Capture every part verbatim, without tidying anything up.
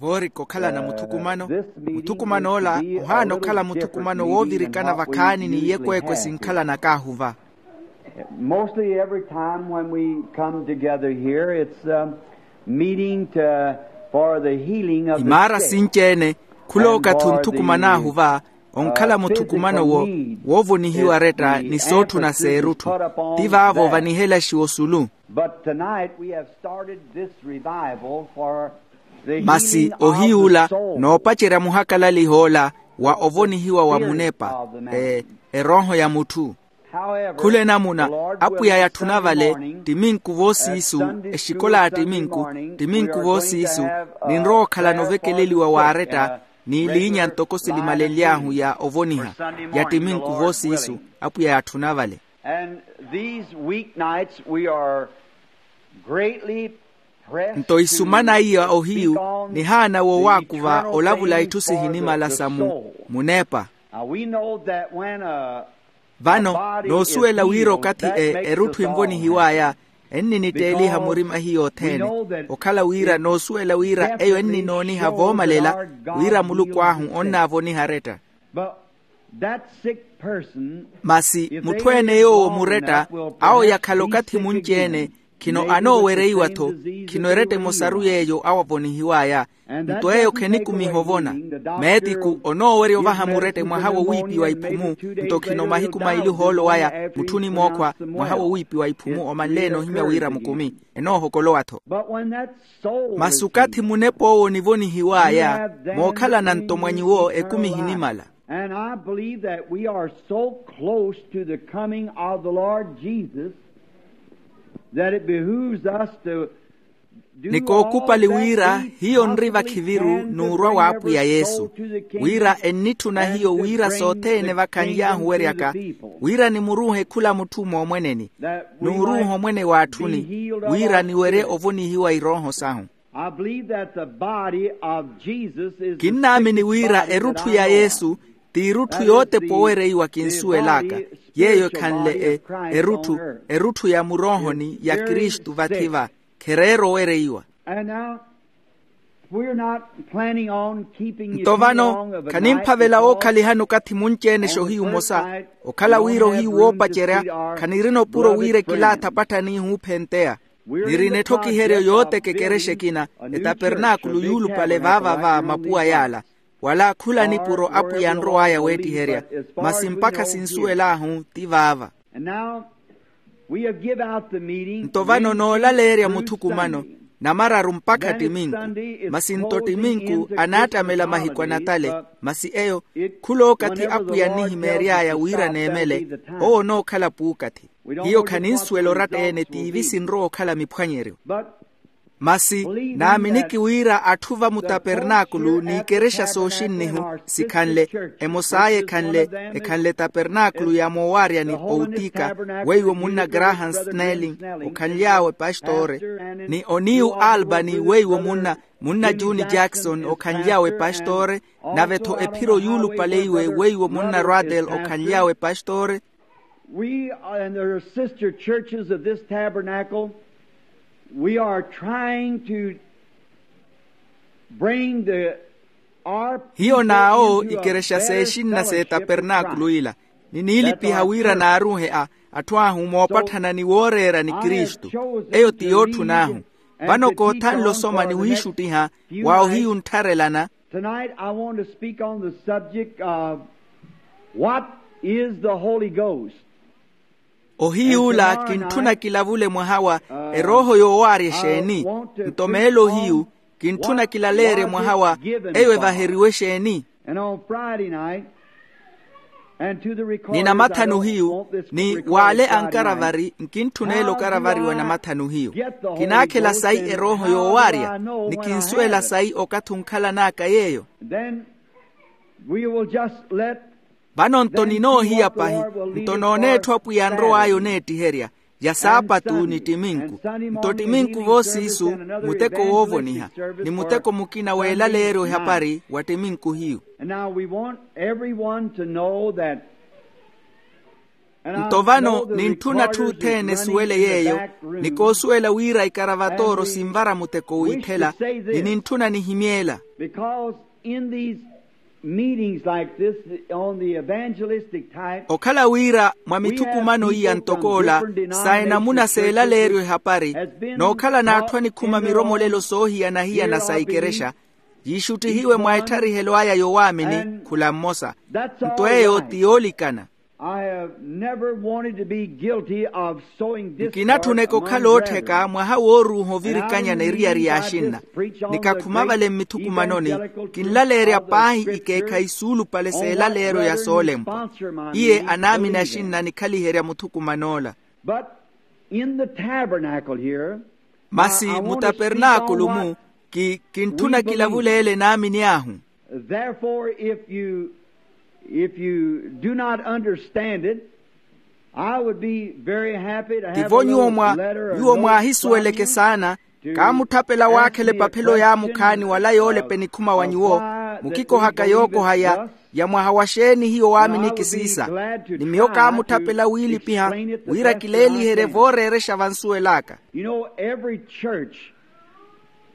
Voorika okhalana muthukumano. Muthukuman'ola ohaana okhala muthukumano woovirikana vakhaani n'iyekweekwe sinkhalana kaahuva. Mostly every time when we come together here, it's a meeting to, for the healing of the sick. Imaara sinci-ene khula okathi onthukuman'ahu va onkhala muthukumano woovonihiwa retta ni sootthuna s'erutthu. Ti vaavo vanihelaxiwa osulu. But tonight we have started this revival for the healing of the soul. Masi ohiy'ula noopacerya muhakalaliho ola wa ovonihiwa wa munepa, erooho ya mutthu. Khula enamuna apwiya yatthuna vale, ttiminku voosiisu, exikola ya ttiminku, ttiminku voosiisu, ninrowa okhalana ovekeleliwa waaretta n'iliinya ntoko silimalenly'ahu ya ovoniha ya ttiminku voosiisu. Apwiya yatthuna vale. And these week nights we are greatly pressed to speak on the eternal things of the soul. Nto isumana iya ohiyu nihaana wowaakuva olavula itthu sihinimala sa munepa. Now we know that when a Vano noosuwela wira okathi erutthu envonihiw'aya enninitteeliha murima hiyo othene. Okhala wira noosuwela wira eyo enninooniha voomalela wira muluku ahu onnaavoniha aretta. Masi mutthu-ene yoowo muretta awo yakhala okathi munci-ene khino anoowereiwa-tho. Khino eretta emosaru yeeyo awo avonihiw'aya. Nto eyo khenikumiha ovona. Meetiku onoowerya ovaha muretta mwaha wowiipiwa iphumu. Nto khino mahiku maili ohoolo waya mutthu ni mookhwa mwaha wowiipiwa iphumu omanleene ohimya wira mukumi enoohokolowa-tho. Masi okathi munep'owo onivonihiw'aya mookhalana nto mwa nyuwo ekumi ihinimala. And I believe that we are so close to the coming of the Lord Jesus that it behooves us to Ni kookupali wira hiyo nri vakhiviru n'urwa w'apwiya yesu, wira ennitthuna hiyo wira sothene vakhanly'ahu weryaka wira nimuruuhe khula mutthu moomweneni n'uruuha omwene w'atthuni wira niwerye ovonihiwa irooho sahu. Kinnaamini wira erutthu ya yesu t'irutthu yootepa owereiwa kinsuwel'aka. Yeeyo ekhanle erutthu erutthu ya muroohoni ya kristu vathi-va khereera owereiwa. Nto vano khanimphavela wookhalihana okathi munci-ene xoohiyu omosa okhala wira ohiyu woopacerya khanirina opuro wira ekilaatha apatthani ihuuphenteya. Nirina etthokiheryo yooteka ekerexa ekina etapernaakulu yuulupale vaava va mapuwa yaala. Wala khula nipuro apwiya anrow'aya weettiherya masi mpakha sinsuwel'ahu ti vaava. Nto vano noolaleerya muthukumano namararu mpakha ttiminku. Masi nto ttiminku anaattamela mahiku a natale masi eyo khula okathi apwiya annihimeery'aya wira neemele owo onookhala puukathi. Hiyo khaninsuwela oratta-ene tiivi sinrowa okhala miphwanyeryo. Masi naaminiki wira atthu va mutapernaakulu n'ikerexa sooxinnihu sikhanle emos'aya ekhanle ekhanle tapernaakulu ya moowaryani owutiika weiwo munna graham snelling okhanly'awe pastore ni oniyu albany weiwo munna munna juni jackson okhanly'awe pastore nave-tho ephiro yuulupale iwe weiwo munna radel okhanly'awe pastore. We and there are sister churches of this tabernacle. We are trying to bring the our hiyo naawo ikerexa seexinna s'etapernaakulu ila niniilipiha wira naaruuhe a atthu ahu moopatthana ni wooreera ni kristu. Eyo ti yootthunahu vano koothanle osoma ni wiixuttiha wa ohiyu nttharelana. Tonight I want to speak on the subject of what is the Holy Ghost. Ohiy'ula kintthuna kilavule mwaha wa erooho yoowaarya exeeni? Nto meelo ohiyu kintthuna kilaleerye mwaha wa eyo evaheriwe exeeni? Ni namathanu hiyu ni w'ale ankaravari nkintthuna ele okaravariwa namathanu hiyu. Kinaakhela sayi erooho yoowaarya ni kinsuwela sayi okathi onkhalan'aka yeeyo. Vano nto ninoohiya pahi nto noona etthu apwiya anrow'aya oneettiherya ya saapatu ni ttiminku. Nto ttiminku voosiisu muteko woovoniha ni muteko mukina weelaleeryo ehapari wa ttiminku hiyu. Nto vano nintthuna atthu othene esuwele yeeyo. Ni koosuwela wira ikaravatooro sinvara muteko wiithela. Ni nintthuna nihimye ela. Because in these meetings like this, on the evangelistic type, okhala wira mwa mithukumano iya ntok'ola sa enamuna s'elaleeryo ehapari, nookhala n'atthu anikhuma miromolelo soohiyana-hiyana sa ikerexa, yiixuttihiwe mwa ettarihelo aya yowaamini khula mmosa. Nto eyo ti yoolikana. I have never wanted to be guilty of sowing discord. Nkinatthuneke okhala oottheka mwaha wooruuha ovirikanyana eriyari y'axinna. Nikakhuma vale mmithukumanoni, kinlaleerya paahi ikeekhayi suulupale s'elaleeryo ya soolempwa. Iye anaamini axinna anikhaliherya muthukuman'ola. But in the tabernacle here, masi mutapernaakulu-mu, ki kintthuna kilavuleele naamini ahu. Therefore, if you, if you do not understand it, I would be very happy to have a little letter or note from you. Tivo nyuwo mwa nyuwo mwaahisuweleke saana, kaamutthapela waakhela epaphelo yaamukhaani wala yoolep enikhuma wa nyuwo, mukikohaka yookoha ya ya mwaha wa xeeni hiyo waaminiki siisa. Ni miyo kaamutthapela wiilipiha wira kileeliherye vooreerexa vansuwel'aka. You know, every church,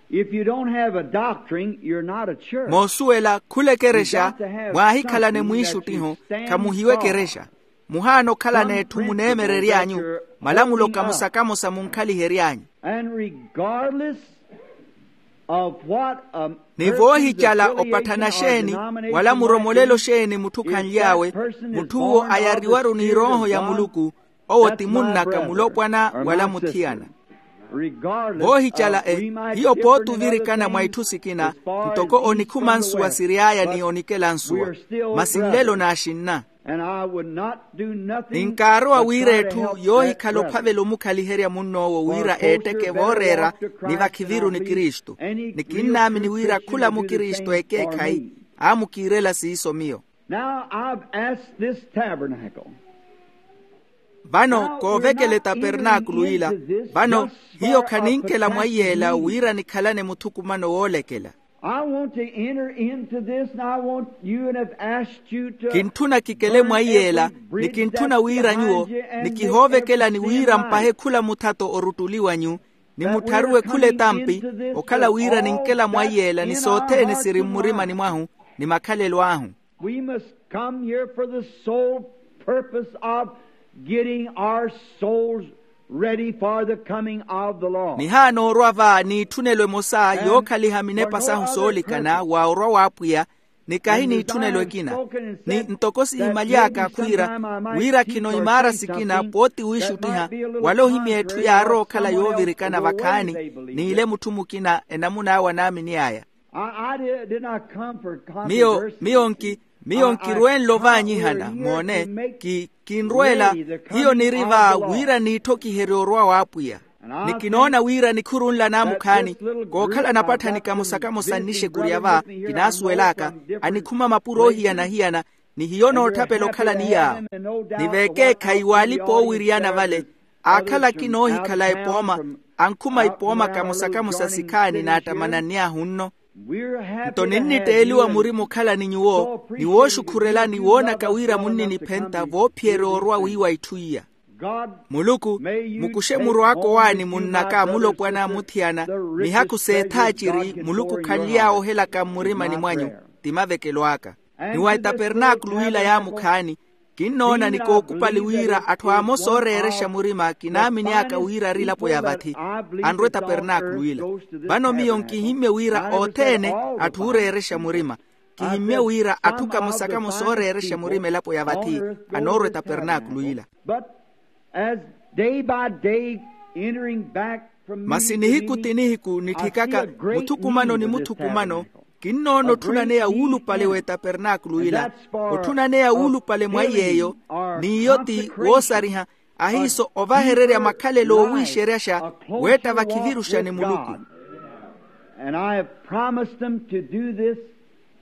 if you don't have a doctrine, you're not a church. Moosuwela khula ekerexa, mwaahikhalane mwiixuttiho, khamuhiwa ekerexa. Muhaana okhalana etthu muneemerery'anyu, malamulo kamosa-kamosa munkhalihery'anyu. And regardless of what a ni voohicala opatthana xeeni wala muromolelo xeeni mutthu khanly'awe, mutthu'wo ayariwaru n'irooho ya muluku, owo ti munn'aka mulopwana wala muthiyana. Voohicala e hiyo pooti ovirikana mwa itthu sikina, ntoko onikhuma nsuwa siry'aya ni onikela nsuwa, masi nlelo n'axinna. Ninkaarowa wira etthu yoohikhala ophavela omukhaliherya munn'owo wira eetteke vooreera, ni vakhiviru ni kristu. Ni kinnaamini wira khula mukristu ekeekhayi aamukiirela siiso miyo. Now I've asked this tabernacle. Vano koovekela etapernaakulu ila. Vano hiyo khaninkela mwaiyela wira nikhalane muthukumano woolekela. I want to enter into this, and I want you, and have asked you to kinttuna kikele mwaiyela, ni kinttuna wira nyuwo nikihoovekelani wira mpahe khula muthato oruttuliwa nyu, ni muttharuwe khula etampi, okhala wira ninkela mwaiyela ni sothene siri mmurimani mwahu, ni makhalelo ahu. We must come here for the sole purpose of getting our souls ready for the coming of the Lord. Nihaana orwa va n'itthunnelo emosa yookhaliha minepa sahu soolikana wa orwa w'apwiya, ni kahi n'itthunnelo ekina. Ni ntoko sihimaly'aka khwiira wira khino imaara sikina pooti wiixuttiha, wala ohimya etthu yaarowa okhala yoovirikana vakhaani, n'ile mutthu mukina enamun'awe anaamini aya. Miyo miyo nki miyo nkirweenle ovaanyihana moone, ki kinrweela hiyo niri va wira niitthokiherye orwa w'apwiya. Ni kinoona wira nikhuru nla naamukhaani kookhala napatthani kamosa-kamosa nnixekurya va kinaasuwel'aka, anikhuma mapuro oohiyana-hiyana, ni hiyo nootthapela okhala ni yaawo. Ni vekeekhayi waalipa oowiriyana vale, aakhala akina oohikhala epooma, ankhuma ipooma kamosa-kamosa sikhaani naattamananny'ahu nno. Nto ninnitteeliwa murima okhala ni nyuwo ni wooxukhurela ni woonaka wira munniniphentta voophiyerya orwa wiiwa itthu iya. Muluku, mukuxe murw'aka owaani munn'aka mulopwana muthiyana, mihaku s'ethaaciri muluku khanly'awe ohelaka mmurimani mwanyu, ti mavekelo aka. Ni wa etapernaakulu ila yaamukhaani, kinnoona ni kookupali wira atthu amosa ooreerexa murima kinaamini aka wira ari elapo ya vathi, anrwa etapernaakulu ila. Vano miyo nkihimmye wira othene atthu ooreerexa murima. Kihimmye wira atthu kamosa-kamosa ooreerexa murima elapo ya vathi anoorwa etapernaakulu ila. But as day by day entering back from masi nihiku ti nihiku nitthikaka muthukumano ni muthukumano, kinnoona otthunaneya wuulupale w'etapernaakulu ila. Otthunaneya wuulupale mwa iy'eyo, n'iyo ti woosariha ahiiso ovahererya makhalelo oowiixeryaxa weetta vakhiviruxa ni muluku. And I have promised them to do this,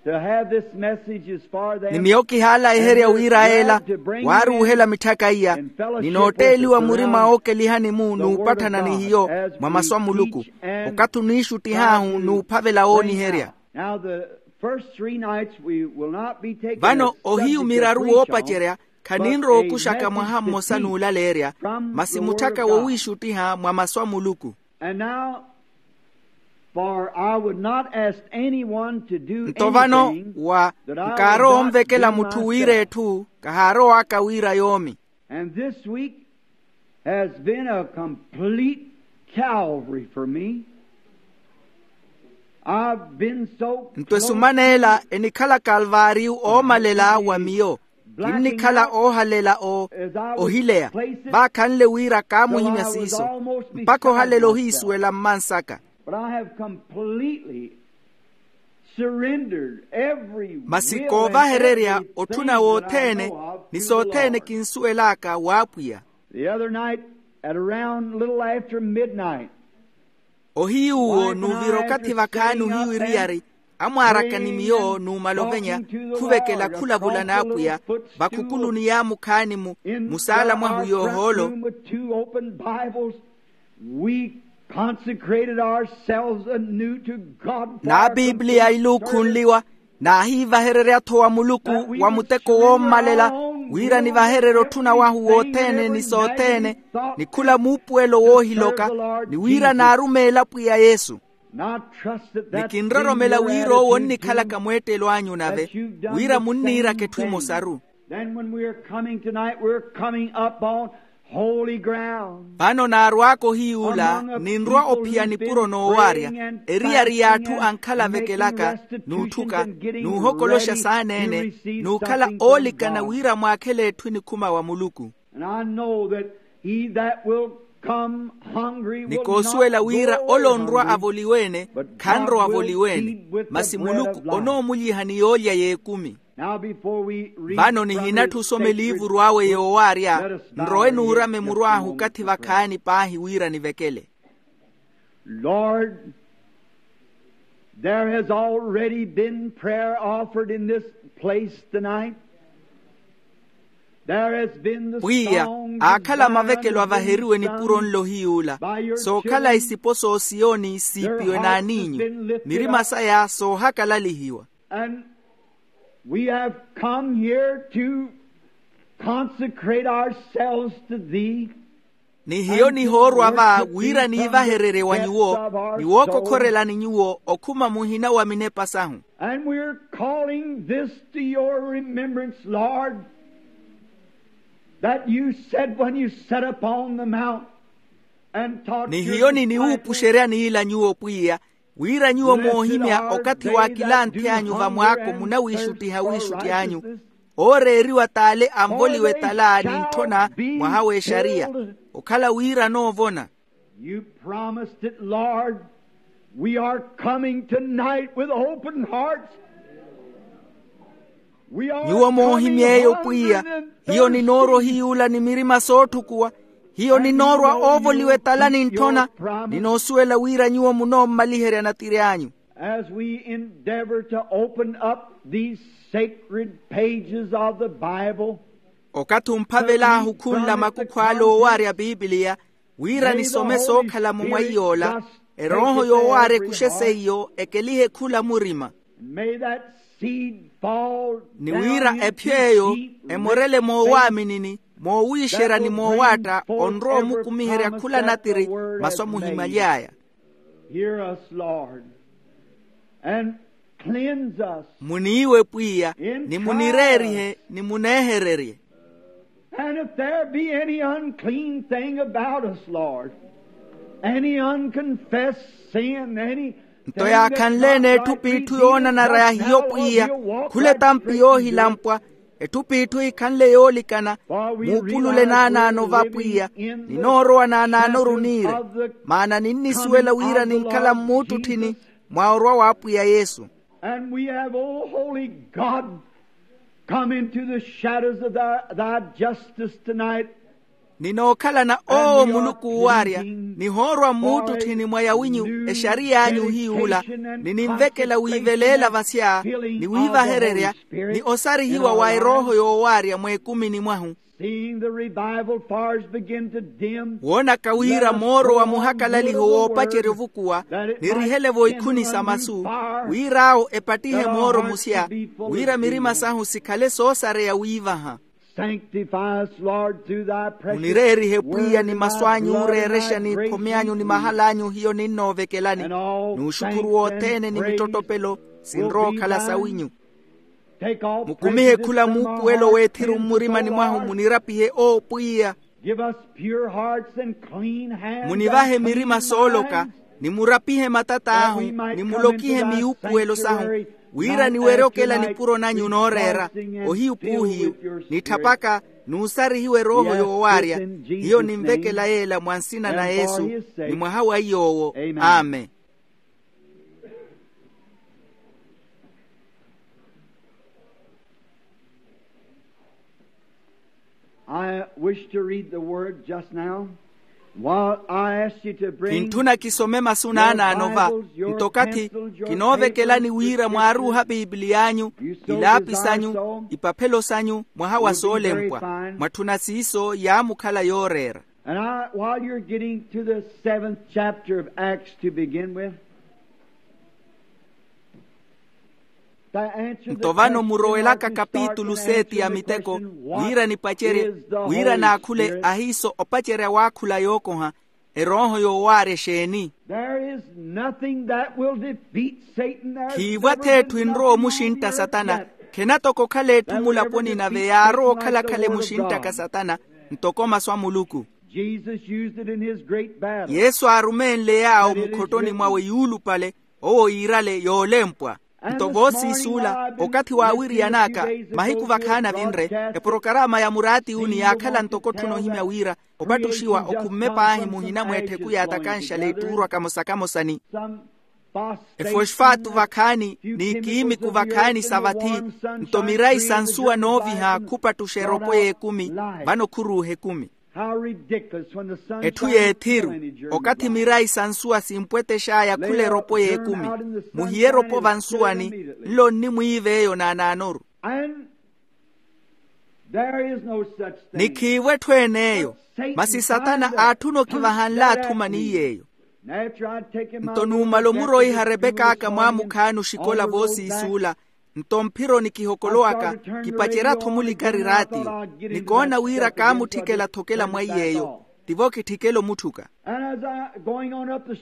to have this message as far as ni miyo kihaalayiherya wira yeela waaruuhela mitthaka iya, ni nootteeliwa murima ookelihani-mu n'upatthana ni hiyo mwa masu a muluku, okathi oniixuttih'ahu n'uphavela wooniherya. Vano ohiyu miraru woopacerya Khaninrowa okuxaka mwaha mmosa n'ulaleerya, masi mutthaka wowiixuttiha mwa masu a muluku. And now, for I would not ask anyone to do nto vano anything wa that I would nkaarowa not onvekela do mutthu wira myself. Etthu kahaarowaka wira yoomi. And this week has been a complete Calvary for me. I've been so nto esumana ela enikhala kalvaariyu oomalela wa miyo. Kinnikhala oohalela o ohileya vaakhanle wira kaamuhimya siiso mpakha ohalela ohiisuwela mmansaka. But I have completely surrendered every masi koovahererya otthuna wothene ni sothene kinsuwelaka w'apwiya. The other night, at around little after midnight, ohiyuwo n'uvira okathi vakhaani ohiyu eriyari amwaaraka ni miyo n'umala ovenya khuvekela khulavula n'apwiya vakhukuluni yaamukhaani mu musaala mwahu yoohoolo. We consecrated ourselves anew to God for our n'abibliya iluukhunliwa naahiivahererya-tho wa muluku wa muteko woommalela wira nivahererye otthuna wahu wothene ni sothene ni khula muupuwelo woohiloka ni wira naarumeela pwiya yesu. Ni kinroromela wira owo onnikhalaka mweettelo anyu nave wira munniiraka etthu emosaru. Then when we are coming tonight, we are coming up on holy ground. Vano naarw'aka ohiyuula ninrwa ophiya nipuro noowaarya eriyari y'atthu ankhalavekelaaka n'utthuka n'uhokoloxa saana-ene n'ukhala oolikana wira mwaakhele etthu enikhuma wa muluku. And I know that he that will come hungry will not go away hungry, but God will feed with the bread of life. Vano nihinatthu osoma eliivuru awe yoowaarya nrowe nuurame muru ahu okathi vakhaani paahi wira nivekele. Lord, there has already been prayer offered in this place tonight. Pwiya, aakhala mavekelo avaheriwe nipuro nlo hiyuula sookhala isipo s'osiyoni siipiwe n'aniinyu mirima saya soohakalalihiwa. And we have come here to consecrate ourselves to thee. Ni hiyo nihoorwa va wira niivahererye wa nyuwo ni wookokhorelani nyuwo okhuma muhina wa minepa sahu. And we're calling this to your remembrance, Lord, that you said when you sat upon the mount and taught your disciples. Ni hiyo niniwuupuxerya niila nyuwo pwiya wira nyuwo moohimya okathi w'akilanthi anyu vamwaako munawiixuttiha wiixutti anyu ooreeriwa t'ale anvoliwe etala ni ntthona mwaha w'exariya okhala wira noovona. You promised it, Lord. We are coming tonight with open hearts. Nyuwo moohimy'eyo pwiya hiyo ninoorwa ohiyuula ni mirima sootthukuwa hiyo ninoorwa oovoliwa etala ni ntthona. Ninoosuwela wira nyuwo munoommaliherya natiri anyu. As we endeavor to open up these sacred pages of the Bible, okathi omphavel'ahu khunla makukhu ale oowaarya bibiliya wira nisome sookhala-mo mwa iy'ola erooho yoowaarya ekuxe seiyo ekelihe khula murima. And may that seed fall down into deep roots there, ni wira ephyo eyo emorele moowaaminini moowiixerya ni moowaatta onrowa omukumiherya khula natiri masu amuhimaly'aya. Hear us, Lord, and cleanse us. Muniiwe pwiya ni munireerihe ni muneehererye. And if there be any unclean thing about us, Lord, any unconfessed sin, any nto yaakhanle-ene etthu p'itthu yoonanara ya hiyo pwiya khula etampi yoohilampwa etthu p'itthu yikhanle yoolikana muupulule naanaano va pwiya. Ninoorowa naanaanoru niire maana ninnisuwela wira ninkhala mmuuttutthini mwa orwa w'apwiya yesu. And we have, O holy God, come into the shadows of thy, thy justice tonight. Ninookhalana owo muluku uwaarya nihoorwa mmuuttutthini mwa yawinyu exariy'anyu hiyuula. Nininvekela wiiveleela vasya ni wiivahererya ni osarihiwa wa erooho yoowaarya mweekumini mwahu. Seeing the revival fires begin to dim, woonaka wira mooro wa muhakalaliho woopacerya ovukuwa nirihele-vo ikhuni sa masu wir'awo epattihe mooro musya wira mirima sahu sikhale soosareya wiivaha. Sanctify us, Lord, through thy precious word and thy blood and thy grace. Munireerihe pwiya ni masu anyu ooreerexa n'ikhomi anyu ni mahala anyu hiyo ninnoovekelani. N'uxukhuru wothene ni mittottopelo sinrowa okhala sawinyu. Mukumihe khula muupuwelo w'ethiru mmurimani mwahu munirapihe owo pwiya. Munivahe mirima sooloka, ni murapihe matat'ahu, ni mulokihe miyuupuwelo sahu, wira niwerye okela nipuro nanyu nooreera ohiyu p'uhiyu, nitthapaka n'usarihiwe erooho yoowaarya. Hiyo ninvekela yeela mwa nsina na yesu, ni mwaha wa iy'owo. Amen. I wish to read the word just now. While I ask you to bring your Bibles, your pencils, your papers, your kinoovekelani wira mwaaruuha pipiliya anyu, ilaapi sanyu, ipaphelo sanyu mwaha wa soolempwa. Mwatthuna siiso yaamukhala yooreera. And I, while you're getting to the seventh chapter of Acts to begin with, nto vano murowelaka kapitulu seeti ya miteko, wira nipacerye, wira naakhule ahiiso opacerya waakhula yookoha, erooho yoowaarya exeeni? There is nothing that will defeat Satan. Khiivo ath'etthu enrowa omuxintta satana. Khenatoko okhala etthu mulaponi nave yaarowa okhala-khala emuxinttaka satana, ntoko masu a muluku. Jesus used it in his great battle. Yesu aarumenle yaawo mukhottoni mwawe yuulupale, owo yiirale yoolempwa. Nto voosiisuula okathi waawiriyan'aka, mahiku vakhaani avinre, eporokarama ya muraatiyuni yaakhala ntoko otthuna ohimya wira opattuxiwa okhumme paahi muhina mwa ettheku yaatakanxale ettuurwa kamosa-kamosani. Efosfaatu vakhaani n'ikiimiku vakhaani sa vathi, nto mirayi sa nsuwa nooviha khupattuxa eropo y'ekumi. Vano khuruuha ekumi. Etthu y'ethiru, okathi mirayi sa nsuwa simpwetex'aya khula eropo y'ekumi. Muhiye eropo vansuwani, nlo nnimwiiva eyo naanaanoru. Nikhiivo etthu en'eyo. Masi satana aatthuna okivaha nlaathu maniy'eyo. Nto numala omuroiha repek'aka mwaamukhaani oxikola voosiisuula, nto mphironi kihokolowaka, kipacerya-tho mulikari raatiyo. Nikoona wira kaamutthikela-tho okela mwa iy'eyo, tivo kitthikela omutthuka.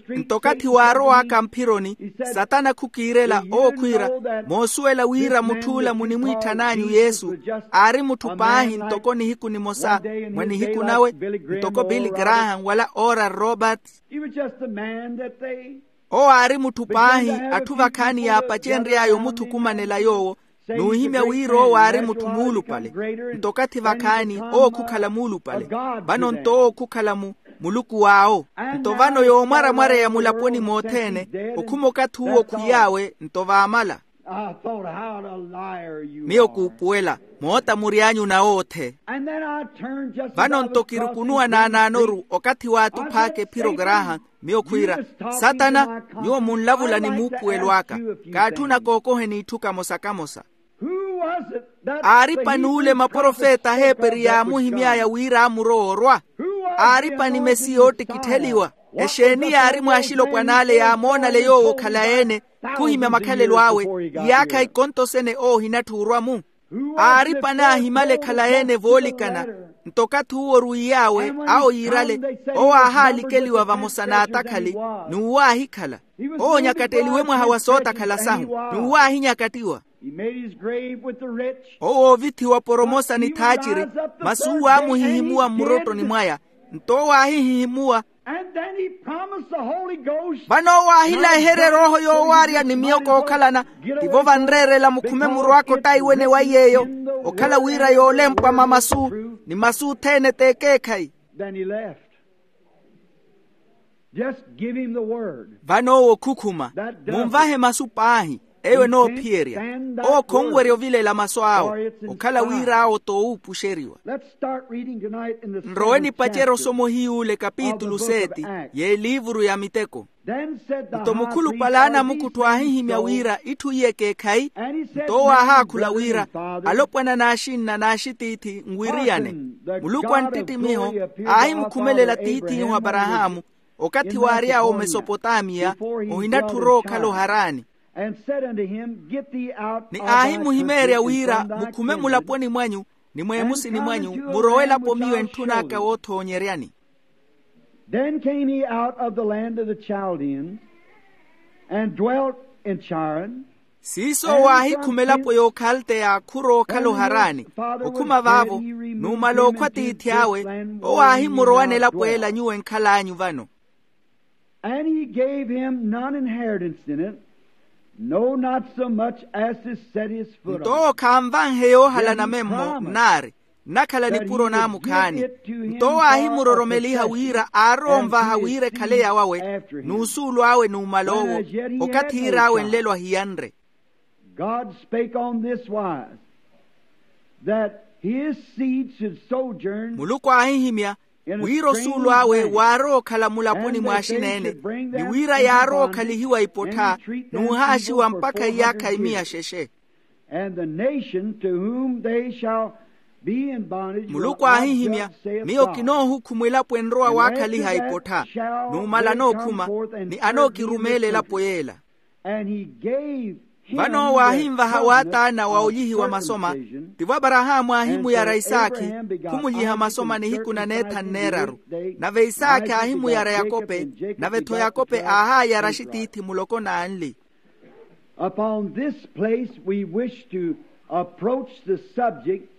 Nto okathi waarow'aka mphironi, satana khukiirela owo khwiira, moosuwela wira mutth'ula munimwiitthana anyu yesu, aari mutthu paahi ntoko nihiku nimosa mwa nihiku nawe, ntoko billy graham wala oral roberts. Owo aari mutthu paahi, atthu vakhaani yaapacenry'aya omuthukumanela yoowo, n'uhimya wira owo aari mutthu muulupale. Nto okathi vakhaani owo khukhala muulupale. Vano nto owo khukhala mu muluku w'awo. Nto vano yoomwaramwareya mulaponi mothene, okhuma okathi uwo khwiy'awe nto vaamala. Miyo kuupuwela, moota muri anyu nawoothe. Vano nto kirukunuwa naanaanoru okathi waatuph'aka ephiro graham, miyo khwiira, satana, nyuwo munlavula ni muupuwelo aka. Kaatthuna kookoheni itthu kamosa-kamosa. Aari pan'ule maprofeta aheeperi yaamuhimy'aya wira amurowa orwa? Aari pani mesiya oottikittheliwa? Exeeni yaari mw'axilopwan'ale yaamoonale yoowo okhala-ene, khuhimya makhalelo awe, iyaakha ikonto sene owo ohinatthi orwa-mu? Aari pani aahimale khalayi-ene voolikana? Nto okathi uwo orwiy'awe awo yiirale, owo aahaalikeliwa vamosa n'atakhali, n'uwo aahikhala. Owo onyakatteliwe mwaha wa sootakhala sahu, n'uwo aahinyakattiwa. Owo oovithiwa poromosa ni thaaciri, masi uwo aamuhihimuwa mmurottoni mwaya. Nto owo aahihihimuwa. Vano owo aahilaherya erooho yoowaarya ni miyo kookhalana. Tivo vanreerela mukhume murowaka ottaiwene wa iy'eyo, okhala wira yoolempwa mamasu, ni masu othene t'ekeekhayi. Vano owo okhukhuma, munvahe masu paahi. Eyo enoophiyerya. Owo khonwerya ovilela masu awo, okhala wira awo t'owuupuxeriwa. Nrowe nipacerye osoma ohiy'ule kapitulu seti y'eliivuru ya miteko. Nto mukhulupale a anamukuttho aahihimya wira itthu iye ekeekhayi. Nto owo aahaakhula wira, alopwana n'axinna n'axitiithi nwiriyane. Muluku a nttittimiho aahimukhumelela tiith'ihu aparahaamu, okathi waary'awe omesopotamiya, ohinatthu orowa okhala oharani. Ni aahimuhimeerya wira, mukhume mulaponi mwanyu, Ni mweemusini mwanyu murowe elapo miyo entthun'aka woothoonyeryani. Then came he out of the land of the Chaldeans, and dwelt in Charran. Siiso waahikhuma elapo y'okhaldeya khurowa okhala oharani. Okhuma vaavo, numala okhwa tiithi awe, owo aahimurowa n'elapo ela nyuwo enkhal'anyu vano. And he gave him none inheritance in it, no, not so much as to set his foot on. Nto owo khanvanhe yoohala namemmo nnaari, nnakhala nipuro naamukhaani. Nto owo aahimuroromeliha wira aarowa onvaha wira ekhale yawawe n'usuulu awe numala owo, okathi iir'awe nlelo ahiyanre. God spake on this wise, that his seed should sojourn. Muluku aahihimya wira osuulu awe waarowa okhala mulaponi mw'axineene, ni wira yaarowa okhalihiwa ipottha n'uhaaxiwa mpakha iyaakha imiya xexe. And the nation to whom they shall be in bondage will I judge, saith God. Muluku aahihimya, miyo kinoohukhuma elapo enrowa waakhaliha ipottha, numala anookhuma ni anookirumeela elapo yeela. And he gave him. Vano owo aahinvaha waataana wa olyihiwa masoma. Tivo aparahaamu aahimuyara isaakhi, khumulyiha masoma nihiku na neethanu neeraru. Nave isaakhi aahimuyara yakope, nave-tho yakope aahaayara axitiithi muloko n'anli. Upon this place we wish to approach the subject,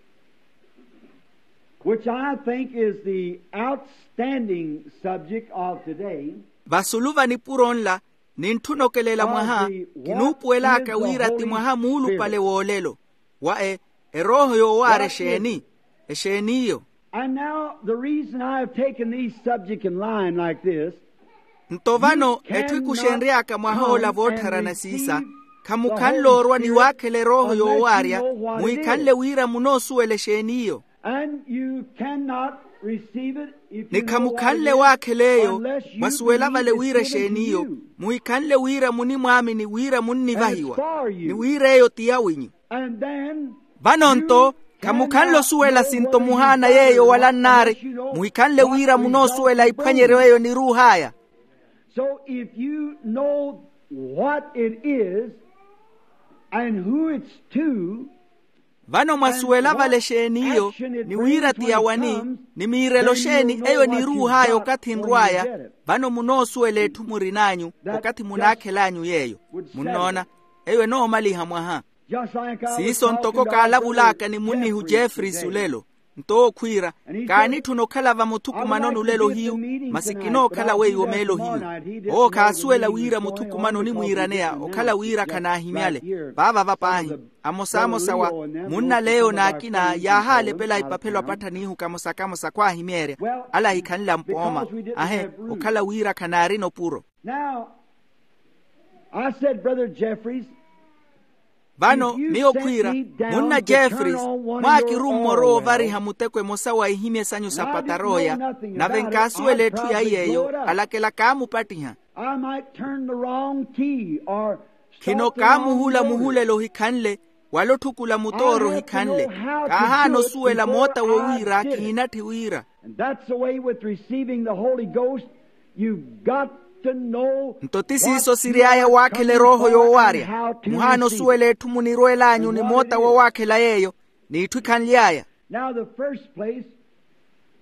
which I think is the outstanding subject of today. Vasulu va nipuro nla, nintthuna okelela mwaha, kinuupuwel'aka wira ti mwaha muulupale w'olelo wa e erooho yoowaarya exeeni? Exeeni iyo? And now the reason I have taken these subjects in line like this. Nto vano etthu ikuxenry'aka mwah'ola voottharana siisa, khamukhanle orwa ni waakhela erooho yoowaarya muhikhanle wira munoosuwela exeeni iyo. And you cannot receive it if you know what it is. Ni khamukhanle waakhela eyo, mwasuwela vale wira exeeni iyo, muhikhanle wira munimwaamini wira munnivahiwa, ni wira eyo ti yawinyu. Vano nto, khamukhanle osuwela sinto muhaana yeeyo wala nnaari, muhikhanle wira munoosuwela iphwanyeryo eyo niruuh'aya. So if you know what it is and who it's to. Vano mwasuwela vale exeeni iyo, ni wira ti yawani, ni miirelo exeeni eyo niruuh'aya okathi nrw'aya, vano munoosuwela etthu murin'anyu okathi munaakhel'anyu yeeyo. Munnoona, eyo enoomaliha mwaha. Siiso ntoko kaalavul'aka ni munnihu jeffreys olelo. Nto owo khwiira, kaanitthuna okhala vamuthukumanoni olelo hiyu, masi kinookhala weiwo meelo hiyu. Owo khaasuwela wira muthukumano onimwiiraneya okhala wira khanaahimyale. Vaavava paahi, amosaamosa wa munnaleeyo n'akina yaahaalepela ipaphelo apattha n'ihu kamosa kamosa khwaahimeerya, ale ahikhanle ampooma. Ahe, okhala wira khanaarina opuro. Now, I said, Brother Jeffries, vano miyo khwiira, munna jeffreys, mwaakirumme orowa ovariha muteko emosa wa ihimye sanyu sa patarooya, nave nkaasuwela etthu ya iy'eyo, alakela kaamupattiha. I might turn the wrong key or khino kaamuhula muhulelo ohikhanle, wala otthukula mutooro ohikhanle. Kaahaana osuwela moota wowiira kihinatthi wira. And that's the way with receiving the Holy Ghost. You've got to know. Nto ti siiso siry'aya waakhela erooho yoowaarya. Muhaana osuwela etthu munirweel'anyu ni moota wowaakhela yeeyo, n'itthu ikhanly'aya. Now the first place,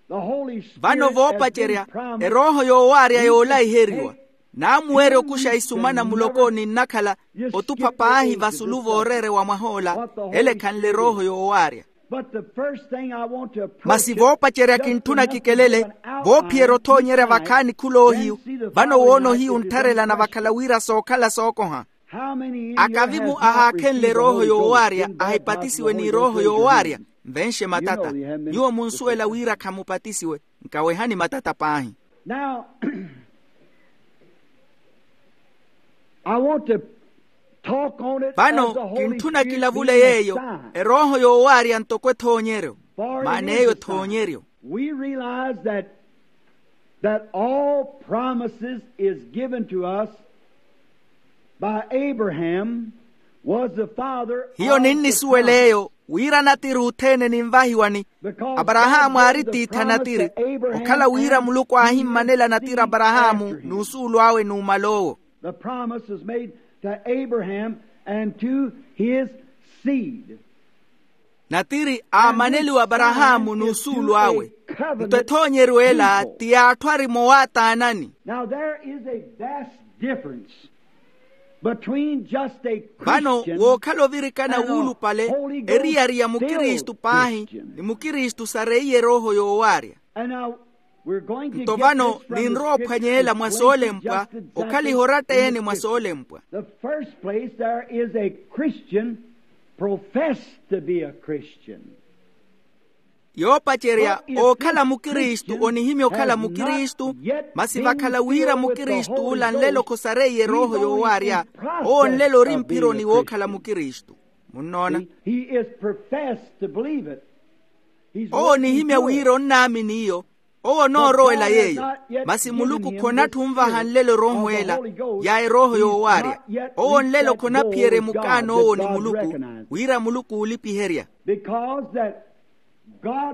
the Holy Spirit. Vano voopacerya, erooho yoowaarya yoolaiheriwa naamuweerya okuxa isumana muloko ninnakhala, otupha paahi vasulu vooreerewa mwah'ola ele ekhanle erooho yoowaarya. But the first thing I want to approach. Masi voopacerya kintthuna kikelele, voophiyerya othoonyerya vakhaani khuloohiyu. Vano woona ohiyu nttharelana vakhala wira sookhala sookoha. Akavimu ahaakhenle erooho yoowaarya ahipatisiwe n'irooho yoowaarya, nvenxe matata. Nyuwo munsuwela wira khamupatisiwe. Nkawehani matata paahi. Now, I want to talk on it. Vano kintthuna kilavule yeeyo, erooho yoowaarya ntoko ethoonyeryo. Maana eyo ethoonyeryo. We realize that, that all promises is given to us by Abraham, was the father of the promise. Hiyo ninnisuwela eyo, wira natiri othene ninvahiwani. Aparahaamu aari tiithi a natiri, okhala wira muluku aahimmanela natiri aparahaamu n'usuulu awe numala owo. The promise was made to Abraham and to his seed. Natiri aamaneliwa aparahaamu n'usuulu awe. Nto ethoonyeryo ela ti yaatthu ari mowaataanani. Now there is a vast difference between just a Christian. Vano wookhala ovirikana wuulupale, eriyari ya mukristu paahi ni mukristu sareiye erooho yoowaarya. Nto vano ninrowa ophwanyeela mwa soolempwa, okhaliha oratta-ene mwa soolempwa. The first place, there is a Christian professed to be a Christian. Yoopacerya, ookhala mukristu onihimya okhala mukristu, masi vakhala wira mukristu ula nlelo khosareiye erooho yoowaarya. Owo nlelo ori mphironi wookhala mukristu. Munnoona? He is professed to believe it. Owo onihimya wira onnaamini iyo. Owo onoorowela yeeyo. Masi muluku khonatthi onvaha nlelo erooho ela ya erooho yoowaarya. Owo nlelo khonaphiyerya emukaano owo ni muluku, wira muluku oolipiherya.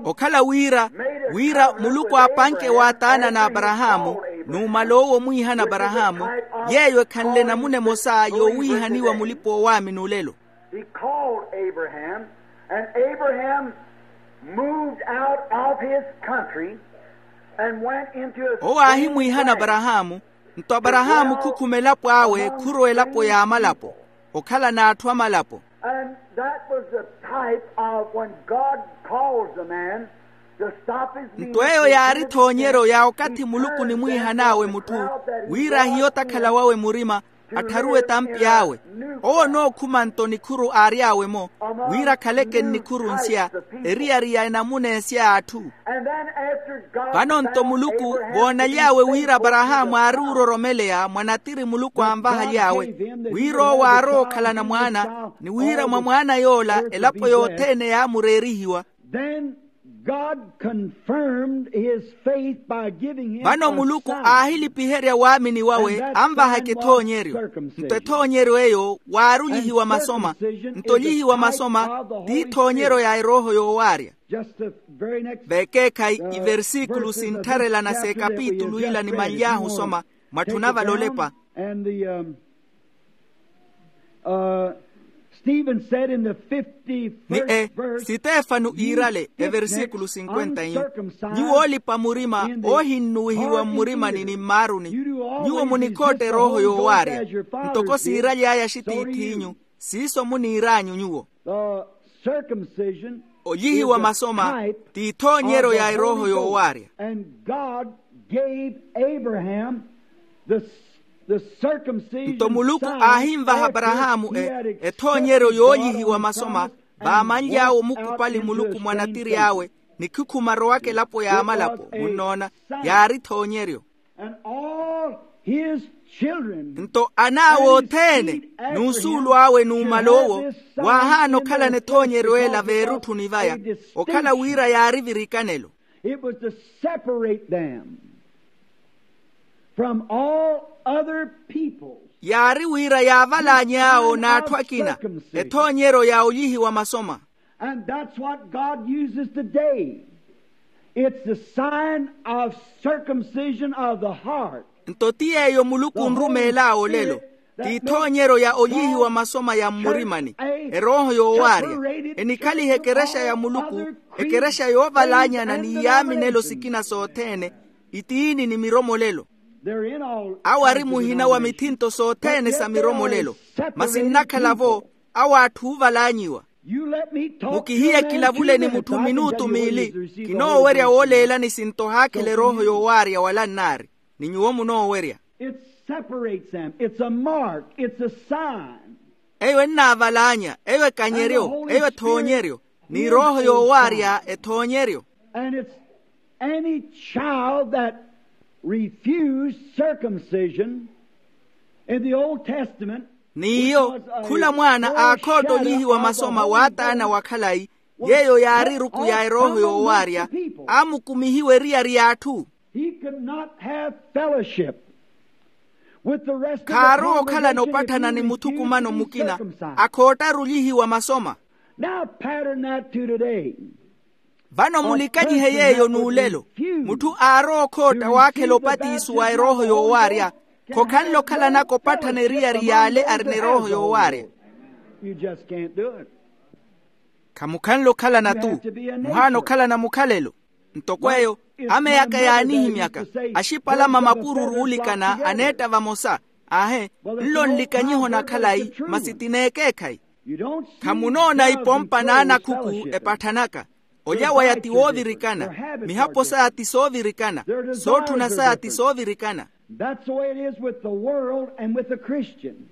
Okhala wira, wira muluku aapanke waataana n'aparahaamu, numala owo omwiihana aparahaamu, yeeyo ekhanle namuna emosa yoowiihaniwa mulipa-oowaamini olelo. He called Abraham, and Abraham moved out of his country and went into a strange land. Owo aahimwiihana aparahaamu, nto aparahaamu khukhuma elapo awe khurowa elapo y'amalapo, okhala n'atthu amalapo. And that was the type of when God calls a man to stop his ministry. Nto eyo yaari ethoonyeryo ya okathi muluku onimwiihan'awe mutthu, wira ahiye otakhala wawe murima, attharuwe etampi awe. Owo onookhuma nto nikhuru aary'awe-mo, wira akhaleke nnikhuru nsya, eriyari ya enamuna ensya y'atthu. Vano nto muluku voonaly'awe wira aparahaamu aari ororomeleya mwa natiri muluku anvahaly'awe, wira owo aarowa okhalana mwaana, ni wira mwa mwaana yoola elapo yothene yaamureerihiwa. Then God confirmed his faith by giving him a son. Vano muluku aahilipiherya waamini wawe anvahaka ethoonyeryo. Nto ethoonyeryo eyo waari olyihiwa masoma. Nto olyihiwa masoma ti ethoonyeryo ya erooho yoowaarya. Vekeekhayi iversikulu sinttharelana s'ekapitulu ila nimanly'ahu osoma, mwatthuna vale olepa. And the, um, uh, Stephen said in the fifty-first verse, ni e sitefano iirale eversikulu sinkwenta iyu, nyuwo oolipa murima oohinnuwihiwa mmurimani ni mmaaruni, nyuwo munikhotta erooho yoowaarya. Ntoko siiraly'aya axitiith'inyu, siiso muniir'anyu nyuwo. Olyihiwa masoma ti ethoonyeryo ya erooho yoowaarya. Nto muluku aahinvaha aparahaamu ethoonyeryo yoolyihiwa masoma vaamanly'awe omukupali muluku mwa natiri awe, ni khukhuma arowaka elapo y'amalapo munnoona, yaari ethoonyeryo. Nto an'awe othene n'usuulu awe numala owo, waahaana okhalana ethoonyeryo ela veerutthuni vaya, okhala wira yaari virikanelo. It was to separate them from all other peoples. Yaari wira yaavalaany'awo n'atthu akina. Ethoonyeryo ya olyihiwa masoma. And that's what God uses today. It's the sign of circumcision of the heart. Nto ti yeeyo muluku onrumeel'awe olelo, ti ethoonyeryo ya olyihiwa masoma ya mmurimani, erooho yoowaarya. Enikhaliha ekerexa ya muluku, ekerexa yoovalaanyana ni iyaaminelo sikina sothene, itiini ni miromolelo. Awo ari muhina wa mithinto sothene sa miromolelo, masi nnakhala-vo awo atthu oovalaanyiwa. Mukihiye kilavule ni mutthu minutu miili. Kinoowerya wooleelani sinto haakhela erooho yoowaarya wala nnaari. Ni nyuwo munoowerya. It separates them. It's a mark. It's a sign. Eyo ennaavalaanya, eyo ekanyeryo, eyo ethoonyeryo. Ni erooho yoowaarya ethoonyeryo. And it's any child that refused circumcision in the Old Testament. N'iyo khula mwaana aakhootta olyihiwa masoma waataana wa khalayi, yeeyo yaari eruku ya erooho yoowaarya, aamukumihiwa eriyari y'atthu. He could not have fellowship with the rest of the congregation. Khaarowa okhalana opatthana ni muthukumano mukina akhoottaru olyihiwa masoma. Now pattern that to today. Vano mulikanyihe yeeyo n'ulelo. Mutthu aarowa okhootta waakhela opatiso wa erooho yoowaarya, khokhanle okhalanaka opatthana eriyari y'ale arina erooho yoowaarya. You just can't do it. Khamukhanle okhalana-tu. Muhaana okhalana mukhalelo. Ntoko eyo, ameyaka yaanihimyaka, axipalama mapururu oolikana aneetta vamosa. Aahe, nlo nlikanyiho na khalayi, masi ti n'ekeekhayi. Khamunoona ipompa n'anakhuku epatthanaka. Olya waya ti woovirikana. Mihapo saya ti soovirikana. Sootthuna saya ti soovirikana. That's the way it is with the world and with the Christian.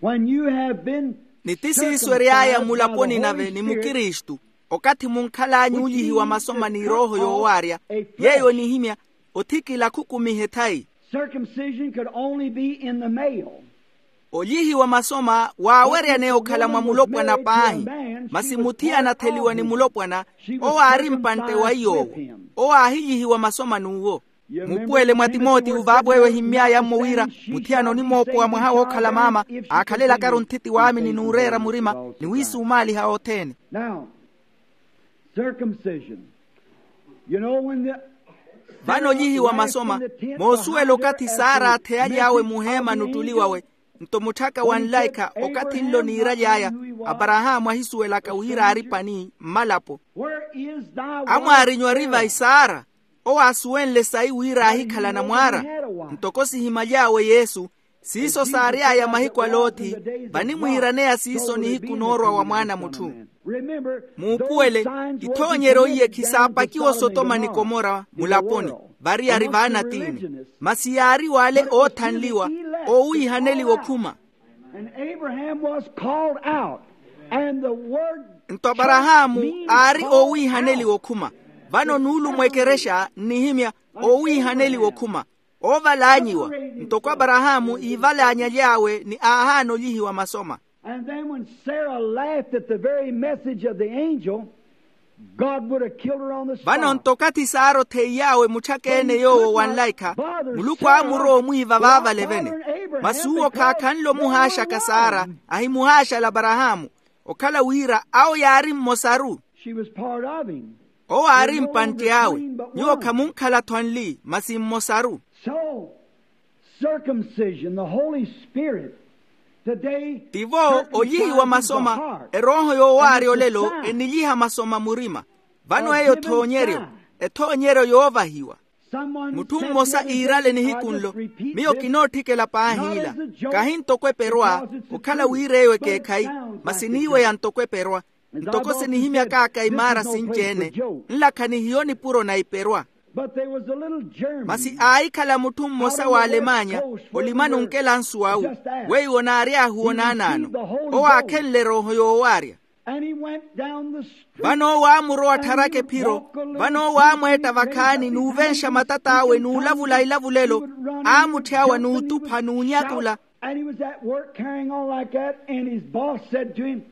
When you have been ni ti siiso ery'aya mulaponi nave ni mukristu. Okathi munkhal'anyu olyihiwa masoma ni erooho yoowaarya, yeeyo enihimya othikila khukumihe thayi. Circumcision could only be in the male. Olyihiwa masoma waaweryaneya okhala mwa mulopwana paahi. Masi muthiyana atheliwa ni mulopwana, owo aari mpantte wa iy'owo. Owo aahilyihiwa masoma n'uwo. Muupuwele mwa timotiyo vaavo eyo ehimmy'aya-mmo wira muthiyana onimoopowa mwaha wookhala maama, aakhalelaka-ru nthiti waamini n'ureera murima, ni wiisumaaliha othene. Now, circumcision. Vano olyihiwa masoma. Moosuwela okathi sara aatheyaly'awe muheema n'uttuli wawe, nto mutthaka wa nlaikha okathi nlo niiraly'aya, aparahaamu ahisuwelaka wira aari pani mmalapo. Amwaarinyu ari vayi sara? Owo aasuwenle sayi wira aahikhala anamwaara. Ntoko sihimaly'awe yesu, siiso saary'aya mahiku a loti, vanimwiiraneya siiso nihiku noorwa wa mwaana a mutthu. Muupuwele, ithoonyeryo iye khisaapakiwa osotoma ni komora mulaponi, variyari vaanatiini. Masi yaari w'ale oothanliwa, oowiihaneliwa okhuma. Nto aparahaamu aari oowiihaneliwa okhuma. Vano nuulumo ekerexa nnihimya, oowiihaneliwa okhuma, oovalaanyiwa. Ntoko aparahaamu iivalaanyaly'awe ni aahaana olyihiwa masoma. And then when Sarah laughed at the very message of the angel, God would have killed her on the spot. Vano nto okathi sara otheiy'awe mutthaka-ene yoowo wa nlaikha, muluku aamurowa omwiiva vaavale-vene. Masi uwo khaakhanle omuhaaxaka sara, ahimuhaaxala aparahaamu, okhala wira awo yaari mmosaru. Owo aari mpantte awe. Nyuwo khamunkhala-tho anli masi mmosaru. Tivo olyihiwa masoma, erooho yoowaarya olelo enilyiha masoma murima. Vano eyo ethoonyeryo, ethoonyeryo yoovahiwa. Mutthu mmosa iirale nihiku nlo, miyo kinootthikela paahi ila. Kahi ntoko eperwa, okhala wira eyo ekeekhayi, masi niiweya ntoko eperwa. Ntoko sinihimyak'aka imaara sinci-ene, nlakha ni hiyo nipuro na iperwa. Masi aahikhala mutthu mmosa w'alemanya, olimani onkela nsu awu, weiwo naary'ahu onaanaano. Owo aakhenle erooho yoowaarya. Vano owo aamurowa attharaka ephiro. Vano owo aamweetta vakhaani n'uvenxa matat'awe n'ulavula ilavulelo, aamutthyawa n'utupha n'unyakula. And he was at work carrying on like that, and his boss said to him,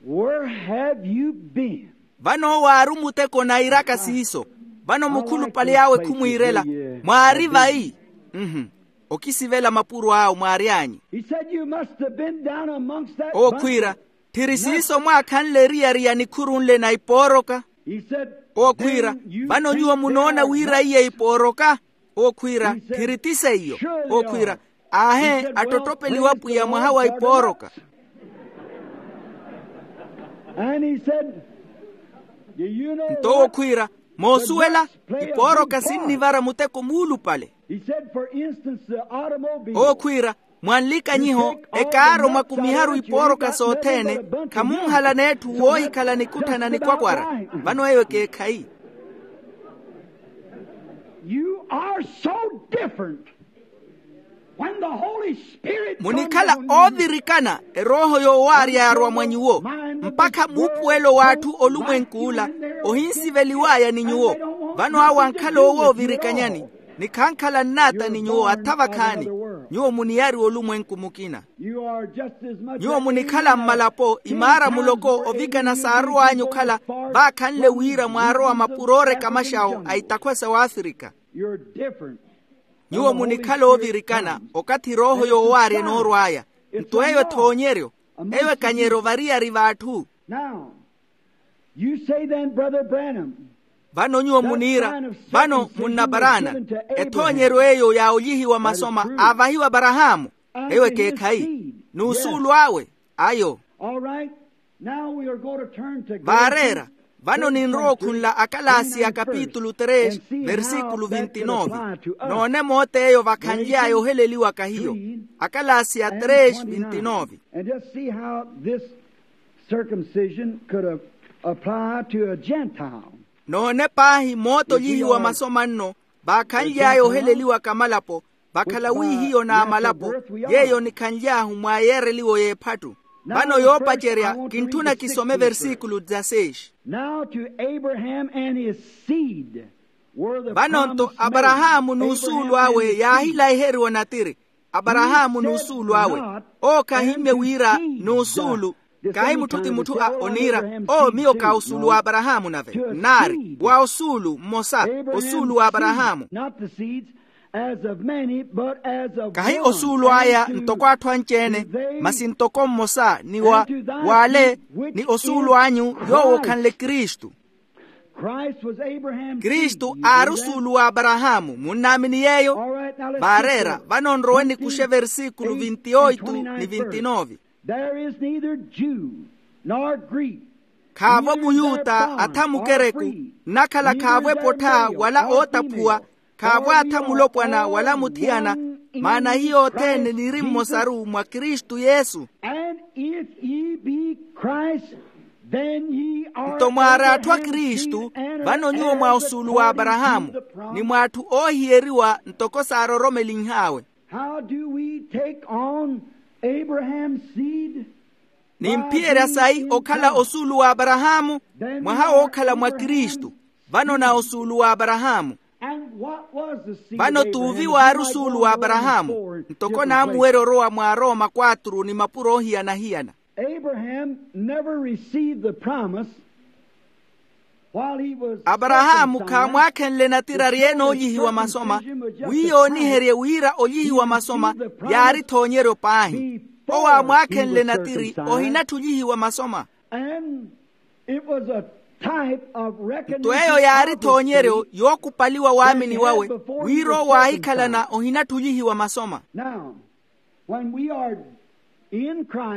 "Where have you been?" Vano owo aari omuteko nairaka siiso. Vano mukhulupale awe khumwiirela, "Mwaari vayi?" Mhm. Okisivela mapuro awo, "Mwaary'anyu?" He said, "You must have been down amongst that bunch of nuts." Owo khwiira, "Tthiri siiso mwaakhanle eriyari ya nikhuru nle na ipooroka?" He said, "Then you think that are nuts." Owo khwiira, "Vano nyuwo munoona wira iyo ipooroka?" Owo khwiira, "Tthiri ti seiyo." Owo khwiira, "Aahe, attottopeliwa pwiya mwaha wa ipooroka." And he said, "Do you know what?" Nto owo khwiira, "Moosuwela, ipooroka sinnivara muteko muulupale." He said, for instance, the automobile. Owo khwiira, mwa nlikanyiho, ekaaro mwakumiharu ipooroka sothene, khamunhalana etthu woohikhala nikutthana nikwakwara. Vano eyo ekeekhayi. You are so different. When the Holy Spirit comes upon you, munikhala oovirikana, erooho yoowaarya yaarwa mwa nyuwo, mpakha muupuwelo w'atthu olumwenk'ula ohinsiveliw'aya ni nyuwo. Vano awo ankhala owoovirikanyani, ni khankhala nnaata ni nyuwo atha vakhaani. Nyuwo muniyariwa olumwenku mukina. Nyuwo munikhala mmalapo imaara muloko ovikana saarow'anyu okhala, vaakhanle wira mwaarowa mapuro ooreka maxawo a itakhwa sa wafrika. Nyuwo munikhala oovirikana okathi erooho yoowaarya enoorw'aya. Nto eyo ethoonyeryo, eyo ekanyeryo variyari v'atthu. Now, you say then, Brother Branham, vano nyuwo muniira, vano munnaparaana, ethoonyeryo eyo ya olyihiwa masoma aavahiwa aparahaamu, eyo ekeekhayi, n'usuulu awe. Ayo. All right. Vaareera, vano ninrowa okhunla akalaasi ya kapitulu tres versikulu vinti nove. Noone moot'eyo vakhanly'aya oheleliwaka hiyo. Akalaasi ya tres vinti nove. And just see how this circumcision could apply to a Gentile. Noone paahi moota olyihiwa masoma nno vaakhanly'aya oheleliwaka malapo, vakhala wi hiyo n'amalapo yeeyo nikhanly'ahu mwa yeereliwo y'ephattu. Vano yoopacerya kintthuna kisome versikulu dezasexi. Now to Abraham and his seed were the promised many. Vano-nto aparahaamu n'usuulu awe yaahilaiheriwa natiri. Aparahaamu n'usuulu awe. Owo khahimmye wira n'usuulu. Kahi mutthu ti mutthu a oniira, owo miyo ka osuulu wa aparahaamu nave nnaari wa osuulu mmosa, osuulu wa aparahaamu. Kahi osuulu aya ntoko atthu anci-ene, masi ntoko mmosa ni wa w'ale, ni osuulu anyu yoowo okhanle kristu. Kristu aari osuulu wa aparahaamu munnaamini yeeyo? Vaareera vano nrowe nikuxe versikulu vinti oitu ni vinti nove. There is neither Jew nor Greek, khaavo muyuta atha mukereku, nnakhala khaavo epottha wala ootaphuwa, khaavo atha mulopwana wala muthiyana, maana hiyo othene niri mmosaru mwa kristu yesu. And if ye be Christ, then ye are. Nto mwaari atthu a kristu, vano nyuwo mwa osuulu wa aparahaamu, ni mwa atthu oohiyeriwa ntoko saaroromelinh'awe. How do we take on Abraham's seed? Nimphiyerya sayi okhala osuulu wa aparahaamu? Mwaha wookhala mwa kristu, vano na osuulu wa aparahaamu. Vano t'uvi waari osuulu wa aparahaamu, ntoko naamuwerya orowa mwa arooma kwaturu ni mapuro oohiyana-hiyana. Abraham never received the promise. Aparahaamu khaamwaakhenle natiri ari-ene oolyihiwa masoma, wi yooniherye wira olyihiwa masoma yaari ethoonyeryo paahi. Owo aamwaakhenle natiri ohinattha olyihiwa masoma. Nto eyo yaari ethoonyeryo yookupaliwa waamini wawe, wira owo aahikhalana ohinattha olyihiwa masoma.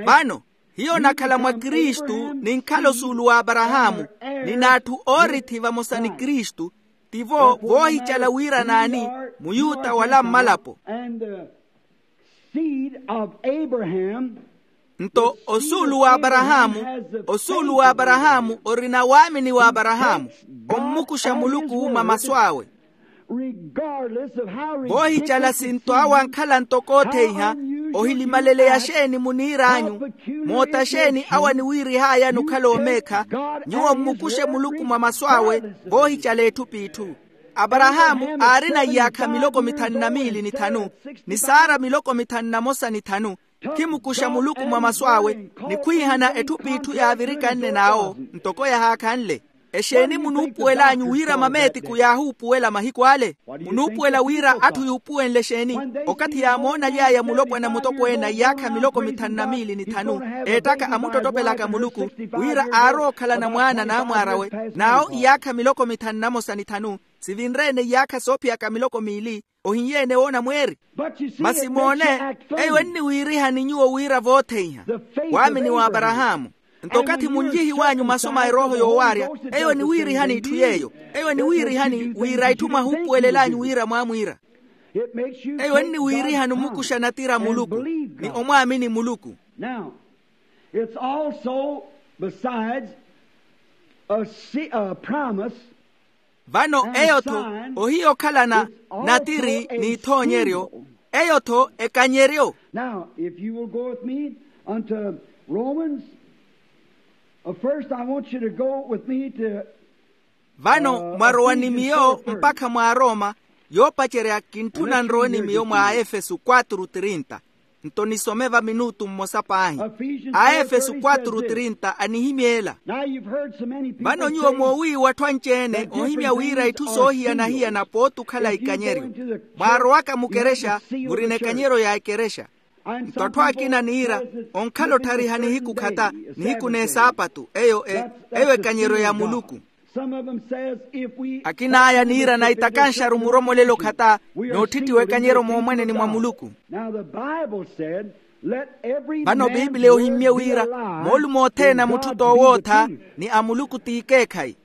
Vano hiyo onakhala mwa kristu ninkhala osuulu wa aparahaamu, ni n'atthu oorithi vamosa ni kristu, tivo voohicala wira naani, muyuta wala mmalapo. Nto osuulu wa aparahaamu, osuulu wa aparahaamu orina waamini wa aparahaamu, ommukuxa muluku mwa masu awe. Voohicala sinto awo ankhala ntoko otheiha, ohilimaleleya xeeni muniir'anyu, moota xeeni awo aniwiirih'ayani okhala omeekha, nyuwo mmukuxe muluku mwa masu awe. Voohicala etthu p'itthu, aparahaamu aarina iyaakha miloko mithanu na miili ni thanu, ni saara miloko mithanu na mosa ni thanu, khimukuxa muluku mwa masu awe, ni khwiihana etthu p'itthu yaavirikanne n'awo ntoko yahaakhanle. Exeeni munuupuwel'anyu wira mameetiku yaahuupuwela mahiku ale? Munuupuwela wira atthu yuupuwenle exeeni? Okathi yaamoonaly'aya mulopwana mutokweene a iyaakha miloko mithanu na miili ni thanu, eettaka amuttottopelaka muluku, wira aarowa okhalana mwaana n'amwaar'awe, n'awo iyaakha miloko mithanu na mosa ni thanu, sivinre-ene iyaakha soophiyaka miloko miili. Ohiny'ene woona mweeri? Masi moone, eyo enniwiirihani nyuwo wira vootheiha waamini wa aparahaamu. Nto okathi munlyihiw'anyu masu ma erooho yoowaarya, eyo eniwiirihani itthu yeeyo. Eyo eniwiirihani wira itthu mwahuupuwelel'anyu wira mwaamwiira. Eyo enniwiirihani omukuxa natira muluku, ni omwaamini muluku. Now, it's also besides a promise. Vano eyo-tho ohiya okhalana natiri n'ithoonyeryo, eyo-tho ekanyeryo. Now if you will go with me unto Romans, first I want you to go with me to. Vano mwarowa ni miyo mpakha mwa arooma, yoopacerya kintthuna nrowe ni miyo mwa aefesu quatro trinta. Nto nisome va minutu mmosa paahi. Aefesu quatro trinta anihimya ela. Vano nyuwo moowiiwa atthu anci-ene ohimya wira itthu soohiyana-hiyana pooti okhala ikanyeryo. Mwaarowaka mukerexa, murina ekanyeryo ya ekerexa. Nto atthu akina niira, onkhala otthariha nihiku khata, nihiku n'esaapatu eyo e eyo ekanyeryo ya muluku. Akin'aya niirana itakanxaru muromolelo khata, n'utthittiwa ekanyeryo moomweneni mwa muluku. Vano biipiliya ohimmye wira moolumo othene a mutthu t'owootha, ni a muluku t'ikeekhayi.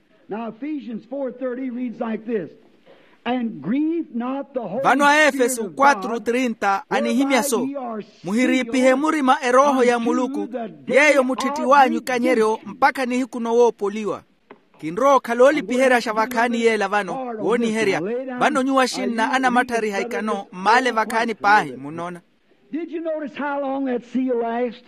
Vano a efeso quatro trinta anihimya so, muhiriipihe murima erooho ya muluku, yeeyo mutthittiw'anyu ekanyeryo mpakha nihiku nowoopoliwa. Kinrowa okhala oolipiheryaxa vakhaani yeela vano wooniherya. Vano nyuwo axinna anamatthariha ikano mmaale vakhaani paahi munnoona. Did you notice how long that seal last?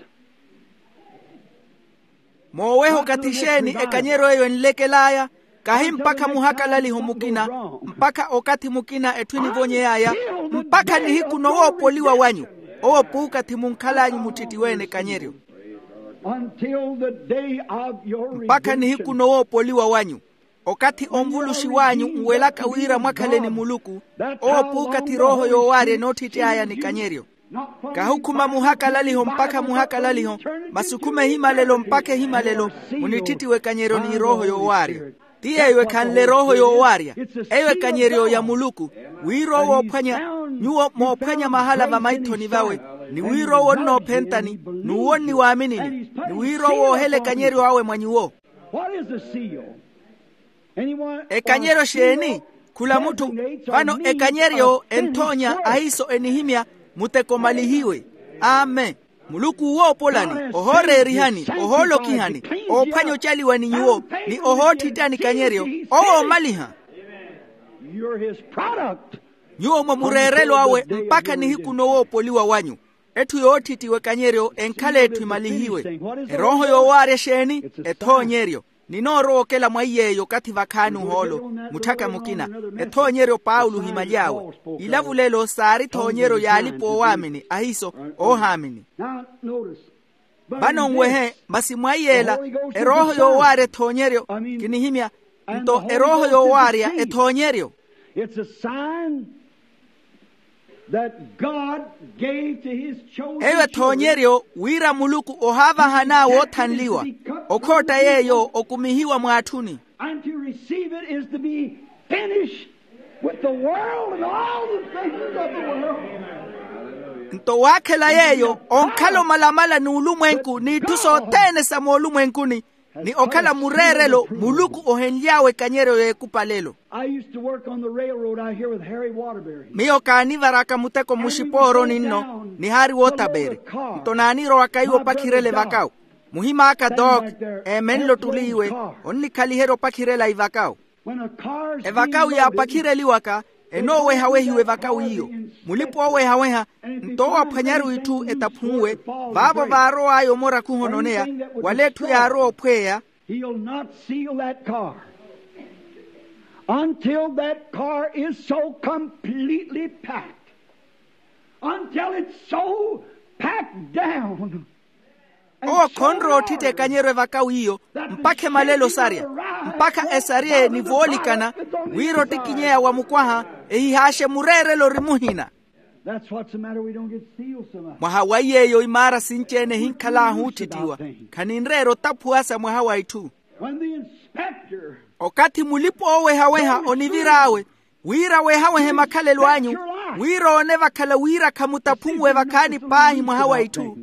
Mooweha okathi exeeni ekanyeryo eyo enlekel'aya, kahi mpakha muhakalaliho mukina, mpakha okathi mukina etthu enivonyey'aya, mpakha nihiku nowoopoliwa wanyu. Owo puukathi munkhal'anyu mutthittiwe-ene ekanyeryo. Mpakha nihiku nowoopoliwa wanyu, okathi onvuluxiw'anyu nwelaka wira mwakhale ni muluku. Owo puukathi erooho yoowaarya enootthitty'aya ni kanyeryo. Kahukhuma muhakalaliho mpakha muhakalaliho, masi okhume ehimalelo mpakha ehimalelo, munitthittiwe ekanyeryo n'erooho yoowaarya. Ti yeeyo ekhanle erooho yoowaarya, eyo ekanyeryo ya muluku. Wira owo ophwanya, nyuwo moophwanya mahala vamaithoni vawe, ni wira owo onnoophentani, n'uwo onniwaaminini, ni wira owo oohela ekanyeryo awe mwa nyuwo. Ekanyeryo xeeni? Khula mutthu. Vano ekanyeryo enthoonya ahiiso enihimya, muteko omalihiwe. Amen. Muluku owoopolani, ohooreerihani, ohoolokihani, oophwanya ocaliwa ni nyuwo, ni ohootthittyani kanyeryo, owo oomaliha. Nyuwo mwa mureerelo awe mpakha nihiku nowoopoliwa wanyu. Etthu yootthittiwa ekanyeryo enkhala etthu emalihiwe. Erooho yoowaarya xeeni? Ethoonyeryo. Ninoorowa okela mwa iy'eyo okathi vakhaani ohoolo, mutthaka mukina. Ethoonyeryo paulo ohimaly'awe. Ilavulelo saari ethoonyeryo y'alipa oowaamini ahiiso, oohaamini. Vano nwehe masi mwa iyeela, erooho yoowaarya ethoonyeryo. Kinihimya, nto erooho yoowaarya ethoonyeryo. Eyo ethoonyeryo wira muluku ohaavahan'awe oothanliwa, okhootta yeeyo okumihiwa mwaatthuni. Nto waakhela yeeyo onkhala omalamala n'ulumwenku n'itthu sothene sa moolumwenkuni, ni okhala mureerelo muluku ohenly'awe ekanyeryo y'ekupalelo. Miyo kaanivaraka muteko muxipooroni nno, nihaari wootapeeri. Nto naanirowaka iwo opakhirela evakawu. Muhim'aka doc, eemenle ottuli iwe, onnikhaliherya opakhirela ivakawu. Evakawu yaapakhireliwaka, enoowehawehiwa evakawu iyo. Mulipa oowehaweha, nto owo aphwanyaru itthu etaphunwe, vaavo vaarow'aya omorakhuha ononeya, wala etthu yaarowa ophweya. He'll not seal that car until that car is so completely packed, until it's so packed down. Owo khonrowa ottitta ekanyeryo evakawu iyo, mpakha emalelo sarya, mpakha esarye ni voolikana, wira ottikinyeya wa mukwaha ehihaaxe mureerelo ori muhina. That's what's the matter. We don't get sealed so much. Mwaha wa iy'eyo imaara sinci-ene ehinkhal'ahu otthittiwa. Khaninreera otaphuwa sa mwaha wa itthu. When the inspector, okathi mulipa oowehaweha onivir'awe, wira wehawehe makhalelo anyu, wira oone vakhala wira khamutaphuwe vakhaani paahi mwaha wa itthu.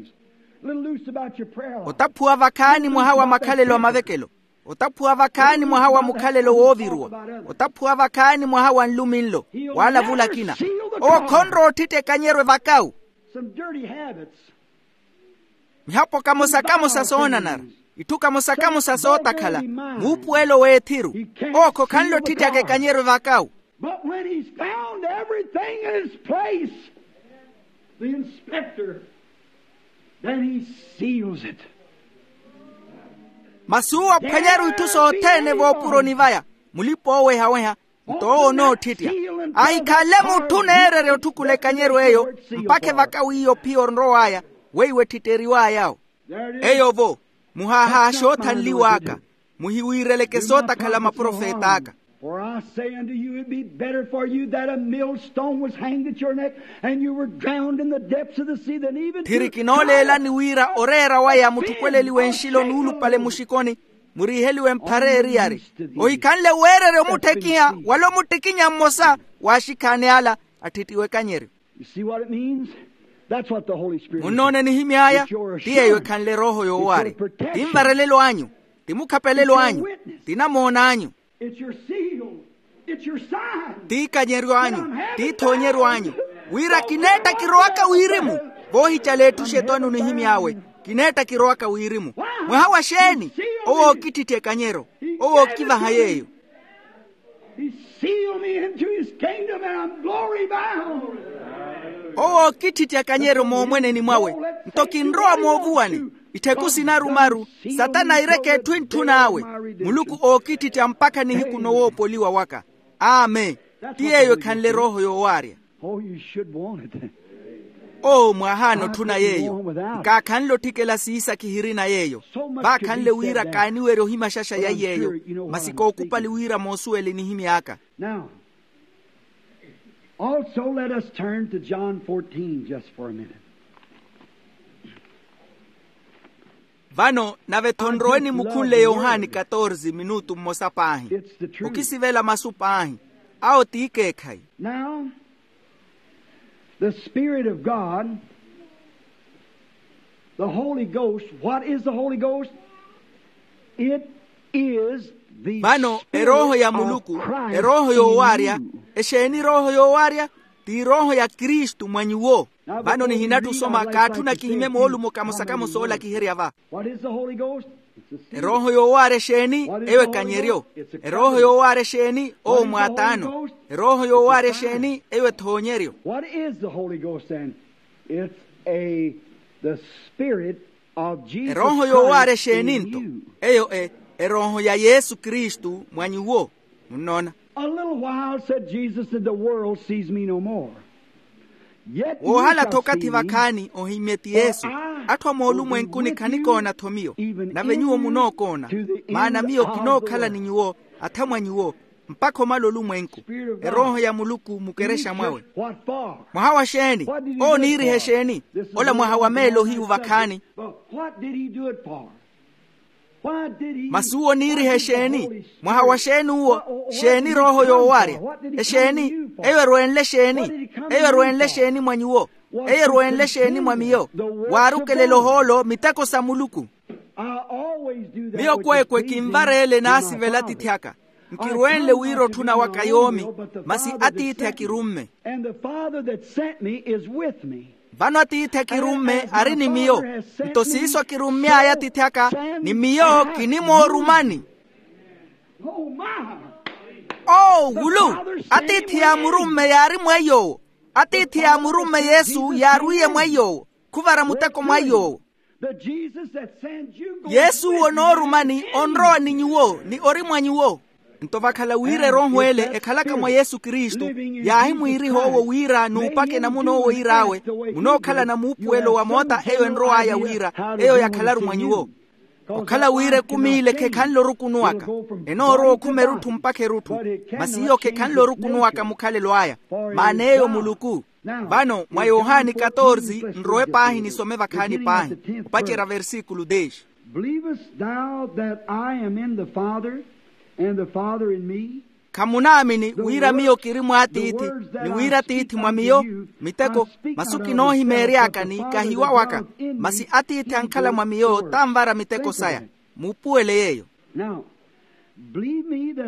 Little loose about your prayer life. Otaphuwa vakhaani mwaha wa makhalelo a mavekelo. Otaphuwa vakhaani mwaha wa mukhalelo wooviruwa. Otaphuwa vakhaani mwaha wa nluminlo, waalavula akina. Owo khonrowa ottitta ekanyeryo evakawu. Some dirty habits. Mihapo kamosa-kamosa soonanara, itthu kamosa-kamosa sootakhala, muupuwelo w'ethiru. Owo khokhanle ottittaka ekanyeryo evakawu. But when he's found everything in its place, the inspector, then he seals it. Masi uwo aphwanyaru itthu sothene voopuroni vaya, mulipa oowehaweha, nto owo onoottittya. Ahikhanle mutthu oneererya otthukula ekanyeryo eyo, mpakha evakawu iyo phiya onrow'aya, weiwo etthitteriw'ay'awo. Eyo-vo, muhaahaaxe oothanliw'aka, muhiwiireleke sootakhala maprofet'aka. For I say unto you, it'd be better for you that a millstone was hanged at your neck, and you were drowned in the depths of the sea, than even to. Tthiri kinooleelani wira oreera waya muthukweleliwe nxilo nuulupale muxikoni, muriiheliwe mphara eriyari. Ohikhanle weererya omutthekiha wala omuttikinya mmosa w'axikhaani ala atthittiwe ekanyeryo. Munnoone nihimy'aya. Ti yeeyo ekhanle erooho yoowaarya. Ti nvarelelo anyu, ti mukhapelelo anyu, ti namoona anyu. Ti ikanyeryo anyu, ti ithoonyeryo anyu, wira kineetta kirowaka wirimu. Voohicala etthu xetwani onihimy'awe, kineetta kirowaka wirimu. Mwaha wa xeeni? Owo ookitthitthi ekanyeryo. Owo ookivaha yeeyo. Owo ookitthitthi ekanyeryo moomweneni mwawe. Nto kinrowa moovuwani. Ittheku sinaru-maru, satana aireke etthu entthun'awe. Muluku ookitthitthi ampakha nihiku nowoopoliwa waka. Amen. Ti yeeyo ekhanle erooho yoowaarya. Oo, mwaahaana otthuna yeeyo. Nkaakhanle otthikela siisakhihirina yeeyo. Vaakhanle wira kaaniwerya ohimaxaxa ya iy'eyo. Masi kookupali wira moosuwele enihimy'aka. Now, also let us turn to John fourteen just for a minute. Vano nave-tho nrowe nimukhunle yohani katorze minutu mmosa paahi. Okisivela masu paahi. Awo t'ikeekhayi. Now, the Spirit of God, the Holy Ghost, what is the Holy Ghost? It is the Spirit of Christ in you. Vano erooho ya muluku, erooho yoowaarya. Exeeni erooho yoowaarya? Ti erooho ya kristu mwa nyuwo. Vano nihinatthi osoma kaatthuna kihimye moolumo kamosa kamosa oolakiherya va. Erooho yoowaarya exeeni? Eyo ekanyeryo. Erooho yoowaarya exeeni? Owo mwaataano. Erooho yoowaarya exeeni? Eyo ethoonyeryo. What is the Holy Ghost then? It's a the Spirit of Jesus Christ in you. Erooho yoowaarya exeeni nto? Eyo e erooho ya yesu kristu mwa nyuwo. Munnoona? A little while, said Jesus, and the world sees me no more. Yet you shall see me. Woohala-tho okathi vakhaani ohimmye ti yesu. Atthu a moolumwenkuni khanikoona-tho miyo, nave nyuwo munookoona. Maana miyo kinookhala ni nyuwo, atha mwa nyuwo, mpakha omala olumwenku. Erooho ya muluku mukerexa mwawe. Mwaha wa xeeni? Owo oniiriha exeeni? Ola mwaha wa meelo ohiyu vakhaani. Masi uwo oniiriha exeeni? Mwaha wa xeeni uwo? Xeeni erooho yoowaarya? Exeeni? Eyo erwenle xeeni? Eyo erwenle xeeni mwa nyuwo? Eyo erwenle xeeni mwa miyo? Waarukelela ohoolo miteko sa muluku. Miyo kweekwe kinvareele naasivela atiithi aka. Nkirwenle wira otthuna waka yoomi, masi atiithi akirumme. Vano atiithi akirumme ari ni miyo. Nto siiso akirummy'aya atiithi aka, ni miyo kinimoorumani. Oo wulu! Atiithi yaamurumme yaari mweiy'owo. Atiithi yaamurumme yesu yaarwiiye mweiy'owo. Khuvara muteko mweiy'owo. Yesu onoorumani onrowa ni nyuwo ni ori mwa nyuwo. Nto vakhala wira erooho ele ekhalaka mwa yesu kristu, yaahimwiiriha owo wira nuupaka enamuna owo iir'awe, munookhalana muupuwelo wa moota eyo enrow'aya wira eyo yakhalaru mwa nyuwo. Okhala wira ekumi ile khekhanle orukunu aka, enoorowa okhuma erutthu mpakha erutthu, masi iyo khekhanle orukunu aka mukhalelo aya, maana eyo muluku. Vano mwa yohani katorze nrowe paahi nisome vakhaani paahi, opacerya versikulu dez. Believest thou that I am in the Father, and the Father in me? Khamunaamini wira miyo kiri mwa atiithi, ni wira atiithi mwa miyo? Miteko, masu kinoohimeery'aka ni kahiwa waka, masi atiithi ankhala mwa miyo tanvara miteko saya. Muupuwele yeeyo.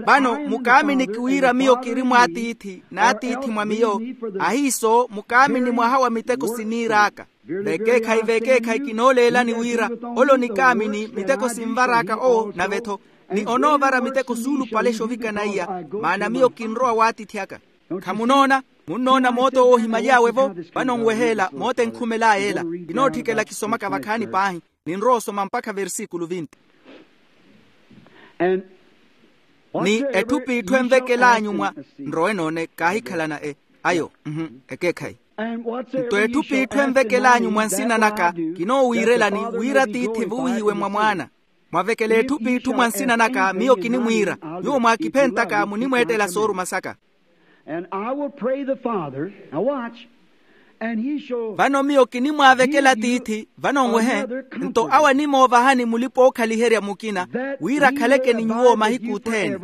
Vano mukaaminiki wira miyo kiri mwa atiithi n'atiithi mwa miyo, ahiiso mukaamini mwaha wa miteko siniir'aka. Vekeekhayi vekeekhayi kinooleelani wira, ole onikaamini miteko sinvar'aka owo nave-tho, ni onoovara miteko suulupale xovikana iya. Maana miyo kinrowa w'atiithi aka. Khamunoona? Munnoona moota owo ohimaly'awe-vo? Vano nweheela moota enkhumel'aya ela. Kinootthikela kisomaka vakhaani paahi. Ninrowa osoma mpakha versikulu vinti. Ni etthu p'itthu envekel'anyu mwa nrowe noone kaahikhalana e ayo. Ekeekhayi. Nto etthu p'itthu envekel'anyu mwa nsina naka, kinoowiirelani wira atiithi evuwihiwe mwa mwaana. Mwavekela etthu p'itthu mwa nsina naka miyo kinimwiira, nyuwo mwaakiphentaka munimweettela sooruma saka. And I will pray the Father. Now watch. Vano miyo kinimwaavekela tiithi vano nwehe, nto awo animoovahani mulipa-ookhaliherya mukina, wira akhaleke ni nyuwo mahiku othene.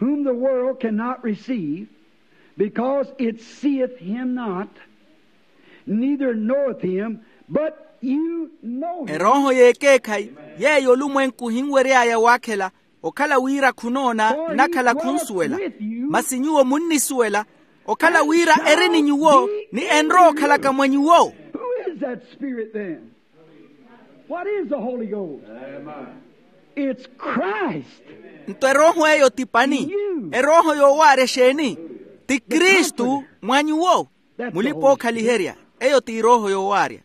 Whom the world cannot receive, because it seeth him not, neither knoweth him, but you know him. Erooho y'ekeekhayi, yeeyo olumwenku ohinwery'aya waakhela, okhala wira khunoona, nnakhala khunsuwela. Masi nyuwo munnisuwela, okhala wira eri ni nyuwo, ni enrowa okhalaka mwa nyuwo. Who is that Spirit then? What is the Holy Ghost? It's Christ. Nto erooho eyo ti pani? Erooho yoowaarya exeeni? Ti kristu. Mwa nyuwo. Mulipa-ookhaliherya. Eyo ti erooho yoowaarya.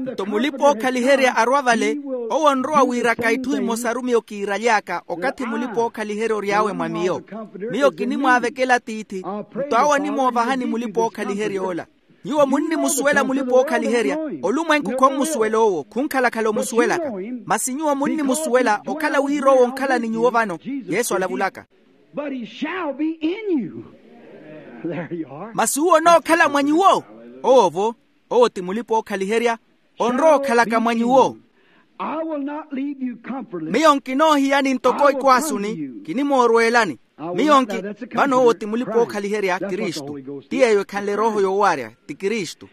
Nto mulipa-ookhaliherya arwa vale, owo onrowa wiiraka itthu imosaru miyo kiiraly'aka okathi mulipa-ookhaliherya ory'awe mwa miyo. Miyo kinimwaavekela tiithi, nto awo animoovahani mulipa-ookhaliherya ola. Nyuwo munnimusuwela mulipa-ookhaliherya. Olumwenku khommusuwela owo, khunkhalakhala omusuwelaka. Masi nyuwo munnimusuwela okhala wira owo onkhala ni nyuwo vano. Yesu alavulaka. But he shall be in you. There you are. Masi uwo onookhala mwa nyuwo. Owo-vo, owo ti mulipa-ookhaliherya. Onrowa okhalaka mwa nyuwo. I will not leave you comfortless. Miyo nkinoohiyani ntoko ikwaasuni. Kinimoorweelani. Miyo nki vano owo ti mulipa-ookhaliherya kristu. Ti yeeyo ekhanle erooho yoowaarya. Ti kristu.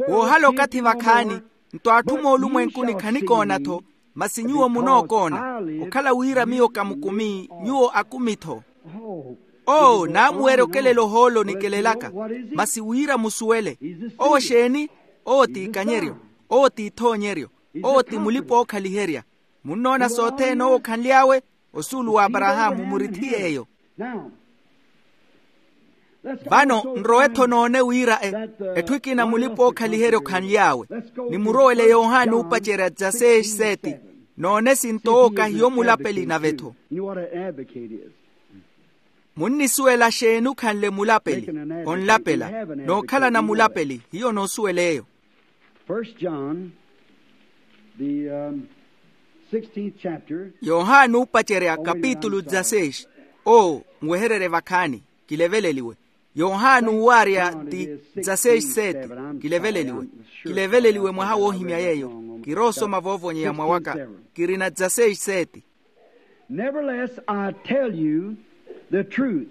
Woohala okathi vakhaani, nto atthu moolumwenkuni khanikoona-tho. Masi nyuwo munookoona. Okhala wira miyo kamukumi, nyuwo akumi-tho. Oo naamuwerya okelela ohoolo nikelelaka. Masi wira musuwele. Owo exeeni? Owo ti ikanyeryo. Owo ti ithoonyeryo. Owo ti mulipa-ookhaliherya. Munnoona sothene owo okhanly'awe. Osuulu w'aparahaamu murithi yeeyo. Vano nrowe-tho noone wira etthu ekina mulipa-ookhaliherya okhanly'awe. Nimurowele yohani oopacerya dzaseis seti. Noone sinto owo kahiyo mulapeli nave-tho. Munnisuwela xeeni okhanle mulapeli? Onlapela. Nookhalana mulapeli hiyo noosuwela eyo. First John, the sixteenth chapter. Yohani oopacerya kapitulu dzaseis. Oo nwehererye vakhaani. Kileveleliwe. Yohani uuwaarya ti dzaseis seti. Kileveleliwe. Kileveleliwe mwaha woohimya yeeyo. Kiroosoma voovonyeya mwawaka. Kirina dzaseis seti. Nevertheless I tell you the truth,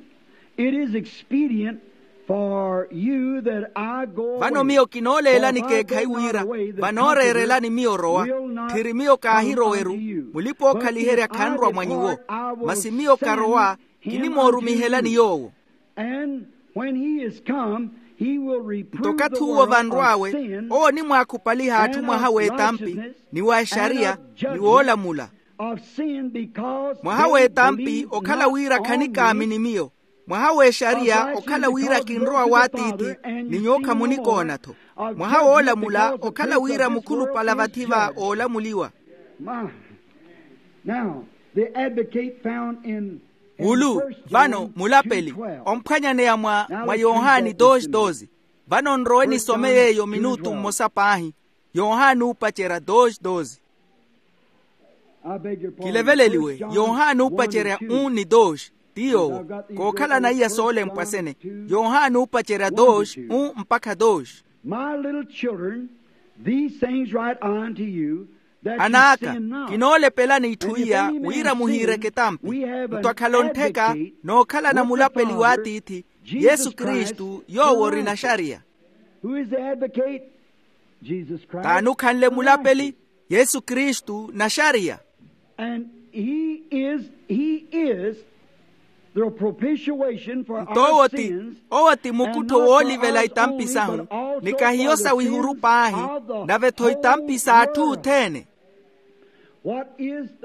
it is expedient for you that I go away. Vano miyo kinooleelani keekhayi wira vanooreerelani miyo orowa. Tthiri miyo kaahiroweru. Mulipa-ookhaliherya khanrwa mwa nyuwo. Masi miyo karowa. Kinimoorumihelani yoowo. Nto okathi uwo vanrw'awe, owo onimwaakhupaliha atthu mwaha w'etampi, ni wa exariya, ni woolamula. Mwaha w'etampi okhala wira khanikaamini miyo. Mwaha w'exariya okhala wira kinrowa w'atiithi, ni nyuwo khamunikoona-tho. Mwaha woolamula okhala wira mukhulupale vathi va oolamuliwa. Wulu vano mulapeli, omphwanyaneya mwa yohani dosi dosi. Vano nrowe nisome yeeyo minutu mmosa paahi. Yohani oopacerya dosi dosi. Kileveleliwe. Yohani oopacerya un ni dosi. Ti yoowo. Kookhalana iya soolempwa sene. Yohani oopacerya dosi un mpakha dosi. Anaaka, kinoolepelani itthu iya wira muhiireke etampi. Nto akhala ontheka nookhalana mulapeli w'atiithi, yesu kristu yoowo ori naxariya. T'ani okhanle mulapeli? Yesu kristu naxariya. Nto owo ti owo ti mukuttho woolivela itampi sahu. Ni kahiyo sawihuru paahi, nave-tho itampi s'atthu othene.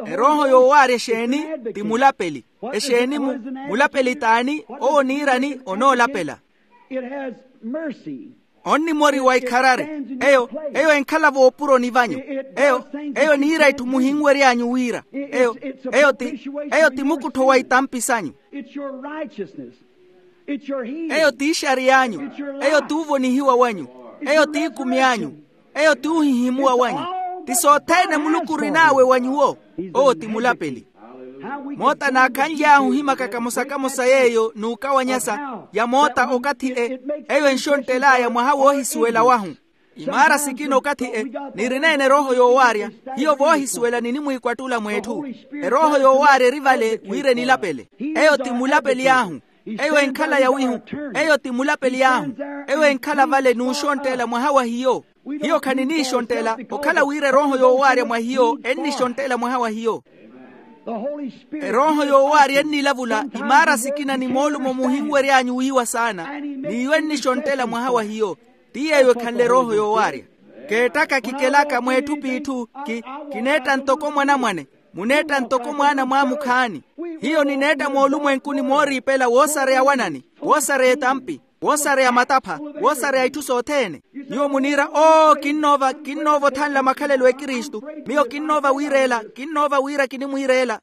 Erooho yoowaarya exeeni? Ti mulapeli. Exeeni mu mulapeli t'ani? Owo oniirani onoolapela. Onnimoriwa ikharari. Eyo eyo enkhala voopuroni vanyu. Eyo eyo eniira itthu muhinwery'anyu wira eyo eyo ti eyo ti mukuttho wa itampi sanyu. Eyo ti ixariy'anyu. Eyo ti uvonihiwa wanyu. Eyo ti ikumi anyu. Eyo ti uhihimuwa wanyu. Ti sothene muluku orin'awe wa nyuwo. Owo ti mulapeli. Moota naakhanly'ahu ohimaka kamosa-kamosa yeeyo n'ukawanyasa ya moota okathi e eyo enxonttel'aya mwaha woohisuwela wahu. Imaara sikina okathi e nirineene erooho yoowaarya hiyo voohisuwela ninimwiikwattula mw'etthu. Erooho yoowaarya eri vale wira enilapele. Eyo ti mulapeli ahu. Eyo enkhala yawihu. Eyo ti mulapeli ahu. Eyo enkhala vale n'uxontteela mwaha wa hiyo. Hiyo khaniniixonttela okhala wira erooho yoowaarya mwa hiyo ennixonttela mwaha wa hiyo. Erooho yoowaarya ennilavula imaara sikina ni moolumo muhinwery'anyu wiiwa saana n'iyo ennixonttela mwaha wa hiyo. Ti yeeyo ekhanle erooho yoowaarya. Keettaka kikelaka mw'etthu p'itthu kineetta ntoko mwanamwane. Muneetta ntoko mwaana mwaamukhaani. Hiyo nineetta moolumwenkuni mooriipela woosareya wanani woosareya etampi woosareya matapha woosareya itthu sothene. Nyuwo muniira oo kinnoova kinnoova othanla makhalelo ekristu. Miyo kinnoova wiireela kinnoova wira kinimwiireela.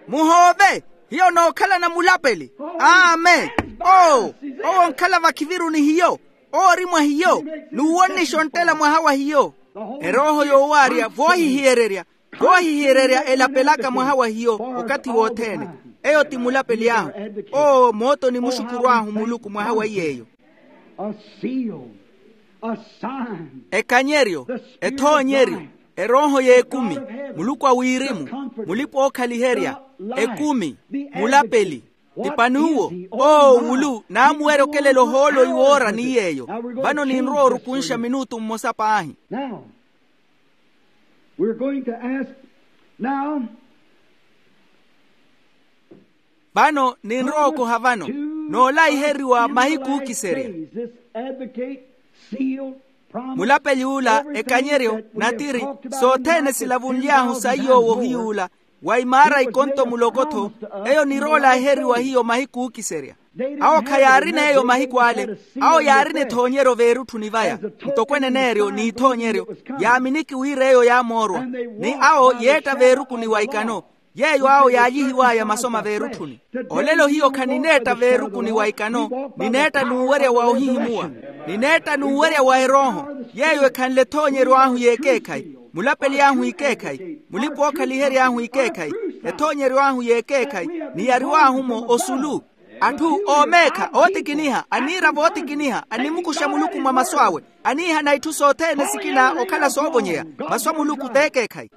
Muhoove. Hiyo nookhalana mulapeli. Amen. Oo owo onkhala vakhiviru ni hiyo. Owo ori mwa hiyo n'uwo onnixonttela mwaha wa hiyo. Erooho yoowaarya voohihiyererya voohihiyererya elapelaka mwaha wa hiyo okathi wothene. Eyo ti mulapeli ahu. Oo mootoni muxukurw'ahu muluku mwaha wa iy'eyo. Ekanyeryo ethoonyeryo erooho y'ekumi muluku a wirimu mulipa-ookhaliherya ekumi mulapeli. Ti panuwo oo wulu naamuwerya okelela ohoolo iwoora ni yeeyo. Vano ninrowa orukunxa minutu mmosa paahi. Now we're going to ask now. Vano ninrowa okoha vano noolaiheriwa mahiku ookiserya. Mulapeli ula ekanyeryo natiri sothene silavunly'ahu saiy'owo ohiyuula wa imaara ikonto muloko-tho. Eyo niroolaaheriwa hiyo mahiku ookiserya. Awo khayaarina eyo mahiku ale. Awo yaarina ethoonyeryo veerutthuni vaya ntoko eneneeryo n'ithoonyeryo yaaminiki wira eyo yaamoorwa. Ni awo yeetta veerukuni wa ikano yeeyo awo yaalyihiw'aya masoma veerutthuni. Olelo hiyo khanineetta veerukuni wa ikano nineetta n'uwerya wa ohihimuwa. Nineetta n'uwerya wa erooho yeeyo ekhanle ethoonyeryo ahu y'ekeekhayi mulapeli ahu ikeekhayi mulipa-ookhaliherya ahu ikeekhayi ethoonyeryo ahu y'ekeekhayi niyariw'ahu-mo osulu. Atthu oomeekha ootikiniha aniira vootikiniha animukuxa muluku mwa masu awe aniihana itthu sothene sikina okhala soovonyeya. Masu a muluku t'ekeekhayi.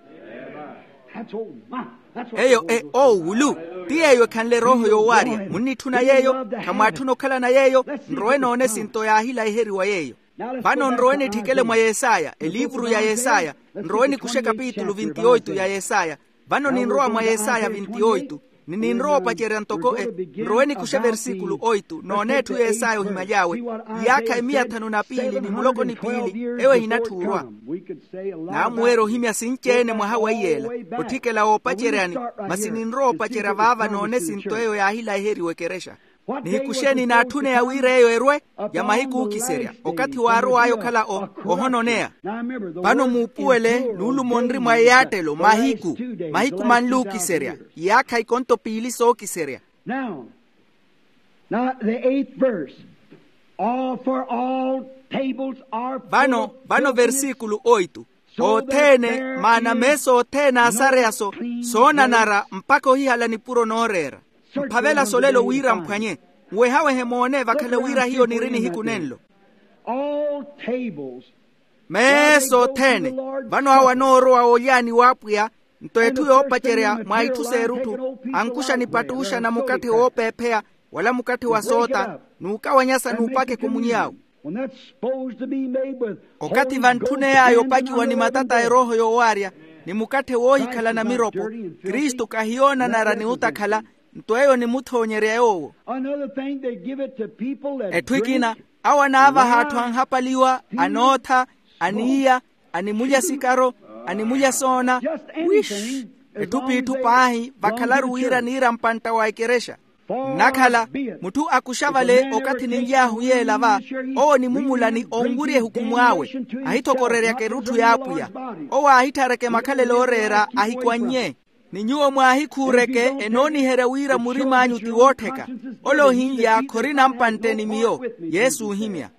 Eyo e oowulu ti yeeyo ekhanle erooho yoowaarya munnitthuna yeeyo. Khamwaatthuna okhalana yeeyo. Nrowe noone esinto yaahilaheriwa yeeyo. Vano nrowe nitthikele mwa yesaya eliivuru ya yesaya. Nrowe nikuxe kapitulu vinti oitu ya yesaya. Vano ninrowa mwa yesaya vinti oitu ni ninrowa opacerya ntoko e. Nrowe nikuxe versikulu oitu noone etthu yesaya ohimaly'awe iyaakha emiya thanu na piili ni muloko ni piili eyo ehinatthuurwa. Naamuweerya ohimya sinci-ene mwaha weiyeela otthikela woopaceryani. Masi ninrowa opacerya vaava noone esinto eyo yaahilaheriwa ekerexa. Nihikuxeeni naatthuneya wira eyo erwe ya mahiku ookiserya okathi waarow'aya okhala ohononeya. Vano muupuwele nuulumo onri mwa eyaattelo mahiku mahiku manli ookiserya iyaakha ikonto piili sookiserya. Now the eighth verse. All for all tables are vano vano versikulu oitu othene maana meesa othene aasareya-so soonanara mpakha ohihala nipuro nooreera. Mphavela solelo wira mphwanye nwehawehe moone vakhala wira hiyo niri nihiku nenlo. All tables. Meesa othene vano awo anoorowa oolyaani w'apwiya nto etthu yoopacerya mwa itthu s'erutthu ankuxa nipattuxa na mukatthe woopeepheya wala mukatthe wa soota n'ukawanyasa n'upaka ekomunyawe. Okathi vantthuney'aya opakiwa ni matata a erooho yoowaarya ni mukatthe woohikhala na miropo kristu kahiyoonanara ni utakhala nto eyo nimuthoonyerya yoowo. Etthu ekina awo anaavaha atthu anhapaliwa anootha aniiya animulya sikaro animulya soona wish etthu p'itthu paahi vakhalaru wira niira mpantta wa ekerexa. Nnakhala mutthu akuxa vale okathi ninly'ahu yeela va owo onimumula ni onwirya ehukumu awe ahithokoreryaka erutthu y'apwiya owo aahitthareke makhalelo ooreera ahikwannye. Ni nyuwo mwaahikhuureke enooniherya wira murim'anyu ti woottheka ole ohinlya khorina mpantte ni miyo yesu oohimya.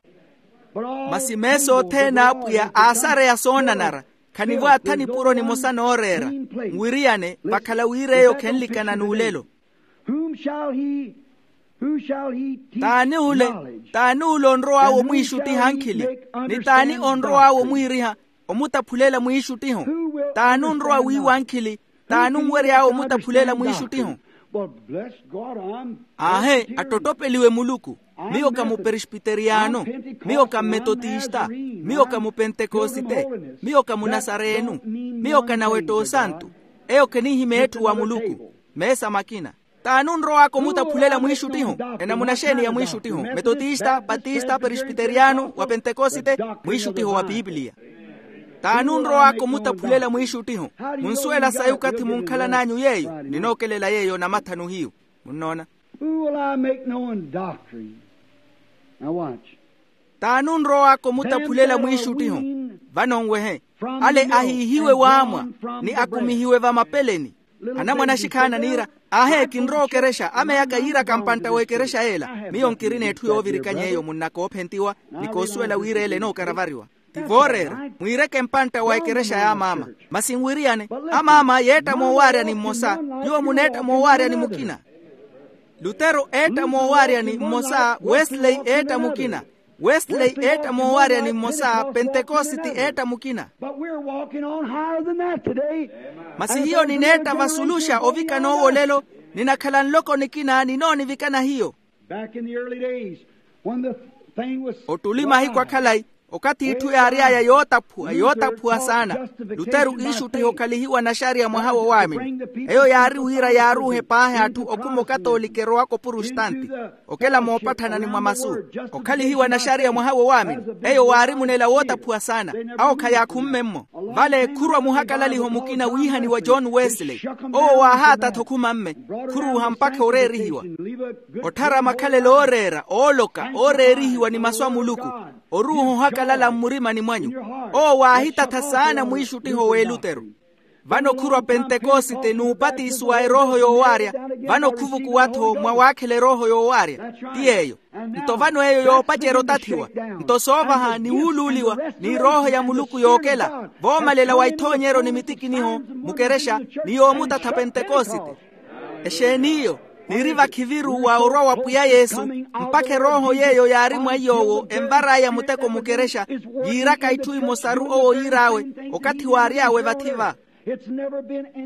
Masi meesa othene a apwiya aasareya soonanara. Khanivo atha nipuro nimosa nooreera. Nwiriyane vakhala wira eyo khenlikana n'ulelo. Whom shall he, who shall he teach? T'ani ule? Knowledge? T'ani ule onrow'awe omwiixuttiha ankhili? Ni t'ani onrow'awe omwiiriha, omutaphulela mwiixuttiho? T'ani onrowa wiiwa ankhili? T'ani onwery'awe omutaphulela mwiixuttiho? Aahe, attottopeliwe muluku. Miyo ka muperesbiteriyano. Miyo ka mmetotista. Miyo ka mupentekosite. Miyo ka munasareenu. Miyo ka nawetta osantu. Eyo khenihimya etthu wa muluku. Meesa makina. T'ani onrow'aka omutaphulela mwiixuttiho? Enamuna xeeni ya mwiixuttiho? Metotista, patista, peresbiteriyano, wa pentekosite? Mwiixuttiho wa piipiliya. T'ani onrow'aka omutaphulela mwiixuttiho? Munsuwela sayi okathi munkhalan'anyu yeeyo? Ninookelela yeeyo namathanu hiyu. Munnoona? Who will I make known doctrine? Now watch. T'ani onrow'aka omutaphulela mwiixuttiho? Vano nwehe. Ale ahiihiwe waamwa, ni akumihiwe vamapeleni. Anamwane axikhaana niira, aahe kinrowa okerexa, ameyaka yiiraka mpantta w'ekerexa y'ela. Miyo nkirina etthu yoovirikanya eyo munna koophentiwa, ni koosuwela wira ela enookaravariwa. Ti vooreera, mwiireke mpantta wa ekerexa y'amaama. Masi nwiriyane, amaama yeetta moowaarya ni mmosa. Nyuwo muneetta moowaarya ni mukina. Lutero eetta moowaarya ni mmosa. Wesley eetta mukina. Wesley eetta moowaarya ni mmosa. Pentekositi eetta mukina. But we're walking on higher than that today. Masi hiyo nineetta vasuluxa ovikana owo olelo. Ninakhala nloko nikina ninoonivikana hiyo. Back in the early days, when the thing was ottuli mahiku akhalayi, okathi itthu yaary'aya yootaphuwa yootaphuwa saana. Luteru iixuttiha okhalihiwa naxariya mwaha wowaamini. Eyo yaari wira yaaruuhe paahi atthu okhuma okatoolika erowaka opurustanti, okela moopatthana ni mwa masu. Okhalihiwa naxariya mwaha wowaamini, eyo waari munela wootaphuwa saana. Awo khayaakhummme-mmo. Vale khurwa muhakalaliho mukina wiihaniwa john wesley. Owo waahaatatha okhuma-mme, khuruuha mpakha oreerihiwa. Otthara makhalelo ooreera ooloka ooreerihiwa ni masu a muluku. Oruuha ohakalala mmurimani mwanyu. Owo waahitatha saana mwiixuttiho w'eluteru. Vano khurwa pentekosite n'upatiso wa erooho yoowaarya. Vano khuvukuwa-tho mwa waakhela erooho yoowaarya. Ti yeeyo. Nto vano eyo yoopacerya otathiwa. Nto soovaha ni wuuluuliwa, ni erooho ya muluku yookela voomalela wa ithoonyeryo ni mitikiniho mukerexa, ni yoomutatha pentekosite. Exeen'iyo? Niri vakhiviru wa orwa wa pwiya yesu, mpakha erooho yeeyo yaari mwa iy'owo envar'aya muteko mukerexa, yiiraka itthu imosaru owo yiir'awe, okathi waary'awe vathi-va.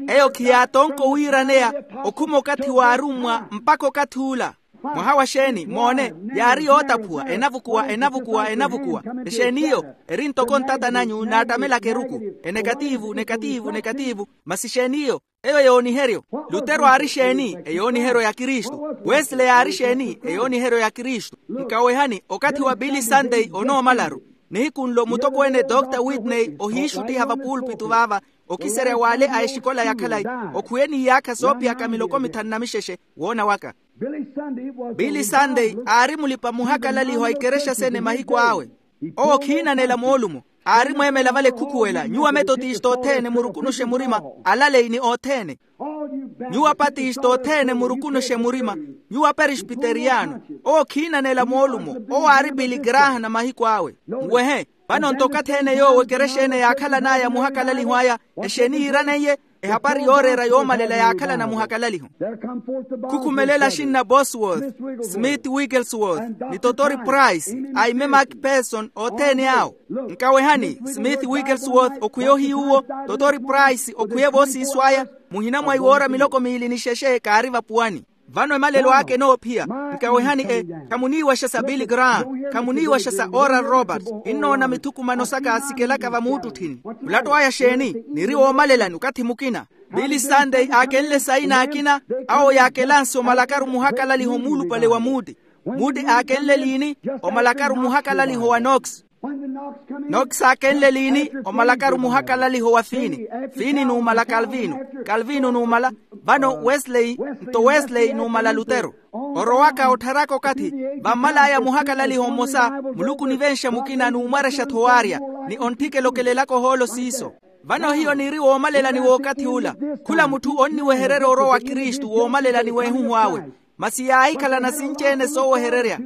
Eyo khiyaatonka owiiraneya okhuma okathi w'arummwa mpakha okathi ula. Mwaha wa xeeni moone, yaari yootaphuwa enavukuwa enavukuwa enavukuwa. Exeen'iyo? Eri ntoko ntata nanyu naattamelaka eruku. Enekatiivu nekatiivu nekatiivu. Masi xeen'iyo? Eyo yooniheryo. Lutero aari xeeni? Eyooniheryo ya kristu. Wesley aari xeeni? Eyooniheryo ya kristu. Nkawehani okathi wa billy sunday onoomalaru. Nihiku nlo mutokweene dr whitney ohiixuttiha vapuulpitu vaava, okiserya w'ale a exikola ya khalayi, okhwiyeni iyaakha soophiyaka miloko mithanu na mixexe. Woona waka. Billy sunday aari mulipa-muhakalaliho a ikerexa sene mahiku awe. Owo khiinanela moolumo. Aari mweemela vale khukhuwela nyuwo ametotista othene murukunuxe murima. Alaleyi ni othene. Nyuwo apatista othene murukunuxe murima. Nyuwo aperesbiteriyano. Owo khiinanela moolumo. Owo aari piligrahana mahiku awe. Nwehe. Vano nto okathi ene yoowo ekerexa ene yaakhalan'aya muhakalaliho aya. Exeeni yiiraneiye? Ehapari yooreera yoomalela yaakhalana muhakalaliho. Khukhumelela axinna bosworth, smith wigglesworth, ni totori price, aime macpherson othene awo. Nkawehani, smith wigglesworth okhwiye ohiy'uwo, totori price okhwiye voosiiso aya. Muhina mwa iwoora miloko miili ni xexe kaari vapuwani. Vano emalelo aka enoophiya. Nkawehani e, khamuniiwaxa sa billy graham, khamuniiwaxa sa oral robert. Innoona mithukumano saka sikelaka vamuuttutthini. Mulatto aya xeeni? Niri woomalelani okathi mukina. Billy sunday aakenle saina akina. Awo yaakelanse omalakaru muhakalaliho muulupale wa muuti. Muuti aakenle liini? Omalakaru muhakalaliho wa nox. Nox aakenle liini? Omalakaru muhakalaliho wa fiini. Fiini numala kalvino. Kalvino numala. Vano wesley. Nto wesley numala lutero. Orowaka ottharaka okathi, vammal'aya muhakalaliho mmosa. Muluku onivenxa mukina numwarexa-tho waarya, ni ontthikela okelelaka ohoolo siiso. Vano hiyo niri woomalelani w'okathi ula. Khula mutthu onniwehererya orowa wa kristu woomalelani w'ehuhu awe. Masi yaahikhalana sinci-ene soowehererya.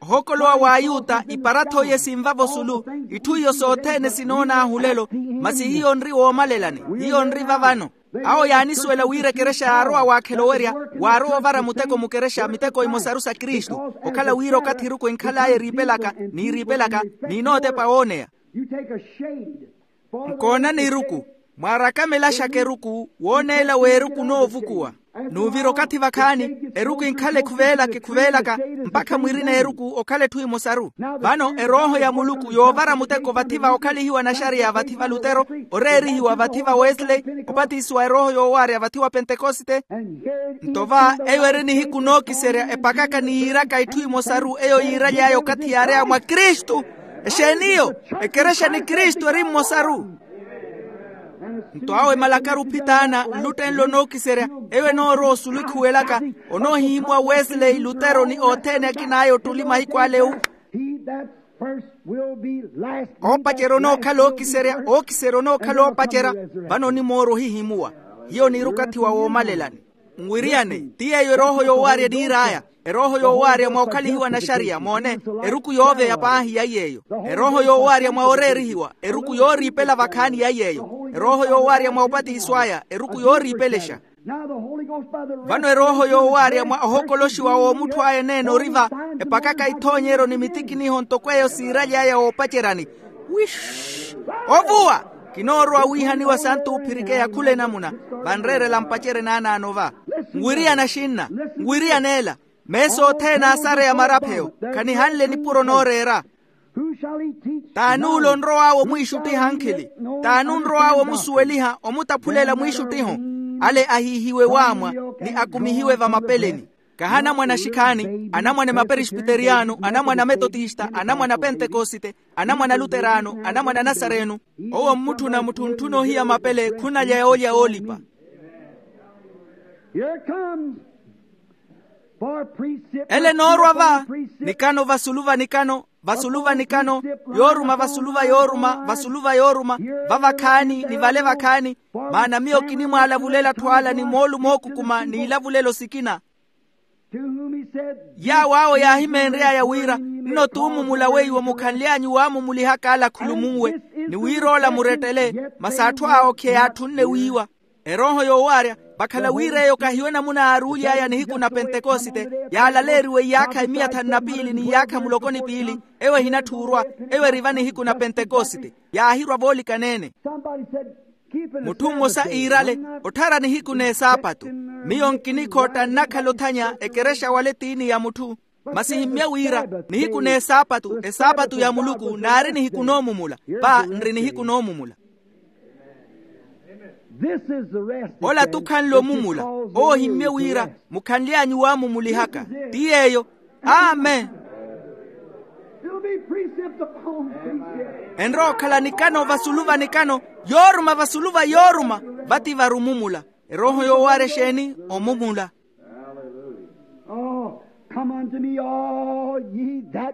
Ohookolowa w'ayuta iparath'oiye sinvavo sulu. Itthu iyo sothene sinoon'ahu lelo. Masi hiyo nri woomalelani. Hiyo nri vavano. Awo yaanisuwela wira ekerexa yaarowa waakhela owerya. Waarowa ovara muteko mukerexa miteko imosaru sa kristu. Okhala wira okathi eruku enkhal'aya eriipelaka, niiriipelaka, n'inootepa wooneya. Nkoonani eruku. Mwaarakame elaxaka eruku wooneela w'eruku onoovukuwa. N'uvira okathi vakhaani, eruku enkhala ekhuveelaka ekhuveelaka, mpakha mwirina eruku okhala etthu emosaru. Vano erooho ya muluku yoovara muteko vathi va okhalihiwa naxariya vathi va lutero, oreerihiwa vathi va wesley, opatisiwa erooho yoowaarya vathi wa pentekosite. Nto va eyo eri nihiku nookiserya epakaka ni yiiraka itthu emosaru eyo yiiraly'aya okathi yaary'aya mwa kristu. Exeeni iyo? Ekerexa ni kristu eri mmosaru. Nto awo emalakaru ophitaana nluttenle onookiserya, eyo enoorowa osulu ekhuwelaka, onoohihimuwa wesley lutero ni othene akin'aya ottuli mahiku ale. Oopacerya onookhala ookiserya ookiserya onookhala oopacerya. Vano onimoorwa ohihimuwa. Hiyo niiri okathi wa woomalelani. Nwiriyane, ti yeeyo erooho yoowaarya eniir'aya. Erooho yoowaarya mwa okhalihiwa naxariya moone, eruku yooveya paahi ya iy'eyo. Erooho yoowaarya mwa oreerihiwa, eruku yooriipela vakhaani ya iy'eyo. Erooho yoowaarya mwa opatiso aya eruku yooriipelexa. Vano erooho yoowaarya mwa ohokoloxiwa w'omutthu aya eneene ori va, epakaka ithoonyeryo ni mitikiniho ntoko eyo siiraly'aya woopaceryani. Wish. Ovuwa. Kinoorowa wiihaniwa santu ophirikeya khula enamuna. Vanreerela mpacerye naanaano va. Nwiriyana axinna. Nwiriyana ela. Meesa othene aasareya marapheyo. Khanihanle nipuro nooreera. T'ani ole onrow'awe omwiixuttiha ankhili? T'ani onrow'awe omusuweliha omutaphulela mwiixuttiho? Ale ahiihiwe waamwa, ni akumihiwe vamapeleni. Kahi anamwane axikhaani, anamwane maperesbiteriyano, anamwane ametotista, anamwane apentekosite, anamwane aluteraano, anamwane anasareeno. Owo mmutthuna mutthuntthuna ohiya mapele khunalya yoolya woolipa. Ele enoorwa va. Nikano vasulu va nikano, vasulu va nikano, yooruma vasulu va yooruma vasulu va yooruma, va vakhaani ni vale vakhaani. Maana miyo kinimwaalavulela atthu ala ni moolumo ookukuma n'ilavulelo sikina. Yaawo awo yaahimeenry'aya wira, nno t'umumula weiwo mukhanly'anyu waamumulihaka ala akhulumunwe, ni wira ola murettele. Masi atthu awo okheya atthunne wiiwa. Erooho yoowaarya, vakhala wira eyo kahiyo enamuna yaaruuly'aya nihiku na pentekosite, yaalaleeriwe iyaakha emiya thanu na piili n'iyaakha muloko ni piili. Eyo ehinatthuurwa. Eyo eri va nihiku na pentekosite. Yaahirwa voolikaneene. Mutthu mmosa iirale, otthara nihiku n'esaapatu. Miyo nkinikhotta nnakhala othanya ekerexa wala etiini ya mutthu. Masi himmye wira, nihiku n'esaapatu esaapatu ya muluku naari nihiku noomumula. Va nri nihiku noomumula. Ola t'ukhanle omumula. Owo himmye wira, mukhanly'anyu waamumulihaka. Ti yeeyo. Amen. Enrowa okhala nikano vasulu va nikano, yooruma vasulu va yooruma. Vati vari omumula. Erooho yoowaarya exeeni? Omumula.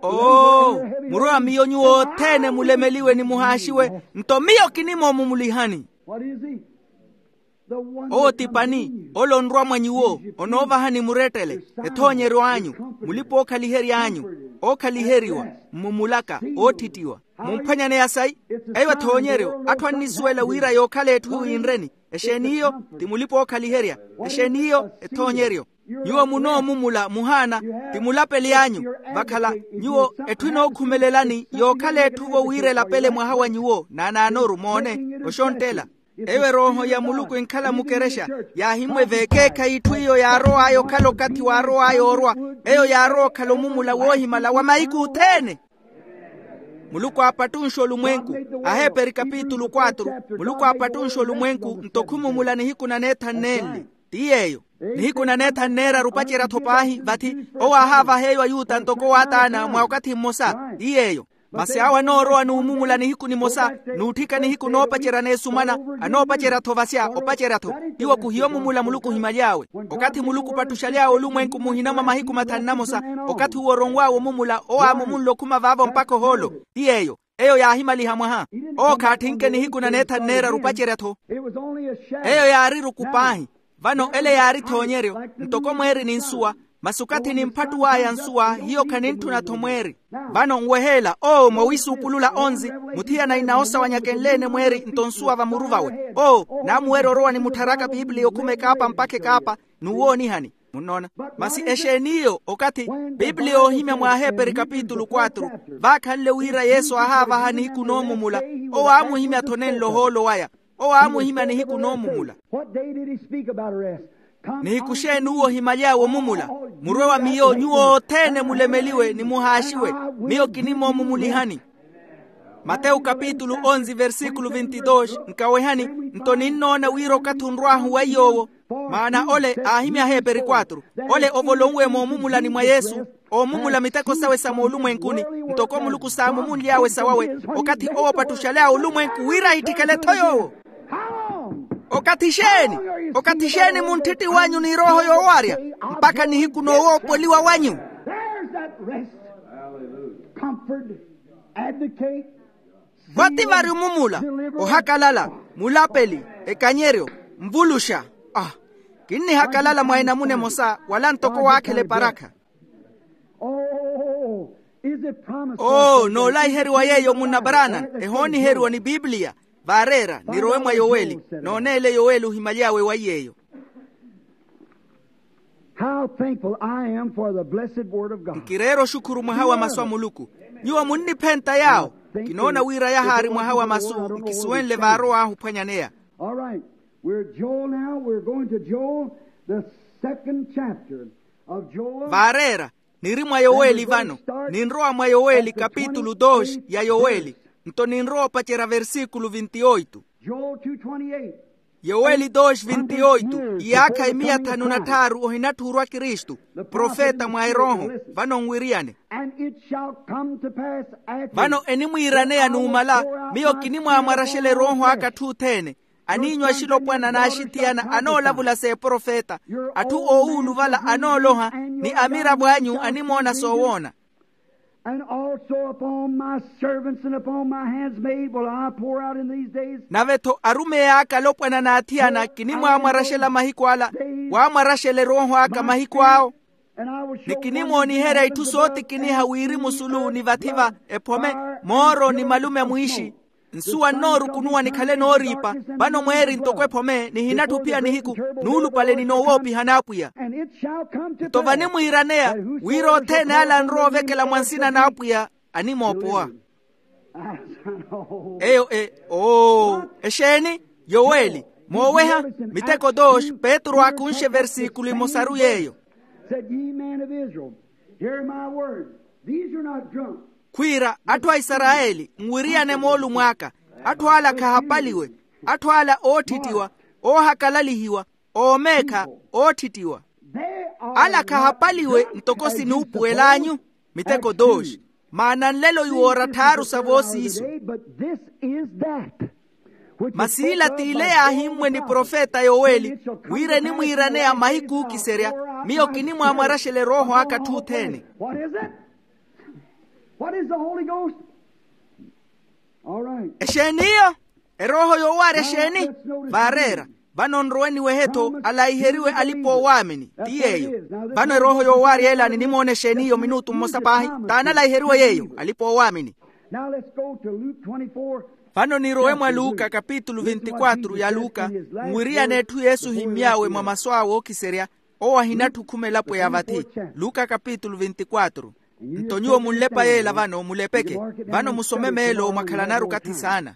Oo, murowa miyo nyuwo othene mulemeliwe ni muhaaxiwe. Nto miyo kinimoomumulihani. Owo ti pani? Ole onrwa mwa nyuwo, onoovahani murettele, ethoonyeryo anyu, mulipa-ookhalihery'anyu, ookhaliheriwa, mmumulaka, oottittiwa. Mumphwanyaneya sayi? Eyo ethoonyeryo atthu annisuwela wira yookhala etthu yinreni. Exeeni iyo? Ti mulipa-ookhaliherya. Exeeni iyo? Ethoonyeryo. Nyuwo munoomumula muhaana, ti mulapeli anyu. Vakhala nyuwo etthu enookhumelelani yookhala etthu-vo wira elapele mwaha wa nyuwo naanaanoru moone. Oxonttela. Eyo erooho ya muluku enkhala mukerexa, yaahimmwa eveekeekhayi itthu iyo yaarow'aya okhala okathi waarow'aya orwa. Eyo yaarowa okhala omumula woohimala wa mahiku othene. Muluku aapattunxe olumwenku. Aheeperi kapitulu quatro. Muluku aapattunxe olumwenku nto khumumula nihiku na neethanu nenli. Ti yeeyo. Nihiku na neethanu neeraru opacerya-tho paahi vathi. Owo aahaavaha eyo ayuta ntoko waataana mwa okathi mmosa. Ti yeeyo. Masi awo anoorowa n'umumula nihiku nimosa, n'utthika nihiku noopacerya n'esumana. Anoopacerya-tho vasya opacerya-tho. Iwo khuhiyo omumula muluku ohimaly'awe. Okathi muluku opattuxaly'awe olumwenku muhina mwa mahiku mathanu na mosa, okathi uwo oronw'awe omumula owo aamumunle okhuma vaavo mpakha ohoolo. Ti yeeyo. Eyo yaahimaliha mwaha. Owo khaatthinke nihiku na neethanu neeraru opacerya-tho. Eyo yaari eruku paahi. Vano ele yaari ethoonyeryo. Ntoko mweeri ni nsuwa. Masi okathi nimphattuw'aya nsuwa hiyo khanintthuna-tho mweeri. Vano nweheela oo mwawiisuupulula onzi, muthiyana inaosawanyaka enleene mweeri nto nsuwa vamuru vawe. Oo naamuwerya orowa nimuttharaka piipiliya okhuma ekaapa mpakha ekaapa, n'uwoonihani. Munnoona? Masi exeen'iyo okathi piipiliya oohimya mw'aheperi kapitulu quatro, vaakhanle wira yesu aahaavaha nihiku noomumula. Owo aamuhimya-tho nenlo ohoolo waya. Owo aamuhimya nihiku noomumula. What day did he speak about arrest? Nihiku xeeni uwo ohimaly'awe omumula? Murwe wa miyo nyuwo othene mulemeliwe ni muhaaxiwe. Miyo kinimoomumulihani. Matewu kapitulu onzi versikulu vinti dos. Nkawehani, nto ninnoona wira okathi onrw'ahu weiy'owo. Maana ole aahimya aheeperi quatro, ole ovolonwe moomumulani mwa yesu, oomumula miteko sawe sa moolumwenkuni, ntoko muluku saamumunly'awe sawawe, okathi owo opattuxaly'awe olumwenku wira ahitthikele-tho yoowo. Okathi xeeni? Okathi xeeni muntthittiw'anyu n'irooho yoowarya? Mpakha nihiku noowoopoliwa wanyu. Vati vari omumula, ohakalala, mulapeli, ekanyeryo, nvuluxa. Ah, kinnihakalala mwa enamuna emosa wala ntoko waakhela eparakha. Oo noolaiheriwa yeeyo munna branham, ehooniheriwa ni piipiliya. Vaareera nirowe mwa yoweli nooneele yoweli ohimaly'awe waiy'eyo. How thankful I am for the blessed word of God. Nkireera oxukhuru mwaha wa masu a muluku. Nyuwo munniphenta yaawo. Kinoona wira yahaari mwaha wa masu nkisuwenle vaarow'ahu ophwanyaneya. All right. We're joel now we're going to joel, the second chapter of joel. Vaareera niri mwa yoweli vano. Ninrowa mwa yoweli kapitulu dos ya yoweli. Nto ninrowa opacerya versikulu vinti oito. Joel two twenty-eight. Yoweli dos vinti oito. Iyaakha emiya thanu na tthaaru ohinatthuurwa kristu, profeta mwa erooho. Vano nwiriyane. And it shall come to pass after. Vano enimwiiraneya numala, miyo kinimwaamwaraxela erooho aka atthu othene. Aniinyu axilopwana n'axithiyana anoolavula s'eprofeta. Atthu oowuluvala anooloha, ni amiravo anyu animoona soowoona. And also upon my servants and upon my handsmaid will I pour out in these days. Nave-tho arumeyi aka alopwana n'athiyana kinimwaamwaraxela mahiku ala. Waamwaraxela erooho aka mahiku awo. Ni kinimooniherya itthu sootikiniha wirimu sulu ni vathi-va, ephome, mooro ni malume mwiixi. Nsuwa nnoorukunuwa nikhale nooriipa. Vano mweeri ntoko ephome nihinatthu ophiya nihiku, nuulupale ni noowoopiha n'apwiya. Nto vanimwiiraneya wira othene ala anrowa ovekela mwa nsina n'apwiya animoopowa. Eyo e oo exeeni? Yoweli. Mooweha miteko dos. Petru aakunxe versikulu emosaru yeeyo. Said ye men of israel, hear my word. These are not drunk. Khwiira atthu a isarayeli nwiriyane moolumo aka. Atthu ala khahapaliwe. Atthu ala ootthittiwa, oohakalalihiwa, oomeekha, ootthittiwa. Ala khahapaliwe ntoko sinuupuwel'anyu. Miteko dos. Maana nlelo iwoora tthaaru sa voosiiso. Masi ila t'ile yaahimmwe ni profeta yoweli, wira enimwiiraneya mahiku ookiserya, miyo kinimwaamwaraxela erooho aka atthu othene. Exeeni iyo? Erooho yoowaarya exeeni? Vaareera. Vano nrowe niwehe-tho alaiheriwe alipa-oowaamini. Ti yeeyo. Vano erooho yoowaarya ela ninimoona exeeni iyo minutu mmosa paahi. T'ani alaiheriwe yeeyo? Alipa-oowaamini. Vano nirowe mwa luka kapitulu vinti quatro ya luka. Nwiriyana etthu yesu ohimmy'awe mwa masu awe ookiserya. Owo ahinatthu okhuma elapo ya vathi. Luka kapitulu vinti quatro. Nto nyuwo munlepa yeela vano mulepeke. Vano musome meelo mwakhalanaru okathi saana.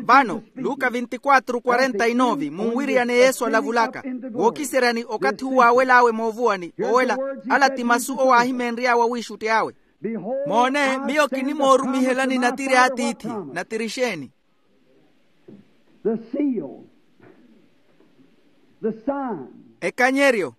Vano luka vinti quatro quarenta e nove munwiriyane yesu alavulaka. Wookiseryani okathi uwo aawel'awe moovuwani owela. Ala ti masu owo aahimenry'awe awiixutti awe. Moone miyo kinimoorumihelani natiri a tiithi. Natiri exeeni? Ekanyeryo,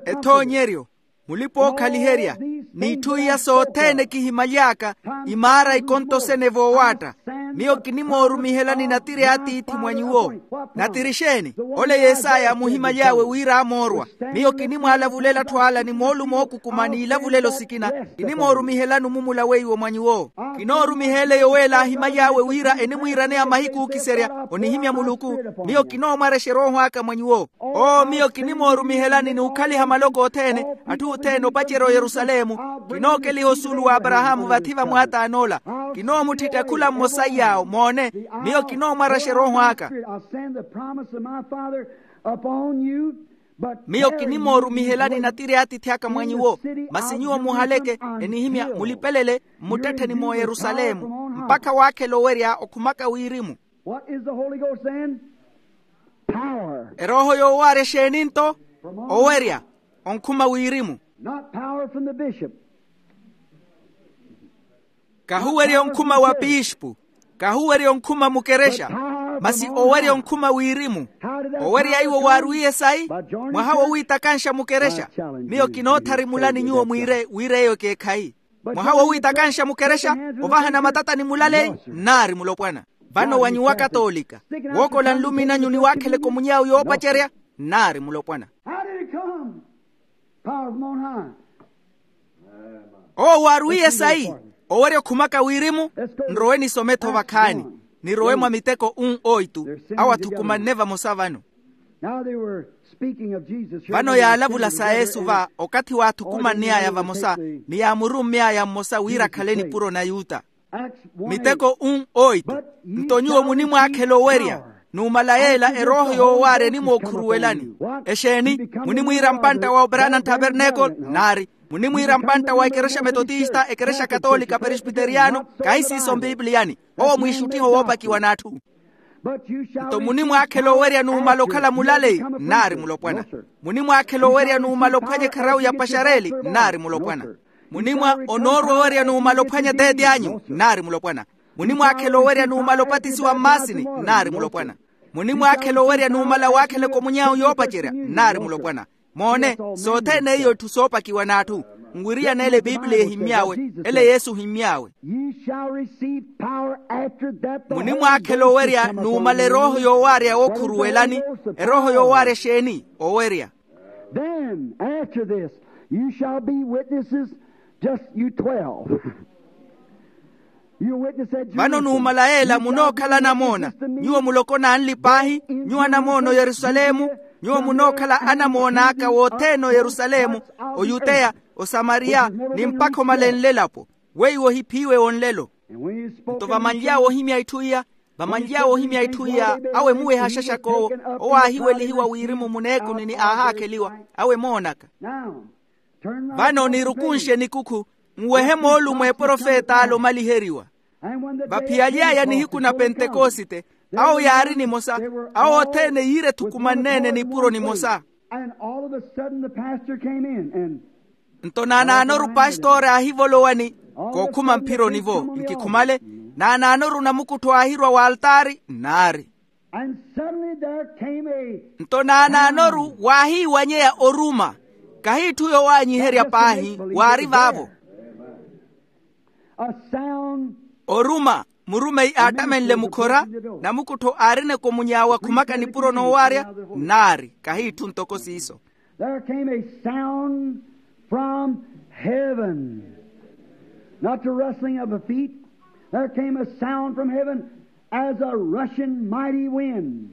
ethoonyeryo, mulipa-ookhaliherya, n'itthu iya sothene kihimaly'aka. Imaara ikonto sene voowaatta. Miyo kinimoorumihelani natiri a tiithi mwa nyuwo. Natiri exeeni? Ole yesaya amuhimaly'awe wira amoorwa. Miyo kinimwaalavulela atthu ala ni moolumo ookukuma n'ilavulelo sikina. Kinimoorumihelani omumula weiwo mwa nyuwo. Kinoorumiheela eyo weela aahimaly'awe wira enimwiiraneya mahiku ookiserya onihimya muluku. Miyo kinoomwarexa erooho aka mwa nyuwo. Oo miyo kinimoorumihelani n'ukhaliha maloko othene atthu othene opacerya oyerusalemu. Kinookeliha osuulu w'aparahaamu vathi vamwaataan'ola. Kinoomuttitta khula mmosa iy'awo moone. Miyo kinoomwaraxa erooho aka. Miyo kinimoorumihelani natiri a atiithi aka mwa nyuwo. Masi nyuwo muhaleke enihimya mulipelele mmuttettheni mw'oyerusalemu mpakha waakhela owerya okhumaka wirimu. What is the Holy Ghost then? Power. Erooho yoowaarya exeeni nto? Owerya onkhuma wirimu. Not power from the bishop. Kahuwerya onkhuma wa piispu. Kahuwerya onkhuma mukerexa. Masi owerya onkhuma wirimu. Owerya iwo waarwiiye sayi? Mwaha wowiitakanxa mukerexa. Miyo kinootharimulani nyuwo mwiire wira eyo ekeekhayi. Mwaha wowiitakanxa mukerexa. Ovahana matatani mulaleyi nnaari mulopwana. Vano wa nyuwo akatoolika wookola nlumi nanyu ni waakheleka omunyawu yoopacerya nnaari mulopwana. How did it come? Power from on high. Owo waarwiiye sayi? Owerya okhumaka wirimu. Nrowe nisome-tho vakhaani. Nirowe mwa miteko un oitu. Awo athukumanne vamosa vano. Now they were speaking of Jesus here. Vano yaalavula sa yesu va okathi waathukumanney'aya vamosa ni yaamurummy'aya mmosa wira akhale nipuro na yuta. Miteko un oitu. Nto nyuwo munimwaakhela owerya. Numala yeela erooho yoowaarya enimookhuruwelani. Exeeni? Munimwiira mpantta wa operana nttapernekolo? Nnaari. Munimwiira mpantta wa ekerexa metotista ekerexa katoolika peresbiteriyano? Kahi siiso mpipiliyani. Owo mwiixuttiha owoopakiwa n'atthu. Nto munimwaakhela owerya numala okhala mulaleyi? Nnaari mulopwana. Munimwaakhela owerya numala ophwanya ekharawu ya paxareli? Nnaari mulopwana. Munimwa onoorwa owerya numala ophwanya eteete anyu? Nnaari mulopwana. Munimwaakhela owerya numala opatisiwa mmaasini? Nnaari mulopwana. Munimwaakhela owerya numala waakheleka omunyawu yoopacerya? Nnaari mulopwana. Moone, sothene iyo itthu soopakiwa n'atthu. Nwiriyana ele epiipiliya ehimmy'awe. Ele yesu ohimmy'awe. Ye shall receive power after that the Holy Ghost is come upon you. Munimwaakhela owerya numala erooho yoowaarya wookhuruwelani. Erooho yoowaarya exeeni? Owerya. Then after this you shall be witnesses. Just you twelve. Vano numala yeela munookhala anamoona. Nyuwo muloko n'anli paahi, nyuwo anamoona oyerusalemu. Nyuwo munookhala anamoon'aka wothene oyerusalemu, oyuteya, osamariya, ni mpakha omale nlelapo. Weiwo ohiphiiwe wonlelo. Nto vamanly'awe ohimya itthu iya, vamanly'awe ohimya itthu iya, awo emuweha axaxak'owo. Owo aahiwelihiwa wirimu muneekuni ni aahaakheliwa. Awo emoonaka. Vano nirukunshe nikukhu, nwehe moolumo eprofet'ale omaliheriwa. Vaphiyaly'aya nihiku na pentekosite, awo yaari nimosa. Awo othene yiire ethukumanneene nipuro nimosa. Nto naanaanoru pastori aahivolowa ni, kookhuma mphironi-vo nkikhumale. Naanaanoru namukuttho aahirwa w'altaari nnaari. Nto naanaanoru waahiiwanyeya oruma. Kahi itthu yoowaanyiherya paahi waari vaavo. Oruma. Murumeyi aattamenle mukhora, namukuttho aarineko munyaawe akhumaka nipuro noowaarya. Nnaari kahi itthu ntoko siiso. There came a sound from heaven. Not the rustling of a feet. There came a sound from heaven as a rushing mighty wind.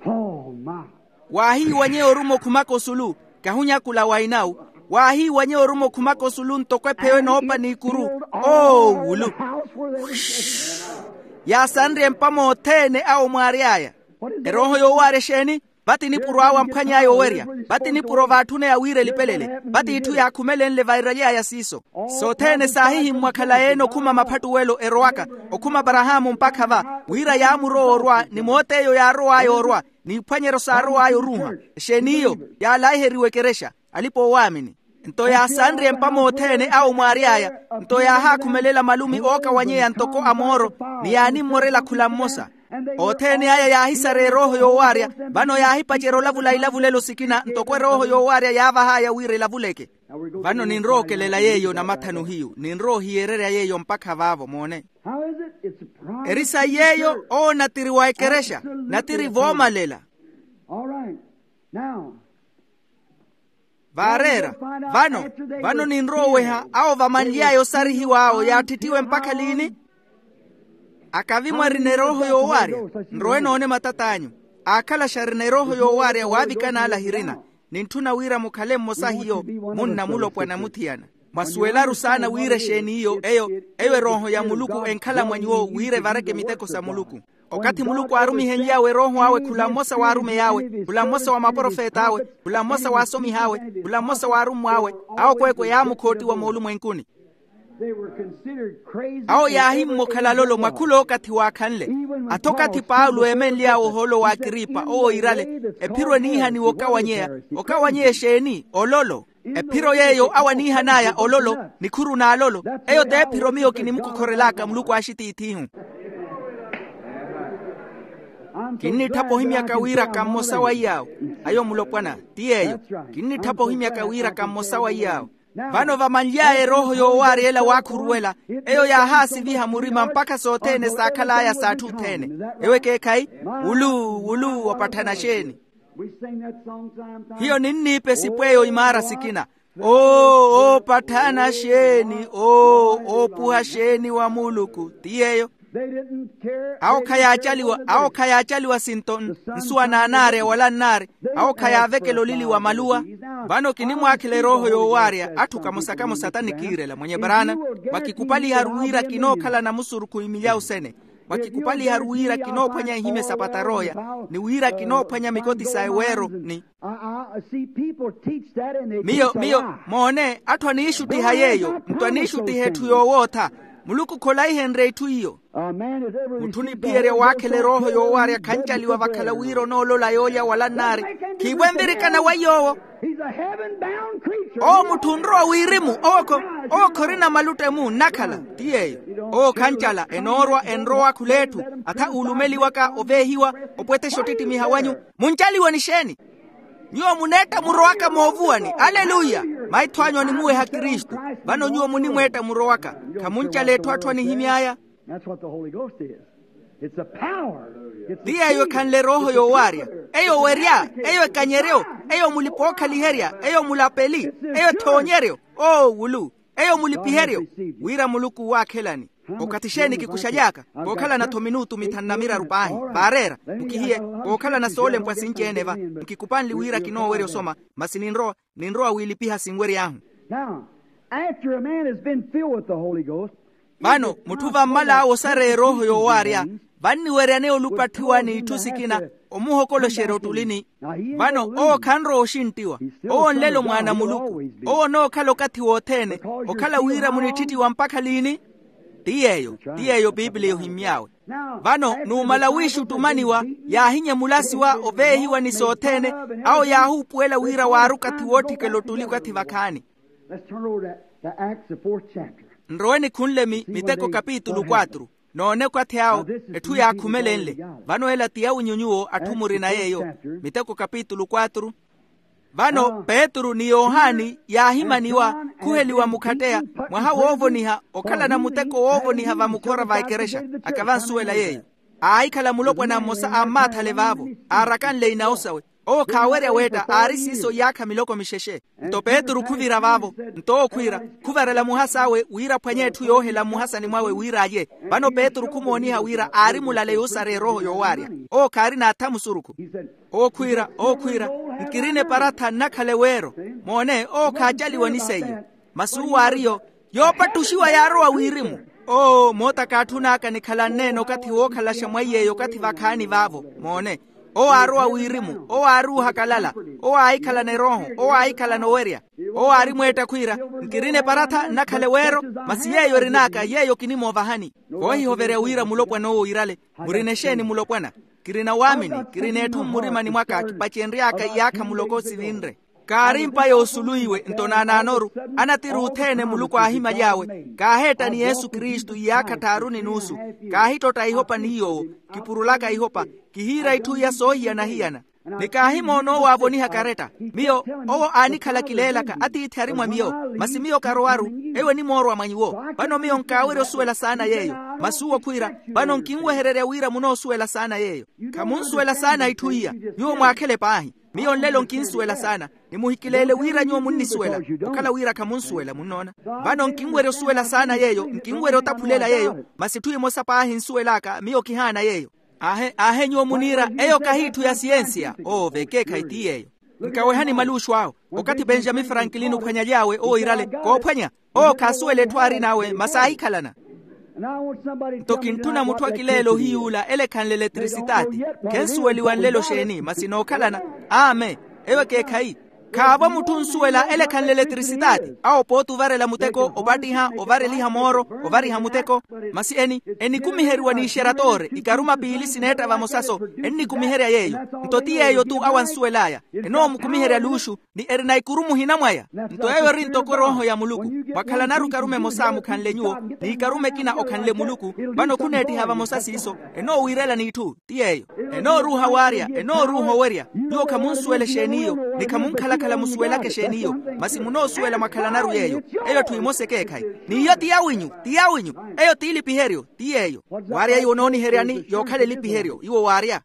Oh my. Waahiiwanyeya oruma okhumaka osulu. Kahunyakula wa inawu. Waahiiwanyeya oruma okhumaka osulu ntoko epheyo enoopa n'ikuru. Oowulu. Yaasanrye empa mothene awo mwaary'aya. Erooho yoowaarya exeeni? Vati nipuro awo amphwany'aya owerya. Vati nipuro vaatthun'aya wira elipelele. Vati itthu yaakhumelenle vairaly'aya siiso. Sothene saahihimmwa khalayi-ene okhuma maphattuwelo erowaka, okhuma aparahaamu mpakha va, wira yaamurowa orwa ni moot'eyo yaarow'aya orwa, n'iphwanyeryo saarow'aya oruuha. Exeeni iyo? Yaalaiheriwa ekerexa, alipa-oowaamini. Nto yaasanrye empa mothene awo mwaary'aya. Nto yaahaakhumelela malumi ookawanyeya ntoko a mooro, ni yaanimmorela khula mmosa. Othene aya yaahisareya erooho yoowaarya. Vano yaahipacerya olavula ilavulelo sikina ntoko erooho yoowaarya yaavah'aya wira ilavuleke. Vano ninrowa okelela yeeyo namathanu hiyu ninrowa ohiyererya yeeyo mpakha vaavo moone. Eri sayi yeeyo owo natiri wa ekerexa, natiri voomalela. Vaareera. Vano, vano ninrowa oweha awo vamanly'aya osarihiwa awo yaatthittiwe mpakha liini? Akavi mwarina erooho yoowaarya, nrowe noone matat'anyu. Aakhalaxa arina erooho yoowaarya waavikana ala ahirina. Nintthuna wira mukhale mmosa hiyo, munna mulopwana muthiyana. Mwasuwelaru saana wira exeeni iyo eyo, eyo erooho ya muluku enkhala mwa nyuwo wira evareke miteko sa muluku. Okathi muluku aarumihenly'awe erooho awe khula mmosa w'arumeyi awe, khula mmosa wa maprofet'awe, khula mmosa w'asomihi awe, khula mmosa w'arummw'awe, awo kweekwe yaamukhootiwa moolumwenkuni. Awo yaahimmokhala lolo mwa khul'okathi waakhanle. Atho okathi paulo eemenly'awe ohoolo w'akripa owo iirale, ephiro eniihaniwa okawanyeya. Okawanyeya exeeni? Ololo. Ephiro yeeyo awo aniihan'aya ololo, nikhuru n'alolo. Eyo t'ephiro miyo kinimukokhorel'aka muluku axitiithihu. Kinnitthapa ohimyaka wira ka mmosa wa iy'awo. Ayo mulopwana. Ti yeeyo. Kinnitthapa ohimyaka wira ka mmosa wa iy'awo. Vano vamanly'aya erooho yoowaarya ela waakhuruwela, eyo yaahaasiviha murima mpakha sothene saakhal'aya s'atthu othene. Ewo ekeekhayi, wulu wulu opatthana xeeni? Hiyo ninniipa esipu eyo imaara sikina. Oo oopatthana xeeni oo oopuha xeeni wa muluku ti yeeyo. Awo khayaacaliwa awo khayaacaliwa sinto nsuwa naanaarya wala nnaari. Awo khayaavekela olili wa maluwa. Vano kinimwaakhela erooho yoowaarya atthu kamosa kamosa tanikiirela mwenye paraana. Mwakikupaliharu wira kinookhalana musurukhu imilyawu sene. Mwakikupaliharu wira kinoophwanya ihimya sa patarooya, ni wira kinoophwanya mikoti sa eweero ni. Miyo miyo moone atthu aniixuttiha yeeyo nto aniixuttiha etthu yoowootha. Muluku kholaihenrye itthu iyo. Mutthu oniphiyerya waakhela erooho yoowaarya khancaliwa vakhala wira onoolola yoolya wala nnaari. Khiivo envirikana wa yoowo. Owo mutthu onrowa wirimu. Owo khorina maluttemu nnakhala. Ti yeeyo. Owo khancala enoorwa enrowa khul'etthu. Atha uulumeliwaka oveehiwa opwethexa ottittimiha wanyu. Muncaliwe ni xeeni? Nyuwo muneetta murowaka moovuwani aleluya. Maitho anyu animuweha kristu. Vano nyuwo munimweetta murowaka. Khamuncala etthu atthu anihimy'aya. Ti yeeyo ekhanle erooho yoowaarya. Eyo werya. Eyo ekanyeryo. Eyo mulipa ookhaliherya. Eyo mulapeli. Eyo ethoonyeryo. Oo wulu. Eyo mulipiheryo. Wira muluku waakhelani. Okathi xeeni kikuxaly'aka? Kookhalana-tho minutu mithanu na miraru paahi. Vaareera. Mukihiye. Kookhalana soolempwa sinci-ene va. Nkikupanli wira kinoowerya osoma. Masi ninrowa ninrowa wiilipiha sinwery'ahu. Now, after a man has been filled with the Holy Ghost. Vano mutthu vammal'awe osareya erooho yoowaarya, vanniweryaneya olupatthiwa n'itthu sikina. Omuhokoloxerya ottulini. Vano owo khanrowa oxinttiwa. Owo nlelo mwaana a muluku. Owo onookhala okathi wothene. Okhala wira munittittiwa mpakha liini? Ti yeeyo. Ti yeeyo piipiliya ohimmy'awe. Vano numala wiixuttumaniwa, yaahinyemula asiwa oveehiwa ni sothene. Awo yaahuupuwela wira waari okathi wootthikela ottuli okathi vakhaani. Nrowe nikhunle miteko kapitulu quatru. Noone okathi awo etthu yaakhumelenle. Vano ela ti yawinyu nyuwo atthu murina yeeyo. Miteko kapitulu quatru. Vano petru ni yohani yaahimaniwa, khuheliwa mukhatteya, mwaha woovoniha okhalana muteko woovoniha vamukhora va ekerexa. Akavansuwela yeeyo. Aahikhala mulopwana mmosa a mmaathale vaavo, aarakanle inawu sawe. Owo khaawerya weetta aari siiso iyaakha miloko mixexe. Nto petru khuvira vaavo. Nto owo khwiira, khuvarela muhas'awe wira aphwanye etthu yoohela mmuhasani mwawe wira alye. Vano petru khumooniha wira aari mulale yuusareya erooho yoowaarya. Owo khaarina atha musurukhu. Owo khwiira owo khwiira, nkirina eparatha nnakhala eweero. Moone owo khaacaliwa ni seiyo. Masi uwo aariyo, yoopattuxiwa yaarowa wirimu. Oo moota kaatthun'aka nikhalanne-ene okathi wookhalaxa mwa iy'eyo okathi vakhaani vaavo. Moone, owo aarowa wirimu owo aari uhakalala. Owo aahikhalana erooho owo aahikhalana owerya. Owo aari mweetta khwiira, nkirina eparatha nnakhala eweero. Masi yeeyo erin'aka yeeyo kinimoovahani. Koohihoverya wira mulopwana owo iirale. Murina exeeni mulopwana? Kirina waamini kirina etthu mmurimani mwaka kipacenry'aka iyaakha muloko sivinre. Kaari mpa yoosuluwiwe nto naanaanoru. Anatiri othene muluku aahimaly'awe. Kaaheetta ni yesu kristu iyaakha tthaaru ni nuusu. Kaahittotta ihopa ni yoowo. Kipurulaka ihopa. Kihiira itthu iya soohiyana-hiyana. Ni kaahimoona owo aavoniha karetta. Miyo, owo aanikhala kileelaka atiithi ari mwa miyo. Masi miyo karowaru. Eyo enimoorwa mwa nyuwo. Vano miyo nkaawerya osuwela saana yeeyo. Masi uwo khwiira, vano nkinwehererya wira munoosuwela saana yeeyo. Khamunsuwela saana itthu iya. Nyuwo mwaakhele paahi. Miyo nlelo nkinsuwela saana. Ni muhikileele wira nyuwo munnisuwela. Okhala wira khamunsuwela munnoona. Vano nkinwerya osuwela saana yeeyo, nkinwerya otaphulela yeeyo. Masi itthu emosa paahi nsuwel'aka miyo kihaana yeeyo. Aahe aahe nyuwo muniira, eyo kahi itthu ya siyensiya. Oo vekeekhayi ti yeeyo. Nkawehani maluuxu awo. Okathi penjamini frankilini ophwanyaly'awe owo iirale koophwanya. Owo khaasuwela etthu aarin'awe masi aahikhalana. Nto kintthuna mutthu akileela ohiyuula ele ekhanle eletrisitaati. Khensuweliwa nlelo xeeni masi nookhalana. Amen. Eyo ekeekhayi. Khaavo mutthu onsuwela ele ekhanle eletrisitaati awo pooti ovarela muteko opattiha ovareliha mooro ovariha muteko. Masi eni enikumiheriwa n'ixeratoore ikaruma piili sineetta vamosaso. Ennikumiherya yeeyo. Nto ti yeeyo-tu awo ansuwel'aya. Enoomukumiherya luuxu. Ni erina ikuru muhina mwaya. Nto eyo eri ntoko erooho ya muluku. Mwakhalanaru ikarume emosa mukhanle nyuwo, n'ikarume ekina okhanle muluku. Vano khuneettiha vamosa siiso. Enoowiirela n'itthu ti yeeyo. Enooruuha waarya. Enooruuha owerya. Nyuwo khamunsuwela exeen'iyo. Ni khamunkhalakhala musuwelaka exeen'iyo. Masi munoosuwela mwakhalanaru yeeyo. Eyo etthu emosa ekeekhayi. N'iyo ti yawinyu. Ti yawinyu. Eyo t'ilipiheryo. Ti yeeyo. Waarya iwo onooniheryani yookhala elipiheryo iwo waarya.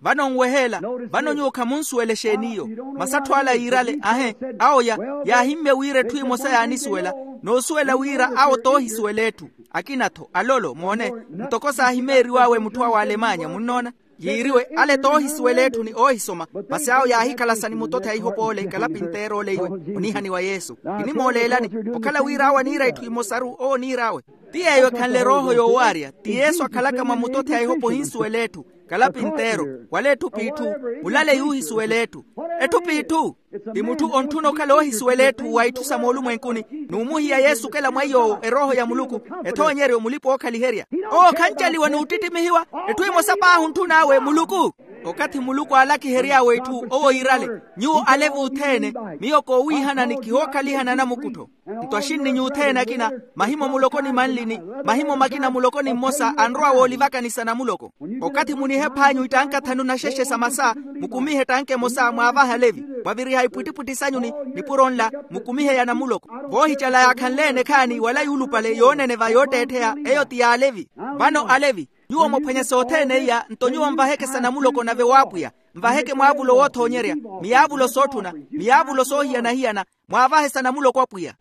Vano nweheela. Vano nyuwo khamunsuwela exeen'iyo. Masi atthu ala yiirale ahe. Awo yaahimmye wira etthu emosa yaanisuwela. Noosuwela wira awo toohisuwela etthu. Akina-tho alolo moone. Ntoko saahimeeriw'awe mutthu awo alemanya munnoona. Yiiriwe ale toohisuwela etthu ni oohisoma. Masi awo yaahikhalasa ni mutothi a ihopa ole kalapinteera ole iwe. Onihaniwa yesu. Kinimooleelani. Okhala wira awo aniira itthu imosaru owo oniir'awe. Ti yeeyo ekhanle erooho yoowaarya ti yesu akhalaka mwa mutothi a ihopa ohinsuwela etthu. Kalapinteero wala etthu p'itthu. Mulale yuuhisuwela etthu. Etthu p'itthu. Ti mutthu ontthuna okhala oohisuwela etthu wa itthu sa moolumwenkuni. N'umuhiya yesu okela mwa iy'owo erooho ya muluku. Ethoonyeryo mulipa ookhaliherya. Owo khancaliwa n'uttittimihiwa. Etthu emosa paahi ontthun'awe muluku. Okathi muluku aalakihery'awe itthu owo yiirale. Nyuwo alevi othene. Miyo koowiihanani kihookhalihana anamukuttho. Nto axinni nyuuthene akina, mahimo muloko ni manlini, mahimo makina muloko ni mmosa anrowa woolivakani sa namuloko. Okathi munihepha anyu ittanka thanu naxexe sa masa, mukumihe ettanka emosa mwaavahe alevi. Mwaviriha ipwittipwitthi sanyu ni nipuro nla, mukumihe ya namuloko. Voohicala yaakhanle-ene ekhaani wala yuulupale yooneneva yootteettheya. Eyo ti y'alevi. Vano alevi, nyuwo mwaphwanya sothene iya nto nyuwo nvaheke sa namuloko nave w'apwiya. Nvaheke mwaavulo woothoonyerya, miyaavulo sootthuna, miyaavulo soohiyana-hiyana. Mwaavahe sa namuloko apwiya.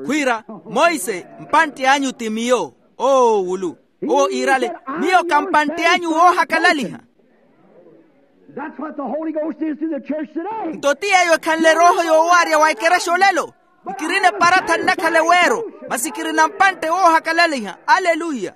Khwiira, monse, mpantte anyu ti miyo. Oo wulu. Owo iirale, miyo kampantte anyu woohakalaliha. Nto ti yeeyo ekhanle erooho yoowaarya wa ekerexa olelo. Nkirina eparatha nnakhala eweero, masi kirina mpantte woohakalaliha. Aleluya.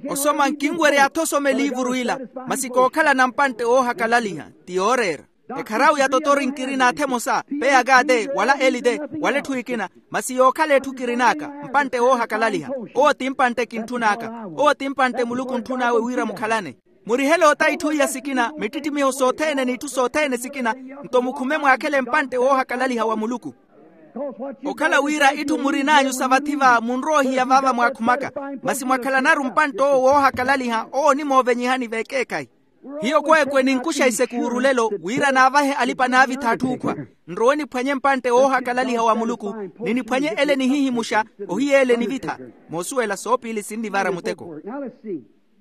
Osoma nkinwerya athu osoma eliivuru ila, masi kookhala na mpantte woohakalaliha. Ti yooreera. Ekharau ya totori nkirina athu emosa, peyaka te wala eli te, wala etthu ekina. Masi yookhala etthu kirin'aka mpantte woohakalaliha. Owo ti mpantte kintthun'aka. Owo ti mpantte muluku ontthunawe wira mukhalane. Murihele ota itthu iya sikina mittittimiho sothene n'itthu sothene sikina. Nto mukhume mwaakhele mpantte woohakalaliha wa muluku. Okhala wira itthu murin'anyu sa vathi va munrowa ohiya vaava mwaakhumaka. Masi mwakhalanaru mpantte owo woohakalaliha owo onimoovenyihani vekeekhayi. Hiyo kweekwe ninkuxa isekuuru lelo wira naavahe alipa-naavittha atthu ookhwa. Nrowe niphwanye mpantte woohakalaliha wa muluku, ni niphwanye ele nihihimuxa ohiya ele nivitha. Moosuwela soopiili sinnivara muteko.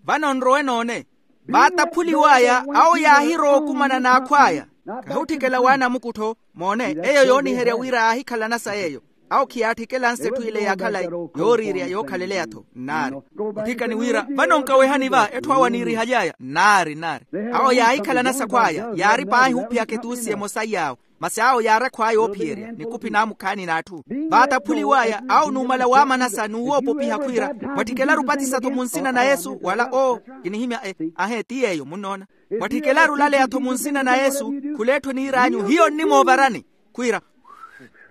Vano nrowe noone. Vaataphuliw'aya awo yaahirowa okumana n'akhw'aya. Kahi otthikela w'anamukuttho. Moone, eyo yooniherya wira aahikhalana sa yeeyo. Awo khiyaatthikelanse etthu ile ya khalayi, yooriirya yookhaleleya-tho nnaari. Otthikani wira vano nkawehani va etthu awo aniirihaly'aya nnaari nnaari. Awo yaahikhalana sakhw'aya yaari paahi ophiyaka etuusi emosa iy'awo. Masi awo yaari akhw'aya oophiyerya nikuphi naamukhaani n'atthu. Vaataphuliw'aya awo numala waamanasa n'uwoopopiha khwiira, mwatthikelaru opatisa-tho mu nsina na yesu wala oo? Kinihimya e. Ahe ti yeeyo munnoona. Mwatthikelaru olaleya-tho mu nsina na yesu. Khul'etthu eniir'anyu hiyo nnimoovarani. Khwiira,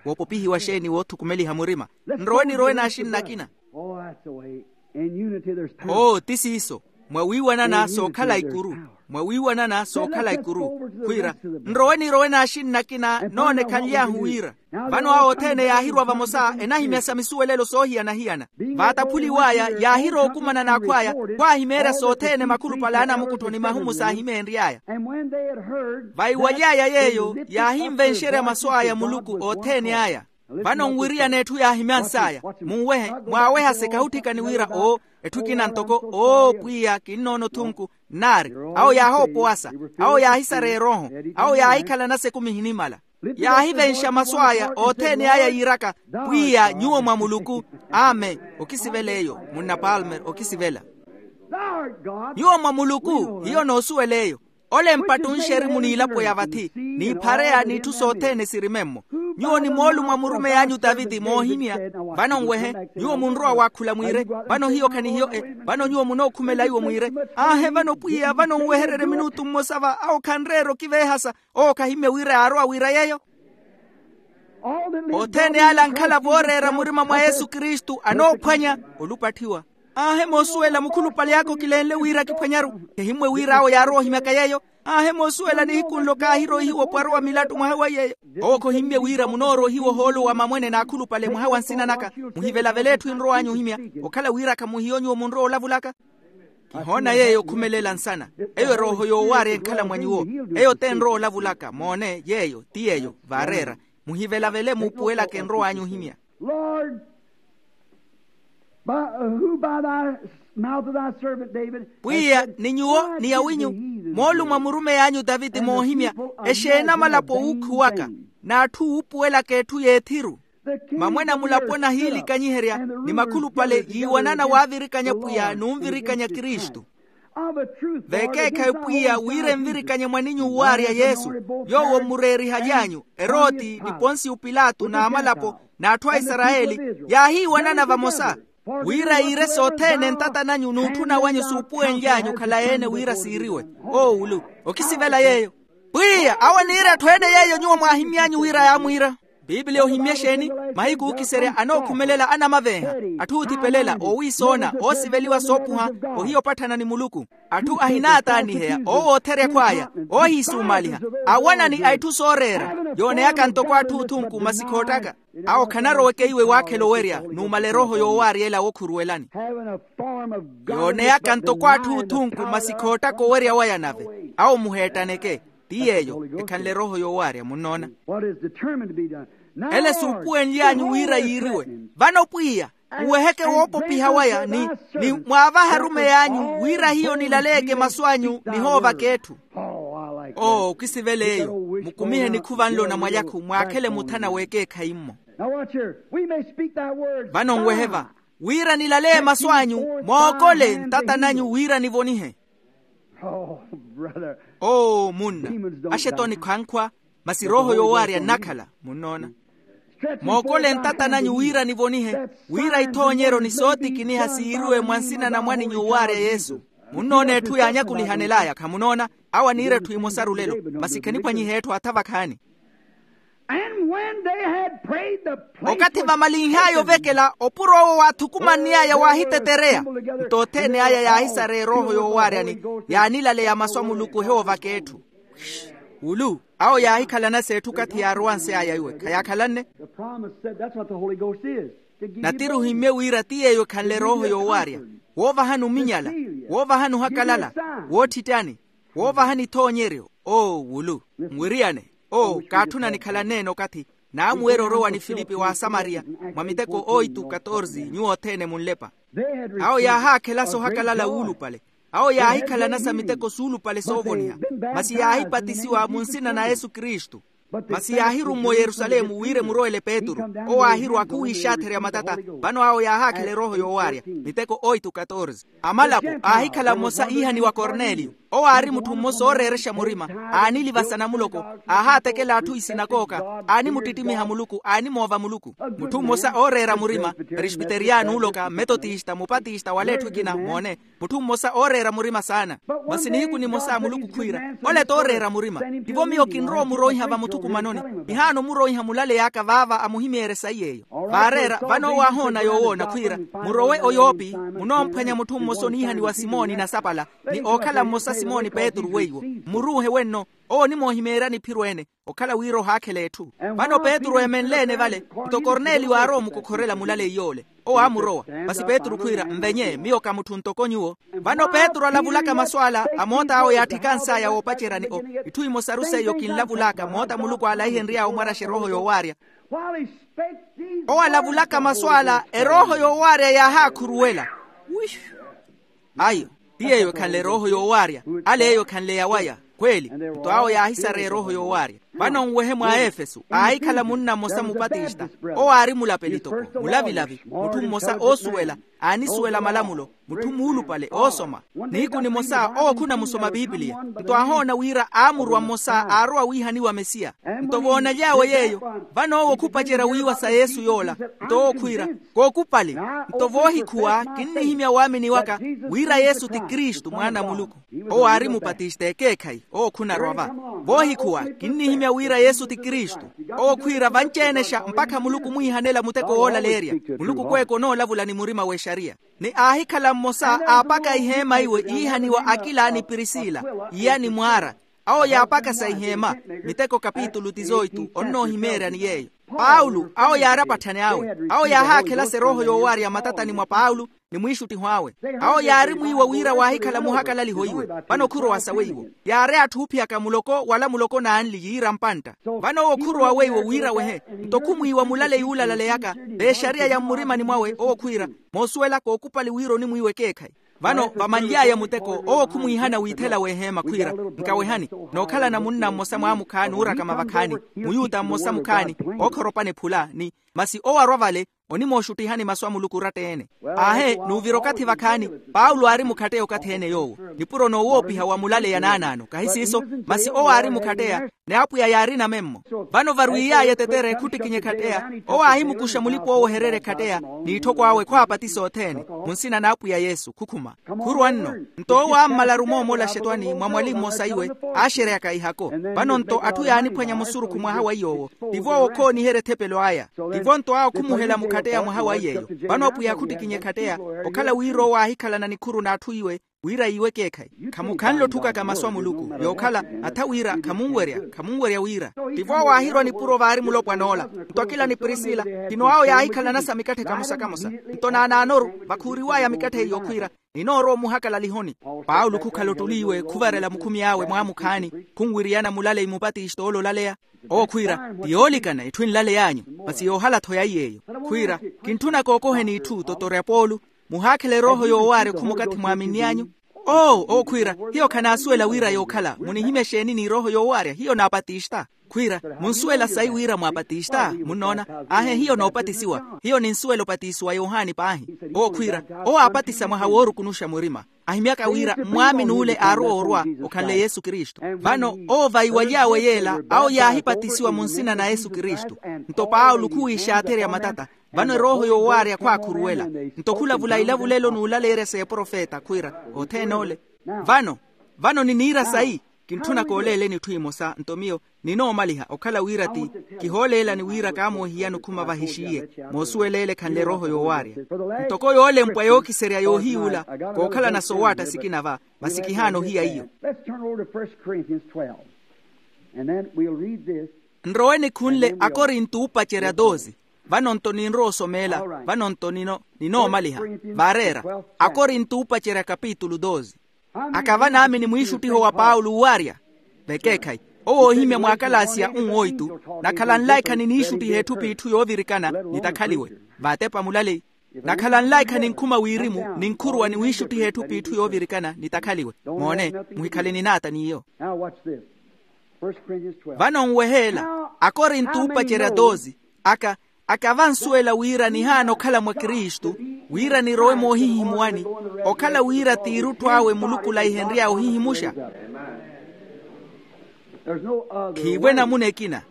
woopopihiwa xeeni woothukumeliha murima? Nrowe nirowe n'axinna akina. Oo ti siiso. Mwawiiwanana sookhala ikuru. Mwawiiwanana sookhala ikuru khwiira, nrowe nirowe n'axinna akina noonekhanly'ahu wira. Vano awo othene yaahirwa vamosa enahimya sa misuwelelo soohiyana-hiyana. Vaataphuliw'aya yaahirowa okumana n'akhw'aya, khwaahimeerya sothene makhulupale a anamukutthoni mahumu saahimeenry'aya. Vaiwaly'aya yeeyo yaahinvenxerya masu aya muluku othene aya. Vano nwiriyana etthu yaahimyans'aya. Munwehe, mwaawehase kahutthikani wira oo, etthu ekina ntoko oo pwiya kinnoona othunku. Nnaari, awo yaahoopowasa, awo yaahisareya erooho, awo yaahikhalana sekumi ehinimala. Yaahivenxa masu aya othene aya yiiraka, pwiya nyuwo mwa muluku. Amen. Okisivela eyo, munna palmer okisivela. Nyuwo mwa muluku hiyo noosuwela eyo. Ole mpattunxeri muniilapo ya vathi, n'iphareya n'itthu sothene sirimemmo. Nyuwo ni moolumo a murumeyi anyu taviti moohimya. Vano nwehe, nyuwo munrowa waakhula mwiire. Vano hiyo khanihiyo-e. Vano nyuwo munookhumela iwo mwiire. Aahe vano pwiya vano nwehererye minutu mmosa va awo khanreera okiveehasa. Owo khahimmye wira yaarowa wira yeeyo. Othene ale ankhala vooreera murima mwa yesu kristu anoophwanya olupatthiwa. Aahe moosuwela mukhulupale aka okilenle wira akiphwanyaru. Khehimmwe wira awo yaarowa ohimyaka yeeyo. Aahe moosuwela nihiku nlo kaahiroihiwa opwaru wa milattu mwaha wa yeeyo. Owo khohimmye wira munooroihiwa ohoolo wa mamwene n'akhulupale mwaha wa nsina naka. Muhivelavele etthu enrow'anyu ohimya. Okhala wira khamuhiyo nyuwo munrowa olavulaka. Kihoona yeeyo okhumelela nsana. Eyo erooho yoowaarya enkhala mwa nyuwo. Eyo t'enrowa olavulaka moone yeeyo ti yeeyo vaareera. Muhivelavele muupuwelaka enrow'anyu ohimya. Lord, by, who by thy mouth of thy servant David pwiya ni nyuwo ni yawinyu moolumo a murumeyi anyu taviti moohimya exeeni amalapo wuukhuwaka n'atthu wuupuwelaka etthu y'ethiru. Mamwene a mulapo nahiilikanyiherya ni makhulupale yiiwanana waavirikanya pwiya n'unvirikanya kristu. Vekeekhayi pwiya wira envirikanye mwaninyu uwaarya yesu, yoowo mmureerihaly'anyu eroti ni ponsiyo pilato n'amalapo n'atthu a isarayeli yaahiiwanana vamosa. Wira yiire sothene ntata nanyu n'utthuna wanyu suupuwenly'anyu khalayi-ene wira siiriwe. Oowulu okisivela yeeyo. Pwiya awo aniira etthu ene yeeyo nyuwo mwaahimy'anyu wira yaamwiira. Piipiliya ohimmye exeeni? Mahiku ookiserya anookhumelela anamavenha, atthu oothipelela oowiisoona oosiveliwa soopuha ohiya opatthana ni muluku. Atthu ahinaataaniheya oowootheryakhu aya oohiisuumaaliha awanani a itthu sooreera. Yooneyaka ntoko atthu othunku masi khoottaka. Awo khanaroweke iwe waakhela owerya numala erooho yoowaarya ela wookhuruwelani. Yooneyaka ntoko atthu othunku masi khoottaka owerya waya nave awo muheettaneke. Ti yeeyo ekhanle erooho yoowaarya munnoona. Ele suupuwenly'anyu wira yiiriwe. Vano pwiya uweheke woopopiha waya ni ni mwaavahe arumeyi anyu wira hiyo nilaleyeke masu anyu nihoovaka etthu. Oo okisivela eyo. Mukumihe nikhuva nlo na mwalyakhu mwaakhele muthana w'ekeekhayi-mmo. Vano nwehe va wira nilaleye masu anyu mookole ntata nanyu wira nivonihe. Oo munna, axetoni khankhwa masi erooho yoowaarya nnakhala munnoona. Mookole ntata nanyu wira nivonihe wira ithoonyeryo ni sootikiniha siiriwe mwa nsina na mwaninyu owaarya yesu. Munnoona etthu yaanyakulihanel'aya khamunoona? Awo aniira etthu emosaru lelo masi khaniphwanyihe etthu atha vakhaani. Okathi vamalinh'aya ovekela opuro owo waathukumanny'aya waahitetereya nto othene aya yaahisareya erooho yoowaarya ni yaanilaleya masu a muluku ohiwoovaka etthu. Wulu awo yaahikhalana s'etthu okathi yaarowanse aya iwe khayaakhalanne. Natiri ohimmye wira ti yeeyo ekhanle erooho yoowaarya woovahani ominyala woovahani ohakalala wootthitthani woovahani ithoonyeryo. Oo wulu nwiriyane oo kaatthuna nikhalanne-ene okathi naamuwerya orowa ni filipi w'asamariya mwa miteko oitu katorsi nyuwo othene munlepa. Awo yaahaakhela sohakalala wuulupale awo yaahikhalana sa miteko suulupale soovoniha masi yaahipatisiwa mu nsina na yesu kristu. Masi yaahirumme oyerusalemu wira emurowele petru owo aahirwa khuwiixaatherya matata. Vano awo yaahaakhela erooho yoowaarya miteko oitu katorsi amalapo aahikhala mmosa iihaniwa korneliyo owo aari mutthu mmosa ooreerexa murima aanilivasa namuloko aahaatekela atthu isinakooka aanimuttittimiha muluku aanimoova muluku. Mutthu mmosa ooreera murima presbiteria nuuloka metotista mupatista wala etthu ekina moone mutthu mmosa ooreera murima saana. Masi nihiku nimosa muluku khwiira ole tooreera murima tivo miyo kinrowa omuroiha vamuthukumanoni. Ihaana omuroiha mulale yaaka vaava amuhimeerye sayi yeeyo vaareera vano owo aahoona yoowoona khwiira murowe oyoopi munoomphwanya mutthu mmosa oniihaniwa simoni nasapala ni ookhala mmosa Simoni petru weiwo, mmuruuhe wenno. Owo onimoohimeerya niphiro ene, okhala wira ohaakhela etthu. Vano petru eemenle-ene vale, nto korneliyo aarowa omukokhorela mulaleyi yoole. Owo aamurowa. Masi petru khwiira, nvenye, miyo ka mutthu ntoko nyuwo. Vano petru alavulaka masu ala, amoota awo yaatthikansaya woopaceryani o, itthu imosaru seiyo kinlavulaka moota muluku aalahihenry'awe omwaraxa erooho yoowaarya. Owo alavulaka masu ala erooho yoowaarya yaahakhuruwela. Ayo, ti yeeyo ekhanle erooho yoowaarya. Ale eyo ekhanle yawaya. Khweeli. Nto awo yaahisareya erooho yoowaarya. Vano nwehe mwa efesu aahikhala munna mmosa mupatista. Owo aari mulapeli toko, mulavilavi, mutthu mmosa oosuwela, aanisuwela malamulo, mutthu muulupale oosoma. Nihiku nimosa owo khunamusoma pipiliya. Nto aahoona wira aamurwa mmosa aarowa wiihaniwa mesiya. Nto voonaly'awe yeeyo, vano owo khupacerya wiiwa sa yesu yoola. Nto owo khwiira, kookupali. Nto voohikhuwa kinnihimya waamini waka wira yesu ti kristu mwaana a muluku. Owo aari mupatista ekeekhayi owo khunarwa va. Voohikhuwa kinnihimya wira yesu ti kristu. Owo khwiira vanci-enexa mpakha muluku omwiihanela muteko woolaleerya. Muluku kweeka onoolavula ni murima w'exariya. Ni aahikhala mmosa aapaka iheema iwe yiihaniwa akila ni prisila, iya ni mwaara. Awo yaapakasa iheema. Miteko kapitulu tizoitu onnoohimeeryani yeeyo. Paulo awo yaari apatthani awe. Awo yaahaakhelasa erooho yoowaarya matatani mwa paulo ni mwiixuttiho awe. Awo yaari mwiiwa wira waahikhala muhakalaliho iwe. Vano khurowa sawe iwo. Yaari atthu oophiyaka muloko wala muloko n'anli yiira mpantta. Vano owo khurowa weiwo wira wehe. Nto khumwiiwa mulaleyi uulalaleyaka v'exariya ya mmurimani mwawe owo khwiira, moosuwela kookupali wira onimwiiwa ekeekhayi. Vano vamanly'aya muteko owo khumwiihana wiithela w'eheema khwiira, nkawehani. Nookhalana munna mmosa mwaamukhaani oorakama vakhaani, muyuta mmosa mukhaani, ookhoropana ephula ni, masi owo arwa vale, onimooxuttihani masu a muluku oratta-ene. Aahe n'uvira okathi vakhaani. Paulo aari mukhatteya okathi-ene yoowo, nipuro noowoopiha wa mulaleya naanaano kahi siiso. Masi owo aari mukhatteya, ni apwiya yaari namemmo. Vano varwiiy'aya etetere khuttikinya ekhatteya, owo aahimukuxa mulipa owehererya ekhatteya, n'itthoko awe khwaapatisa othene, mu nsina n'apwiya yesu khukhuma. Khurwa nno. Nto owo aammalaru moomola axetwani mwa mwali mmosa iwe, aaxereyaka ihako. Vano nto atthu yaaniphwanya musurukhu mwaha wa iy'owo. Tivo awo okhooniherya ethepelo aya. Tivo nto awo khumuhela mukhatteya mwaha wa iy'eyo. Vano apwiya khuttikinya ekhatteya, okhala wira owo aahikhalana nikhuru n'atthu iwe, wira yiiwe ekeekhayi. Khamukhanle otthukaka masu a muluku yookhala, atha wira khamunwerya khamunwerya wira. Tivo awo aahirwa nipuro vaari mulopwan'ola. Nto akila ni prisila, tino awo yaahikhalanasa mikatthe kamosa-kamosa. Nto naanaanoru vakhuuriw'aya mikatthe iyo khwiira, ninoorowa omuhakalalihoni. Paulo khukhala ottuli iwe khuvarela mukhumi awe mwaamukhaani, khunwiriyana mulaleyi mupatista oololaleya. Owo khwiira, ti yoolikana itthu enlaley'anyu, masi yoohala-tho ya iy'eyo. Khwiira, kintthuna kookoheni itthu totorya poolu. Muhaakhela erooho yoowaarya okhuma okathi mwaaminny'anyu. Oo owo khwiira, hiyo khanaasuwela wira yookhala munihimya exeeni n'irooho yoowaarya hiyo naapatista. Khwiira, munsuwela sayi wira mwaapatista munnoona? Aahe hiyo noopatisiwa. Hiyo ninsuwela opatisiwa yohani paahi. Owo khwiira, owo aapatisa mwaha woorukunuxa murima. Ahimyaka wira mmwaamini ule aarowa orwa, okhanle yesu kristu. Vano owo vaiwaly'awe yeela awo yaahipatisiwa mu nsina na yesu kristu. Nto paulo khuwiixaatherya matata. Vano erooho yoowaarya khwaakhuruwela. Nto khulavula ilavulelo n'ulaleerya s'eprofeta khwiira, othene ole. Vano, vano niniira sayi? Kintthuna kooleeleni itthu imosa nto miyo ninoomaliha okhala wira ti, kihooleelani wira kaamoohiyani okhuma vahixiye. Moosuwela ele ekhanle erooho yoowaarya. Ntoko yoolempwa yookiserya yoohiyuula, kookhalana sowaatta sikina va, masi kihaana ohiya iyo. Let's turn over to First Corinthians twelve. And then we'll read this. Nrowe nikhunle akorinto oopacerya doze. Vano nto ninrowa osomeela. Vano nto nino ninoomaliha. Vaareera. Akorinto oopacerya kapitulu doze. Aka vanaamini mwiixuttiho wa paulo uwaarya? Vekeekhayi. Owo oohimya mwaakalaasiya unwoitu. Nakhala nlaikha niniixuttiha etthu p'itthu yoovirikana, nitakhaliwe. Vaatepa mulaleyi. Nakhala nlaikha ninkhuma wirimu ninkhuruwa ni wiixuttiha etthu p'itthu yoovirikana nitakhaliwe. Moone, muhikhale ninaata n'iyo. Vano nweheela. Akorinto oopacerya doze. Aka aka vansuwela wira nihaana okhala mwa kristu, wira nirowe moohihimuwani, okhala wira t'irutthu awe muluku olaihenry'awe ohihimuxa. Khiivo enamuna ekina.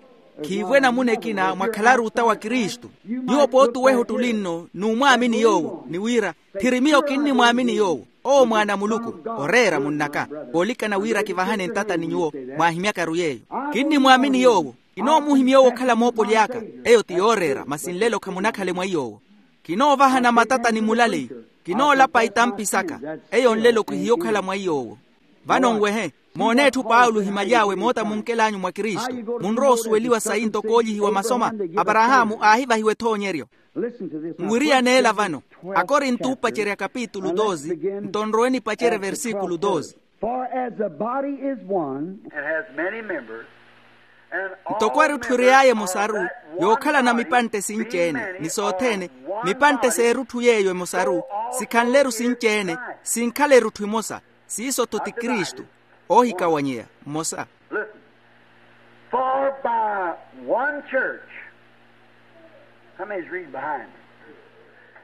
Khiivo enamuna ekina mwakhalaru ota wa kristu. Nyuwo pooti oweha ottuli nno n'umwaamini yoowo ni wira, thiri miyo kinnimwaamini yoowo. Owo mwaana a muluku. Oreera munn'aka. Koolikana wira kivahane ntata ni nyuwo, mwaahimyakaru yeeyo. Kinnimwaamini yoowo. Kinoomuhimya owo okhala moopoli aka. Eyo ti yooreera masi nlelo khamunakhale mwa iy'owo. Kinoovahana matata ni mulaleyi. Kinoolapa itampi saka. Eyo nlelo khihiyokhala mwa iy'owo. Vano nwehe, moone etthu paulo ohimaly'awe moota munkel'anyu mwa kristu. Munrowa osuweliwa sayi ntoko oolyihiwa masoma. Aparahaamu aahivahiwa ethoonyeryo. Nwiriyaneela vano, akorinto oopacerya kapitulu doze, nto nrowe nipacerye versikulu doze. For as the body is one, and has many members, and all ntoko erutthu eriy'aya emosaru, yookhalana mipantte sinci-ene ni sothene, mipantte s'erutthu yeeyo emosaru sikhanle-ru sinci-ene, sinkhala erutthu emosa. Siiso-tho ti kristu, oohikawanyeya mmosa. Listen. For by one church, how many's reading behind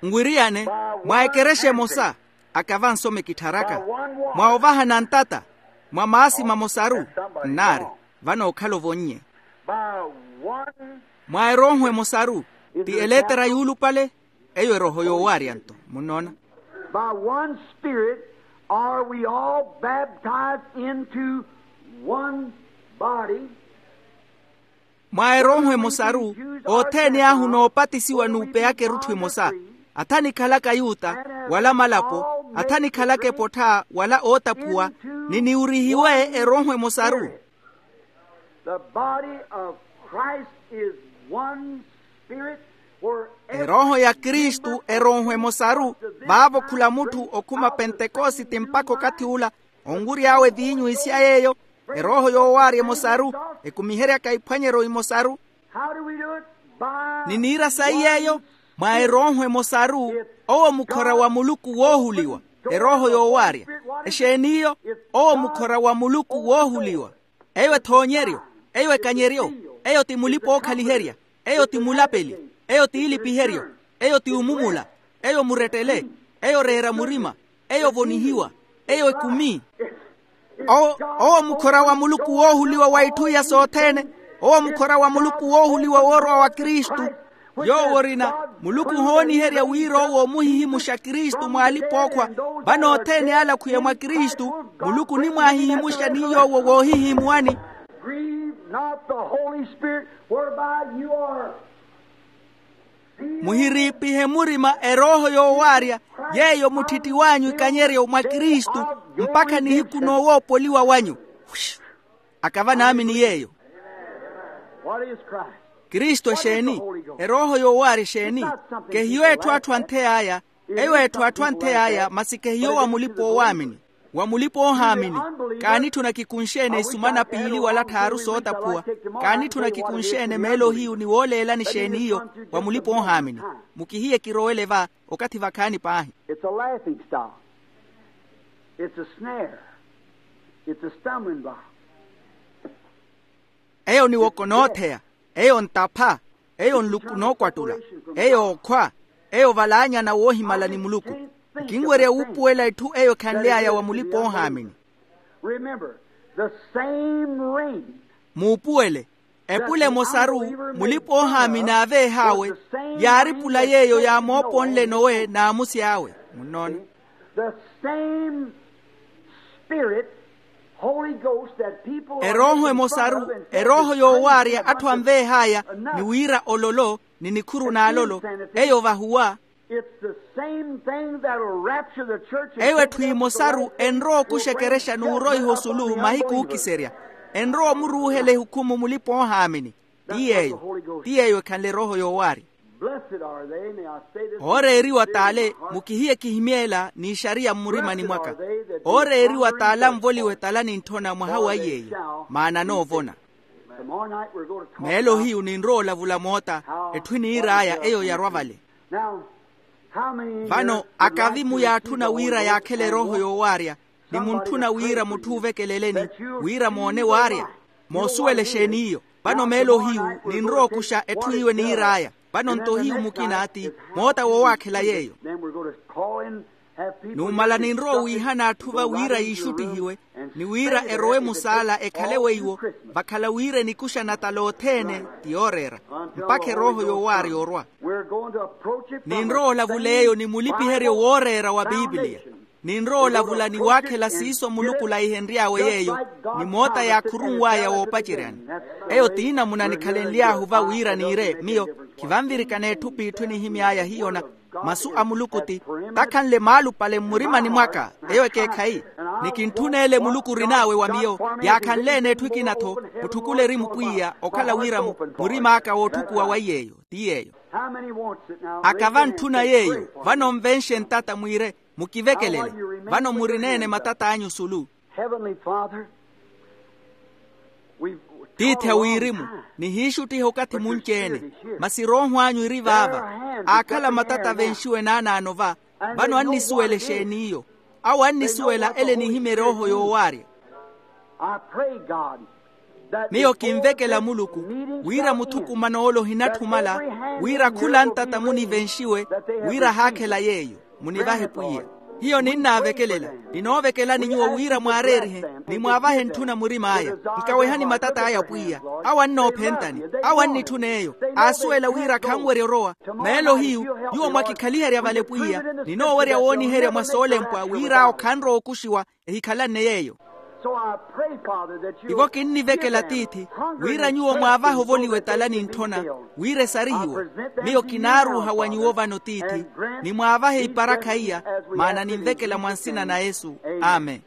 me? Nwiriyane, mwa ekerexa emosa, akava nsome kittharaka, mwa ovahana ntata, mwa maasi mamosaru, nnaari, vano okhala ovonnye. By one, mwa erooho emosaru, ti eletera yuulupale, eyo erooho yoowaarya-nto. Munnoona? By one spirit are we all baptized into one body. Mwa erooho emosaru, othene ahu noopatisiwa n'upeyaka erutthu emosa. Atha nikhalaka yuta, wala malapo, atha nikhalaka epottha wala ootaphuwa, ni niwurihiwe erooho emosaru. The body of Christ is one spirit. Erooho ya kristu erooho emosaru. Vaavo khula mutthu okhuma pentekositi mpakha okathi ula, onwury'awe viinyu isya yeeyo, erooho yoowaarya emosaru, ekumiheryaka iphwanyeryo imosaru. How do we do it? By ni niira sayi yeeyo, mwa erooho emosaru. Owo mukhora wa muluku woohuliwa, erooho yoowaarya. Exeen'iyo? Owo mukhora wa muluku woohuliwa. Eyo ethoonyeryo, eyo ekanyeryo, eyo ti mulipa-ookhaliherya, eyo ti mulapeli, eyo ti ilipiheryo, eyo ti omumula, eyo murettele, eyo reera murima, eyo ovonihiwa, eyo ekumi. Owo, owo mukhora wa muluku woohuliwa wa itthu iya sothene. Owo mukhora wa muluku woohuliwa woorowa wa kristu. Yoowo orina, muluku ohooniherya wira owo omuhihimuxa kristu mwa alipa-ookhwa. Vano othene ale akhwiya mwa kristu, muluku onimwaahihimuxa ni yoowo woohihimuwani. Grieve not the Holy Spirit whereby you are. Muhiriipihe murima erooho yoowaarya, yeeyo mutthitthi w'anyu ikanyeryo mwa kristu, mpakha nihiku noowoopoliwa wanyu. Akava naamini yeeyo. Kristu exeeni? Erooho yoowaarya exeeni? Kehiyo etthu atthu anthey'aya. Eyo etthu atthu anthey'aya masi kehiyo wa mulipa-oowaamini, wa mulipa-oohaamini. Kaanitthuna kikunxe-ene isumana piili wala tthaaru sootaphuwa? Kaanitthuna kikunxe-ene meelo hiyu ni wooleelani exeeni iyo? Wa mulipa-oohaamini. Mukihiye kirowele va, okathi vakhaani paahi. It's a laughing stock. It's a snare. It's a stumbling block. Eyo niwoko nootheya, eyo ntapha, eyo nluku nookwattula, eyo okhwa, eyo ovalaanyana woohimala ni muluku. Nkinwerya wuupuwela etthu eyo ekhanly'aya wa mulipa-oohaamini. Remember, the same rain. Muupuwele, epula emosaru mulipa-oohaamini aaveeh'awe, yaari pula yeeyo yaamooponle nowe n'amusi awe. Munnoona? The same spirit, Holy Ghost, that people are erooho emosaru, erooho yoowaarya atthu anveeh'aya, ni wira ololo ni nikhuru n'alolo, eyo vahuwa. It's the same thing that'll rapture the church and eyo etthu emosaru enrowa okuxa ekerexa n'uroiha osulu mahiku ookiserya. Enrowa omuruuhela ehukhumu mulipa-oohaamini. Ti yeeyo, ti yeeyo ekhanle erooho yoowaarya. Blessed are they, may I say this. Ooreeriwa t'ale, mukihiye kihimyeela n'ixariya mmurimani mwaka. Ooreeriwa t'ale anvoliwa etala n'intthona mwaha wa iy'eyo, maana anoovona. Tomorrow night we're going to talk meelo about hiyu ninrowa olavula moota, how etthu eniir'aya eyo yarwa vale. Now, how many here vano would akavi like to muyaatthuna receive the wira Holy Ghost yaakhela and erooho want yoowaarya, ni muntthuna wira mutthu uuvekeleleni, wira moone waarya. Moosuwela exeeni iyo? Vano meelo hiyu ninrowa okuxa etthu iwe niir'aya. Vano nto hiyu mukina ti moota woowaakhela yeeyo. Numala ninrowa owiihana atthu va wira yiixuttihiwe, ni wira erowe musaala ekhale weiwo, vakhala wira enikuxa natala othene ti yooreera, mpakha erooho yoowaarya orwa. Ninrowa olavula eyo ni mulipiheryo wooreera wa pipiliya. Ninrowa olavula ni waakhela siiso muluku olaihenry'awe yeeyo, ni moota yaakhurunw'aya woopaceryani. Eyo ti namuna nikhalenly'ahu va wira niire miyo, khivanvirikana etthu p'itthu enihimy'aya hiyona. Masu a muluku ti takhanle maalupale mmurimani mwaka. Eyo ekeekhayi. Ni kintthuna ele muluku orin'awe wa miyo. Yaakhanle-ene etthu ekina-tho. Mutthukuleri mupwiya okhala wira mu murim'aka wootthukuwa wa iy'eyo. Ti yeeyo. Aka vantthuna yeeyo. Vano nvenxe ntata mwiire, mukivekelele. Vano murina-ene matat'anyu sulu. Tiithi a wirimu, nihiixuttiha okathi munci-ene. Masi rooho anyu eri vaava. Aakhala matata venxiwe naanaano va. Vano annisuwela exeeni iyo? Awo annisuwela ele enihimya erooho yoowaarya. Miyo kinvekela muluku wira muthukumano ole ohinatthumala, wira khula ntata munivenxiwe, wira ahaakhela yeeyo. Munivahe pwiya. Hiyo ninnaavekelela. Ninoovekelani nyuwo wira mwaareerihe, ni mwaavahe ntthuna murim'aya. Nkawehani matat'aya pwiya. Awo annoophentani. Awo annitthuna eyo. Aasuwela wira khanwerya orowa. Meelo hiyu, nyuwo mwakikhaliherya vale pwiya. Ninoowerya wooniherya mwa soolempwa wira awo khanrowa okuxiwa. Ehikhalanne yeeyo. Tivo kinnivekela tiithi, wira nyuwo mwaavahe ovoliwa etala ni ntthona, wira esarihiwe. Miyo kinaaruuha wa nyuwo vano tiithi, ni mwaavahe iparakha iya. Maana ninvekela mwa nsina na yesu. Amen.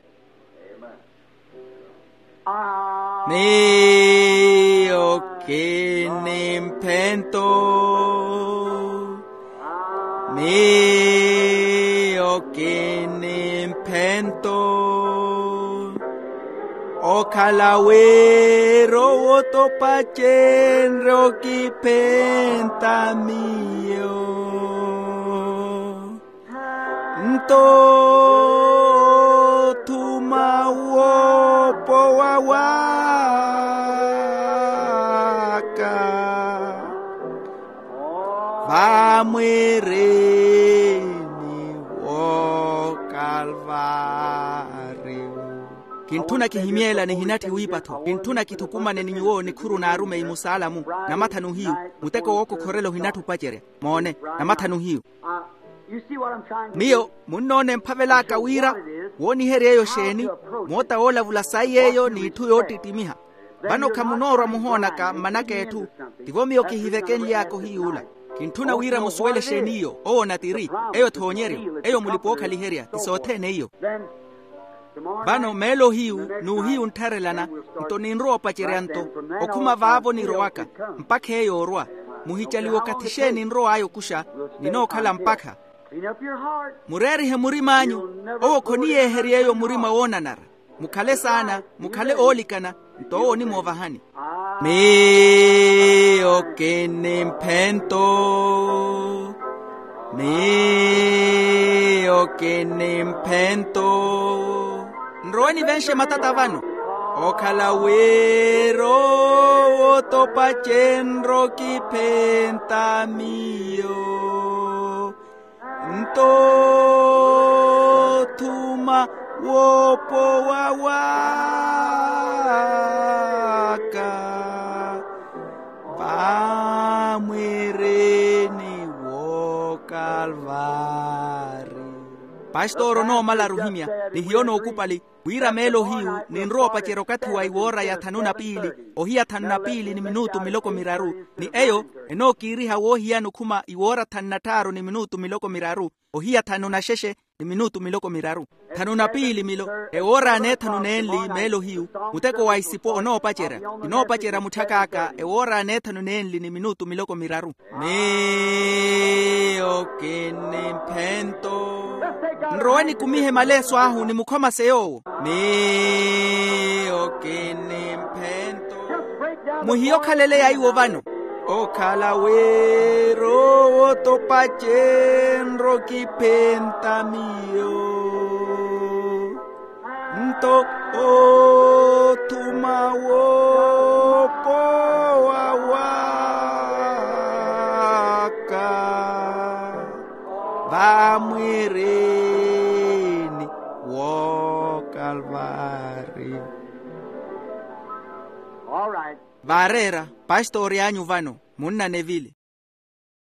Miyo kinimphento. Miyo kinimphento. Okhala wira owo topacenre okiphenta miyo. Nto othuma woopowa waka vamwirini wookalvario. Kintthuna kihimyeela nihinatthi wiipatho, kintthuna kithukumane ni nyuwo nikhuru n'arumeyi musaalamu. Namathanu hiyu, muteko wookokhorela ohinatthi opacerya. Moone, namathanu hiyu. Miyo munnoona emphavel'aka wira wooniherya eyo exeeni. Moota woolavula sayi eyo n'itthu yoottittimiha. Vano khamunoorwa muhoonaka mmanaka etthu. Tivo miyo kihivekenly'aka ohiy'ula. Kintthuna wira musuwele exeeni iyo owo onatiri. Eyo thoonyeryo, eyo mulipa ookhaliherya ti sothene iyo. Vano meelo hiyu n'uhiyu nttharelana. Nto ninrowa opacerya nto okhuma vaavo nirowaka mpakha eyo orwa. Muhicaliwe okathi xeeni nrow'aya okuxa. Ninookhala mpakha. Mureerihe murim'anyu. Owo khoniyeeherya eyo murima woonanara. Mukhale saana, mukhale oolikana. Nto owo onimoovahani. Miyo kinimphento. Miyo kinimphento. Nrowe nivenxe matata vano. Okhala wira owo topacenre okiphenta miyo. Nto othuma woopowa waka vamwirini wookalvari. Pastor onoomalaru ohimya ni hiyo nookupali. Wira meelo hiyu ninrowa opacerya okathi wa iwoora ya thanu na piili, ohiya thanu na piili ni minutu miloko miraru. Ni eyo enookiiriha woohiyana okhuma iwoora thanu na tthaaru ni minutu miloko miraru, ohiya thanu na xexe ni minutu miloko miraru. Thanu na piili milo ewoora n'ethanu n'enli meelo hiyu. Muteko wa isipo onoopacerya. Ninoopacerya mutthak'aka ewoora n'ethanu n'enli ni minutu miloko miraru. Miyo kinimphento. Nrowe nikumihe maleeso ahu nimukhomase yoowo. Miyo kinimphento. Muhiye okhalele yaiwo vano. Okhala wira owo topacenre okiphenta miyo. Nto othuma woopowa waka vamwirini wookalvari. Vaareera pastori anyu vano, munna nevili.